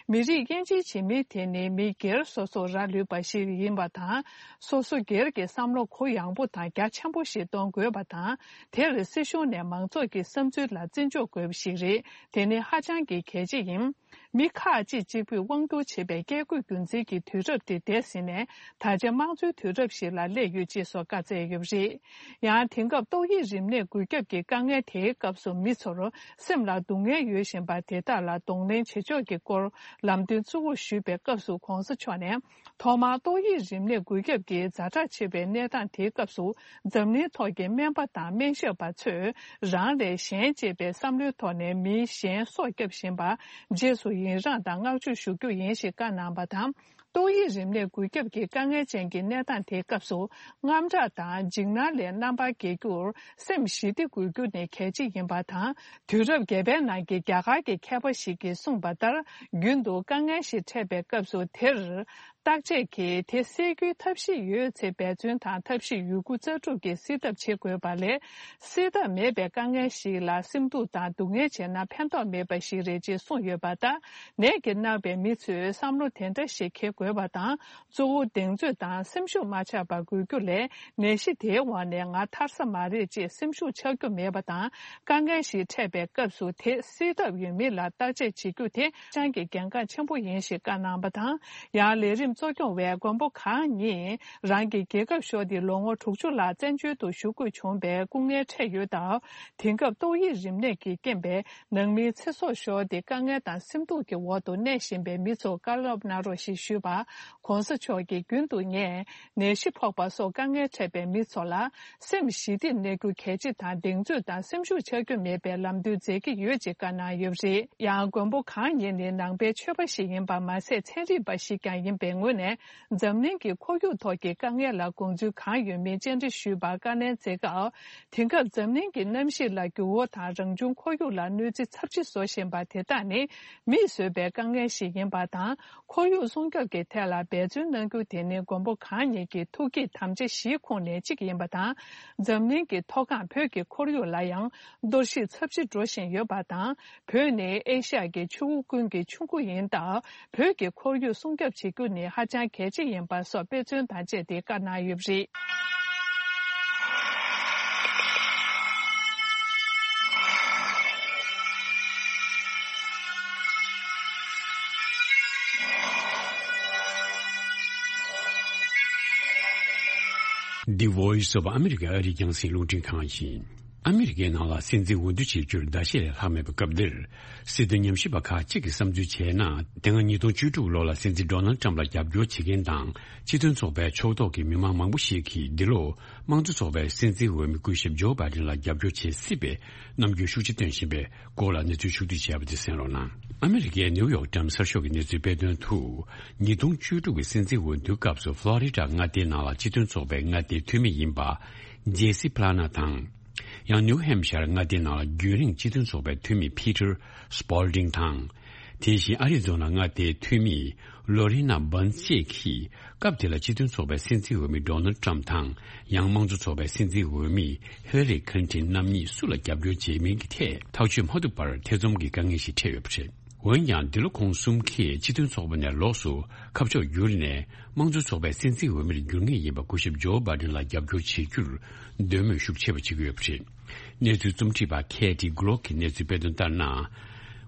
མི་རིགས་དབྱེ་འབྱེད་བྱེད་མི་དེ་ནི་མི་སྒེར་སོ་སོར་རག་ལུས་པ་ཞིག་ཡིན་པ་དང་། སོ་སོ་སྒེར་གྱི་བསམ་བློ་གུ་ཡངས་པོ་དང་རྒྱ་ཆེན་པོ་ཞིག་གཏོང་དགོས་པ་དང་། དེར་སྲིད་གཞུང་ནས་མང་ཚོགས་ཀྱི་བསམ་ཚུལ་ལ་བརྩི་འཇོག་དགོས་པ་ཞིག་རེད། དེ་ནི་ཧ་ཅང་གི་གལ་ཆེ་ཡིན། མི་ཁག་ཅིག་གཅིག་པུས་དབང་སྒྱུར་བྱེད་པའི་བཀས་བཀོད་རྒྱུད་འཛིན་གྱི་དུས་རབས་དེ་འདས་ཟིན་ནས། ད་ཆ་དམངས་གཙོའི་དུས་རབས་ཤིག་ལ་སླེབས་ཡོད་ཅེས་སོགས་བཀའ་སྩལ་ཡོད་པ་རེད། ཡང་དེང་སྐབས་ཏོག་དབྱིབས་རིམས་ནད་འགོས་ཁྱབ་ཀྱི་དཀའ་ངལ་དེའི་སྐབས་སུ་མི་ཚོར་སེམས་ལ་སྡུག་བསྔལ་ཡོད་བཞིན་པ་དེ་དག་ལ་གདོང་ལེན་བྱེད་ཕྱོགས་ཀྱི་སྐོར་ལམ་སྟོན་གཙོ་བོར་ཞུས་པའི་སྐབས་སུ་གོང་ས་མཆོག་ནས། ཐོག་མར་ཏོག་དབྱིབས་རིམས་ནད་འགོས་ཁྱབ་ཀྱི་ཛ་དྲག་ཆེ་བའི་གནས་སྟངས་དེའི་སྐབས་སུ། འཛམ་གླིང་ཐོག་གི་སྨན་པ་དང་སྨན་ཞབས་པ་ཚོས་རང་ལས་གཞན་གཅེས་པའི་བསམ་བློའི་ཐོག་ནས་མི་གཞན་སྲོག་བསྐྱབས་བཞིན་པར་རྗེས་སུ་ཡི་རངས་དང་བསྔགས་བརྗོད་ཞུ་རྒྱུ་ཡིན་ཞེས་བཀའ་གནང་བ་དང་། ཏོག་དབྱིབས་རིམས་ནད་འགོས་ཁྱབ་ཀྱི་དཀའ་ངལ་ཅན་གྱི་གནས་སྟངས་དེའི་སྐབས་སུ། དངངས་སྐྲག་དང་འཇིགས་སྣང་ལས་རྣམ་པར་རྒྱལ་རྒྱུར་སེམས་ཞི་བདེ་དགོས་རྒྱུ་ནི་གལ་ཆེ་ཡིན་པ་དང་། དུས་རབས་བརྒྱད་པའི་ནང་གི་རྒྱ་གར་གྱི་མཁས་པ་ཞིག་གིས་གསུངས་པ་ལྟར། རྒྱུན་དུ་དཀའ་ངལ་ཞིག་འཕྲད་པའི་སྐབས་སུ་དེར། བརྟག་དཔྱད་ཀྱིས་དེ་སེལ་རྒྱུའི་ཐབས་ཤེས་ཡོད་ཚེ་འབད་བརྩོན་དང་ཐབས་ཤེས་ཡོད་རྒུ་རྩལ་སྤྲུགས་ཀྱིས་སེལ་ཐབས་བྱེད་དགོས་པ་ལས། སེལ་ཐབས་མེད་པའི་དཀའ་ངལ་ཞིག་ལ་སེམས་སྡུག་དང་སྡུག་བསྔལ་བྱས་ན་ཕན་ཐོགས་མེད་པ་ཞིག་རེད་ཅེས་གསུངས་ཡོད་པ་ལྟར། ནད་ཀྱིས་མནར་བའི་མི་ཚོས་བསམ་བློ་དེ་འདྲ་ཞིག་འཁྱེར་དགོས་པ་དང་། གཙོ་བོ་གདེང་ཚོད་དང་སེམས་ཤུགས་མ་ཆག་པར་དགོས་རྒྱུ་ལས། ནད་གཞི་དེའི་འོག་ནས་ང་ཐར་ས་མ་རེད་ཅེས་སེམས་ཤུགས་ཆག་རྒྱུ་མེད་པ་དང་། དཀའ་ངལ་ཞིག་འཕྲད་པའི་སྐབས་སུ་དེ་སེལ་ཐབས་ཡོད་མེད་ལ་བརྟག་དཔྱད་བྱེད་རྒྱུ་དེ་ཧ་ཅང་གི་གལ་འགངས་ཆེན་པོ་ཡིན་ཞེས་བཀའ་གནང་བ་དང་། ཡང་ལས་རིམ་གཙོ་སྐྱོང་བས་མགོན་པོ་གང་ཉིད་རང་གི་རྒྱལ་ཁབ་ཤོར་ཏེ་ལོ་ངོ་དྲུག་ཅུ་ལྷག་བཙན་བྱོལ་དུ་བཞུགས་དགོས་བྱུང་བའི་སྐུ་ངལ་འཕྲད་ཡོད་སྟབས། དེང་སྐབས་ཏོག་དབྱིབས་རིམས་ནད་ཀྱི་རྐྱེན་པས་ནང་མིའི་ཚེ་སྲོག་ཤོར་ཏེ་དཀའ་ངལ་དང་སེམས་སྡུག་གི་འོག་ཏུ་གནས་བཞིན་པའི་མི་ཚོར་བཀའ་སློབ་གནང་རོགས་ཞེས་ཞུས་པར། གོང་ས་མཆོག་གིས་རྒྱུན་དུ་ངས་ནད་གཞི་ཕོག་པ་སོགས་དཀའ་ངལ་འཕྲད་པའི་མི་ཚོ་ལ་སེམས་ཞི་བདེར་གནས་རྒྱུ་གལ་ཆེ་དང་གདེང་ཚོད་དང་སེམས་ཤུགས་ཆག་རྒྱུ་མེད་པའི་ལམ་སྟོན་མཛད་ཀྱི་ཡོད་ཅེས་བཀའ་གནང་ཡོད་པ་རེད། ཡང་མགོན་པོ་གང་ཉིད་ནི་ནང་པའི་ཆོས་པ་ཞིག་ཡིན་པ་མ་ཟད་ཚན་རིག་པ་ཞིག་ཀྱང་ཡིན་པའི་ངོས་ནས་འཛམ་གླིང་གི་ཁོར་ཡུག་ཐོག་གི་དཀའ་ངལ་ལ་དགོངས་ཚུལ་གང་ཡོད་མེད་བཅར་འདྲི་ཞུས་པར་བཀའ་ལན་སྩལ་སྐབས། དེང་སྐབས་འཛམ་གླིང་གི་གནམ་གཤིས་ལ་འགྱུར་བ་དང་རང་བྱུང་ཁོར་ཡུག་ལ་གནོད་འཚེ་ཚབས་ཆེ་བཟོ་བཞིན་པ་དེ་དག་ནི་མིས་བཟོས་པའི་དཀའ་ངལ་ཞིག་ཡིན་པ་དང་། ཁོར་ཡུག་སྲུང་སྐྱོབ་ཀྱི་ཐད་ལ་འབད་བརྩོན་གནང་རྒྱུ་དེ་ནི་མགོན་པོ་གང་ཉིད་ཀྱི་ཐུགས་བསྐྱེད་དམ་བཅའ་བཞིའི་ཁོངས་ནས་གཅིག་ཡིན་པ་དང་། འཛམ་གླིང་གི་མཐོ་སྒང་བོད་ཀྱི་ཁོར་ཡུག་ལ་ཡང་གཏོར་བཤིག་ཚབས་ཆེ་འགྲོ་བཞིན་ཡོད་པ་དང་། བོད་ནི་ཨེ་ཤ་ཡ་གི་ཆུ་བོ་ཀུན་གྱི་ཆུ་མགོ་ཡིན་སྟབས། བོད་ཀྱི་ཁོར་ཡུག་སྲུང་སྐྱོབ་བྱེད་རྒྱུ་ནི་ཧ་ཅང་གལ་ཆེ་ཡིན་པ་སོགས་དཔེ་མཚོན་དང་བཅས་ཏེ་བཀའ་གནང་ཡོད་པ་རེད། The Voice of America ཨ་རིའི་རྒྱང་སྲིང་རླུང་འཕྲིན་ཁང་ཡིན། ཨ་མི་རི་ཀའི་ནང་ལ་སྲིད་འཛིན་འོས་བསྡུ་བྱེད་རྒྱུར་ཟླ་ཤས་ལས་ལྷག་མེད་པའི་སྐབས་འདིར། སྲིད་དོན་ཉམས་ཞིབ་པ་ཁག་ཅིག་གིས་བསམ་ཚུལ་བྱས་ན། དེ་སྔ་ཉིས་སྟོང་བཅུ་དྲུག་ལོ་ལ་སྲིད་འཛིན་ཌོ་ནལ་ཊམ་ལ་རྒྱབ་སྐྱོར་བྱེད་མཁན་དང་། སྤྱི་མཐུན་ཚོགས་པའི་ཕྱོགས་གཏོགས་ཀྱི་མི་མང་མང་པོ་ཞིག་གིས་འདི་ལོ་དམངས་གཙོ་ཚོགས་པའི་སྲིད་འཛིན་འོས་མི་སྐུ་ཞབས་ཇོ་བྷའི་ཌེན་ལ་རྒྱབ་སྐྱོར་བྱེད་སྲིད་པའི་རྣམ་འགྱུར་ཤུགས་ཆེ་སྟོན་བཞིན་པའི་སྐོར་ལ་གནས་ཚུལ་ཕྱོགས་བསྡུས་བྱས་པ་དེ་གསན་རོགས་གནང་། ཨ་མི་རི་ཀའི་ནིའུ་ཡོག་ཊའིམ་གསར་ཤོག་གི་གནས་ཚུལ་སྤེལ་དོན་དུ། ཉིས་སྟོང་བཅུ་དྲུག་གི་སྲིད་འཛིན་འོས་བསྡུའི་སྐབས་སུ་ཕློ་རི་ཌ་མངའ་སྡེའི་ནང་ལ་སྤྱི་མཐུན་ཚོགས་པའི་མངའ་སྡེའི་འཐུས་མི་ཡིན་པ། ཇེ་སི་པླ་ན་དང་། ཡང་ནིའུ་ཧེམ་ཤར་མངའ་སྡེའི་ནང་ལ་རྒྱུན་རིང་སྤྱི་མཐུན་ཚོགས་པའི་འཐུས་མི་ཕི་ཊར་སྤོལ་ཌིང་དང་། དེ་བཞིན་ཨ་རི་ཛོ་ན་མངའ་སྡེའི་འཐུས་མི་ལོ་རི་ན་བཱན་སི་བཅས་ཀྱིས་སྐབས་དེ་ལ་སྤྱི་མཐུན་ཚོགས་པའི་སྲིད་འཛིན་འོས་མི་ཌོ་ནལ་ཊམ་དང་། ཡང་དམངས་གཙོ་ཚོགས་པའི་སྲིད་འཛིན་འོས་མི་ཧི་ལ་རི་ཁིན་ཏིན་རྣམ་གཉིས་སུ་ལ་རྒྱབ་སྐྱོར་བྱེད་མིན་གྱི་ཐད་ཐག་གཅོད་མ་ཐུབ་པར་ཐེ་ཚོམ་གྱི་དཀའ་ངལ་ཞིག་འཕྲད་ཡོད་པ་རེད། འོན་ཀྱང་འདི་ལོ་ཁོང་གསུམ་གྱིས་སྤྱི་མཐུན་ཚོགས་པ་ནས་ལོགས་སུ་ཁ་ཕྱོགས་བསྒྱུར་ནས་དམངས་གཙོ་ཚོགས་པའི་སྲིད་འཛིན་འོས་མིར་འགྱུར་ངེས་ཡིན་པ་སྐུ་ཞབས་ཇོ་བྷའི་ཌེན་ལ་རྒྱབ་སྐྱོར་བྱེད་རྒྱུར་འདོད་མོས་ཤུགས་ཆེ་བ་བྱེད་ཀྱི་ཡོད་པ་རེད། གནས་ཚུལ་རྩོམ་སྒྲིག་པ་ཁེ་ཏི་གྷི་ལོག་གིས་གནས་ཚུལ་སྤེལ་དོན་ལྟར་ན།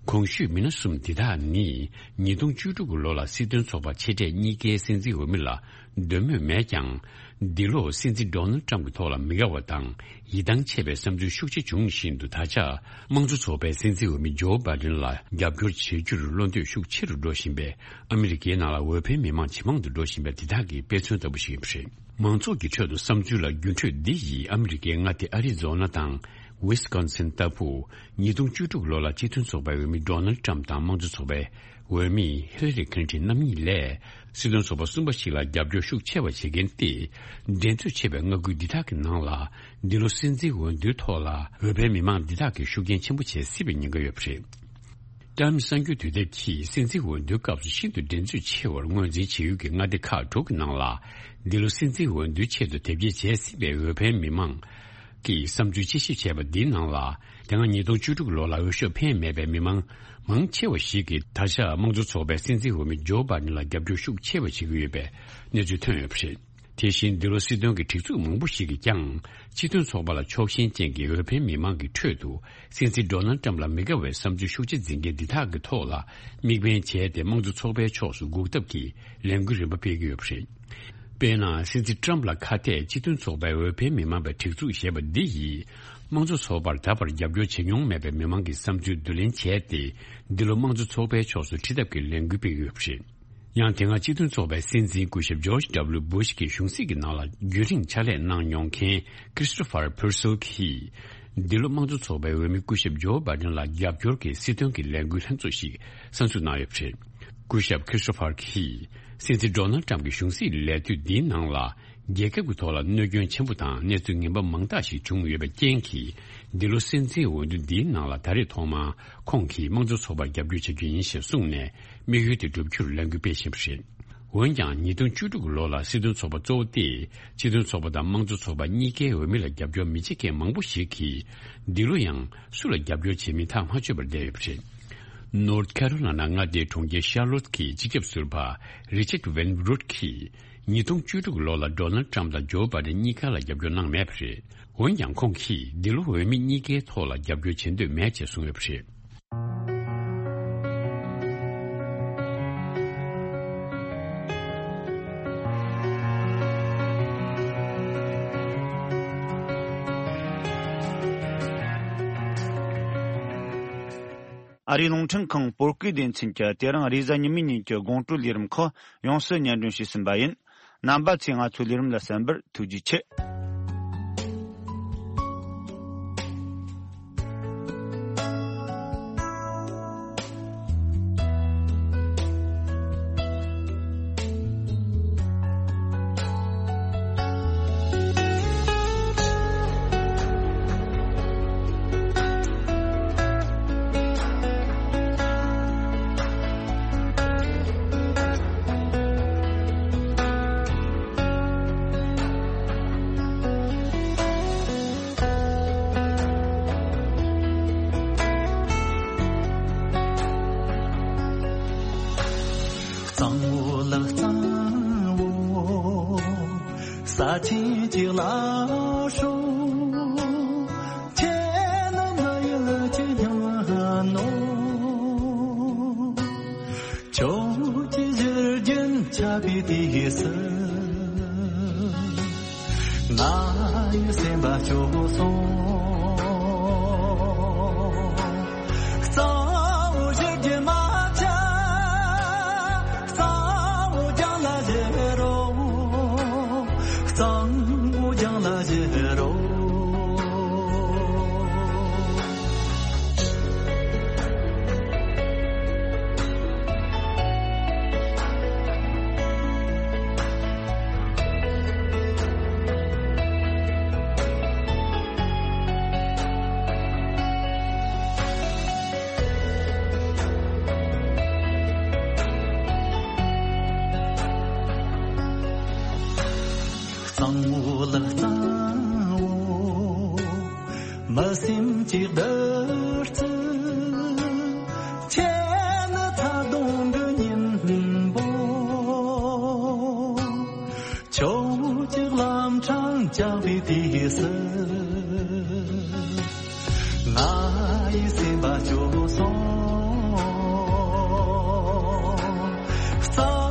གོང་ཞུས་མི་སྣ་གསུམ་འདི་དག་ནི་ཉིས་སྟོང་བཅུ་དྲུག་གི་ལོ་ལ་སྲིད་དོན་ཚོགས་པ་ཆེ་གྲས་གཉིས་ཀའི་སྲིད་འཛིན་འོས་མི་ལ་འདོད་མོས་མེད་ཀྱང་། འདི་ལོ་སྲིད་འཛིན་ཌོ་ནལ་ཊམ་གྱི་ཐོག་ལ་མི་དགའ་བ་དང་ཡིད་ཐང་ཆད་པའི་བསམ་ཚུལ་ཤུགས་ཆེ་བྱུང་བཞིན་དུ། ད་ཆ་དམངས་གཙོ་ཚོགས་པའི་སྲིད་འཛིན་འོས་མི་ཇོ་བྷའི་ཌེན་ལ་རྒྱབ་སྐྱོར་བྱེད་རྒྱུར་བློ་འདོད་ཤུགས་ཆེ་རུ་འགྲོ་བཞིན་པས། ཨ་མི་རི་ཀའི་ནང་ལ་འོས་འཕེན་མི་མང་ཇེ་མང་དུ་འགྲོ་བཞིན་པའི་འདི་དག་གི་དཔེ་མཚོན་ལྟ་བུ་ཞིག་ཡིན་པ་རེད། མང་ཚོགས་ཀྱི་ཁྲོད་དུ་བསམ་ཚུལ་ལ་འགྱུར་འགྲོས་འདི་ཡིས་ཨ་མི་རི་ཀའི་མངའ་སྡེ་ཨ་རི་ཛོ་ན་དང་། ཝི་སི་ཀོན་སིན་ལྟ་བུ། ཉིས་སྟོང་བཅུ་དྲུག་ལོ་ལ་སྤྱི་མཐུན་ཚོགས་པའི་འོས་མི་ཌོ་ནལ་ཊམ་དང་དམངས་གཙོ་ཚོགས་པའི་འོས་མི་ཧི་ལ་རི་ཁི་ལིན་ཊོན་རྣམ་གཉིས་ལས་སྲིད་དོན་ཚོགས་པ་གསུམ་པ་ཞིག་ལ་རྒྱབ་སྐྱོར་ཤུགས་ཆེ་བ་བྱེད་མཁན་ཏེ། འགྲན་རྩོད་ཆེ་བའི་མངའ་ཁུལ་འདི་དག་གི་ནང་ལ་འདི་ལོ་སྲིད་འཛིན་འོས་བསྡུའི་ཐོག་ལ་འོས་འཕེན་མི་མང་འདི་དག་གིས་ཤུགས་རྐྱེན་ཆེན་པོ་བྱེད་སྲིད་པའི་ཉེན་ཁ་ཡོད་པ་རེད། ཊམ་གསར་འགྱུར་དུས་དེབ་ཀྱིས་སྲིད་འཛིན་འོས་བསྡུའི་སྐབས་སུ་ཤིན་ཏུ་འགྲན་རྩོད་ཆེ་བར་ངོས་འཛིན་བྱེད་ཡུལ་གྱི་མངའ་སྡེ་ཁག་དྲུག་གི་ནང་ལ། འདི་ལོ་སྲིད་འཛིན་འོས་བསྡུའི་ཆེད་དུ་དེབ་སྐྱེལ་བྱེད་སྲིད་པའི་འོས་འཕེན་མི་མང་གི་བསམ་ཚུལ་དཔྱད་ཞིབ་བྱས་པ་འདིའི་ནང་ལ། དེ་སྔ་ཉིས་སྟོང་བཅུ་དྲུག་ལོ་ལ་འོས་ཤོག་འཕེན་མེད་པའི་མི་མང་མང་ཆེ་བ་ཞིག་གིས་ད་ཆ་དམངས་གཙོ་ཚོགས་པའི་སྲིད་འཛིན་འོས་མི་ཇོ་བྷའི་ཌེན་ལ་རྒྱབ་སྐྱོར་ཤུགས་ཆེ་བ་བྱེད་ཀྱི་ཡོད་པའི་གནས་ཚུལ་ཐོན་ཡོད་པ་རེད། དེ་བཞིན་འདི་ལོ་སྲིད་དོན་གྱི་སྒྲིག་འཛུགས་མང་པོ་ཞིག་གིས་ཀྱང་སྤྱི་མཐུན་ཚོགས་པ་ལ་ཕྱོགས་ཞེན་ཅན་གྱི་འོས་འཕེན་མི་མང་གི་ཁྲོད་དུ་སྲིད་འཛིན་ཌོ་ནལ་ཊམ་ལ་མི་དགའ་བའི་བསམ་ཚུལ་ཤུགས་ཆེ་འཛིན་མཁན་འདི་དག་གི་ཐོག་ལ་དམིགས་འབེན་བྱས་ཏེ་དམངས་གཙོ་ཚོགས་པའི་ཕྱོགས་སུ་འགུག་ཐབས་ཀྱི་ལས་འགུལ་རིམ་པ་སྤེལ་གྱི་ཡོད་པ་རེད། དཔེར་ན། སྲིད་འཛིན་ཊམ་ལ་ཁ་གཏད་སྤྱི་མཐུན་ཚོགས་པའི་འོས་འཕེན་མི་མང་བའི་སྒྲིག་འཛུགས་ཞེས་པ་འདི་ཡིས་དམངས་གཙོ་ཚོགས་པར་ད་བར་རྒྱབ་སྐྱོར་བྱེད་མྱོང་མེད་པའི་མི་མང་གི་བསམ་ཚུལ་བསྡུ་ལེན་བྱས་ཏེ། འདི་ལོ་དམངས་གཙོ་ཚོགས་པའི་ཕྱོགས་སུ་ཁྲིད་ཐབས་ཀྱི་ལས་འགུལ་སྤེལ་གྱི་ཡོད་པ་རེད། ཡང་དེ་སྔ་སྤྱི་མཐུན་ཚོགས་པའི་སྲིད་འཛིན་སྐུ་ཞབས་ཇོརྗ་ཌབ་ལུ་བུ་ཤ་གི་གཞུང་སྲིད་ཀྱི་ནང་ལ་རྒྱུན་རིང་ཕྱག་ལས་གནང་མྱོང་མཁན་ཁྲི་སི་ཊོ་ཕར་ཕུར་སེལ་གྱིས། འདི་ལོ་དམངས་གཙོ་ཚོགས་པའི་འོས་མི་སྐུ་ཞབས་ཇོ་བྷའི་ཌེན་ལ་རྒྱབ་སྐྱོར་གྱི་སྲིད་དོན་གྱི་ལས་འགུལ་ལྷན་ཚོགས་ཤིག་གསར་འཛུགས་གནང་ཡོད་པ་རེད། སྐུ་ཞབས་ཁྲི་སི་ཊོ་ཕར་གྱིས། སྲིད་འཛིན་ཌོ་ནལ་ཊམ་གྱི་གཞུང་སྲིད་ལས་དུས་འདིའི་ནང་ལ། རྒྱལ་ཁབ་ཀྱི་ཐོག་ལ་གནོད་སྐྱོན་ཆེན་པོ་དང་གནས་ཚུལ་ངན་པ་མང་དག་ཞིག་བྱུང་ཡོད་པའི་རྐྱེན་གྱིས། འདི་ལོ་སྲིད་འཛིན་འོས་བསྡུ་འདིའི་ནང་ལ་ད་རེས་ཐོག་མར་ཁོང་གིས་དམངས་གཙོ་ཚོགས་པར་རྒྱབ་སྐྱོར་བྱ་རྒྱུ་ཡིན་ཞེས་གསུངས་ནས། དམིགས་ཡུལ་དེ་བསྒྲུབ་རྒྱུར་ལས་འགུལ་སྤེལ་བཞིན་པ་རེད། འོན་ཀྱང་། ཉིས་སྟོང་བཅུ་དྲུག་ལོ་ལ་སྲིད་དོན་ཚོགས་པ་གཙོ་བོ་སྟེ། སྤྱི་མཐུན་ཚོགས་པ་དང་དམངས་གཙོ་ཚོགས་པ་གཉིས་ཀའི་འོས་མི་ལ་རྒྱབ་སྐྱོར་མི་བྱེད་མཁན་མང་པོ་ཞིག་གིས། འདི་ལོ་ཡང་སུ་ལ་རྒྱབ་སྐྱོར་བྱེད་མིན་ཐག་མ་ཆོད་པར་བསྡད་ཡོད་པ་རེད། ནོར་ཐ་ཁ་རོ་ལ་ན་མངའ་སྡེའི་གྲོང་ཁྱེར་ཤར་ལོད་ཀྱི་སྤྱི་ཁྱབ་ཟུར་པ་རི་ཆར་ཝེན་རུད་ཀྱིས། ཉིས་སྟོང་བཅུ་དྲུག་ལོ་ལ་ཌོ་ནལ་ཊམ་དང་ཇོ་བྷའི་ཌེན་གཉིས་ཀ་ལ་རྒྱབ་སྐྱོར་གནང་མེད་པ་རེད། འོན་ཀྱང་། ཁོང་གིས་འདི་ལོ་འོས་མི་གཉིས་ཀའི་ཐོག་ལ་རྒྱབ་སྐྱོར་བྱེད་འདོད་མེད་ཅེས་གསུངས་ཡོད་པ་རེད། ཨ་རིའི་རླུང་འཕྲིན་ཁང་བོད་སྐད་སྡེ་ཚན་གྱིས་དེ་རིང་རེས་གཟའ་ཉི་མའི་ཉིན་གྱི་དགོང་དྲོའི་ལས་རིམ་ཁག་ཡོངས་སུ་སྙན་སྒྲོན་ཞུས་ཟིན་པ་ཡིན། རྣམ་པ་ཚོས་ང་ཚོའི་ལས་རིམ་ལ་གསན་པར་ཐུགས་རྗེ་ཆེ། གཙང་བོ་ལ་གཙང་བོ། ས་ཆེན་གཅིག་ལ་ཧྲོ། ཁྱེད་ནི་མ་ཡུལ་གྱི་སྙིང་ནོ། ཁྱོད་ཀྱི་བཞུར་རྒྱུན་ཆགས་པའི་དུས་སུ། ང་ཡི་སེམས་པ་སྐྱོ་སོང་། གཙང་བོ་བཞུར་རྒྱུན་མ་ཆད། གཙང་བོ་རྒྱང་ལ་བཞུར་རོ། གཙང་བོ་རྒྱང་ལ་བཞུར་རོ། གཙང་བོ་ལ་གཙང་བོ། མི་སེམས་ཀྱི་བདུད་རྩི། ཁྱེད་ནི་ཐག་དོང་གི་སྙིང་པོ། ཁྱོད་ཀྱི་ལམ་འཕྲང་བཅག་པའི་དུས་སུ། ང་ཡི་སེམས་པ་སྐྱོ་སོང་། གཙང་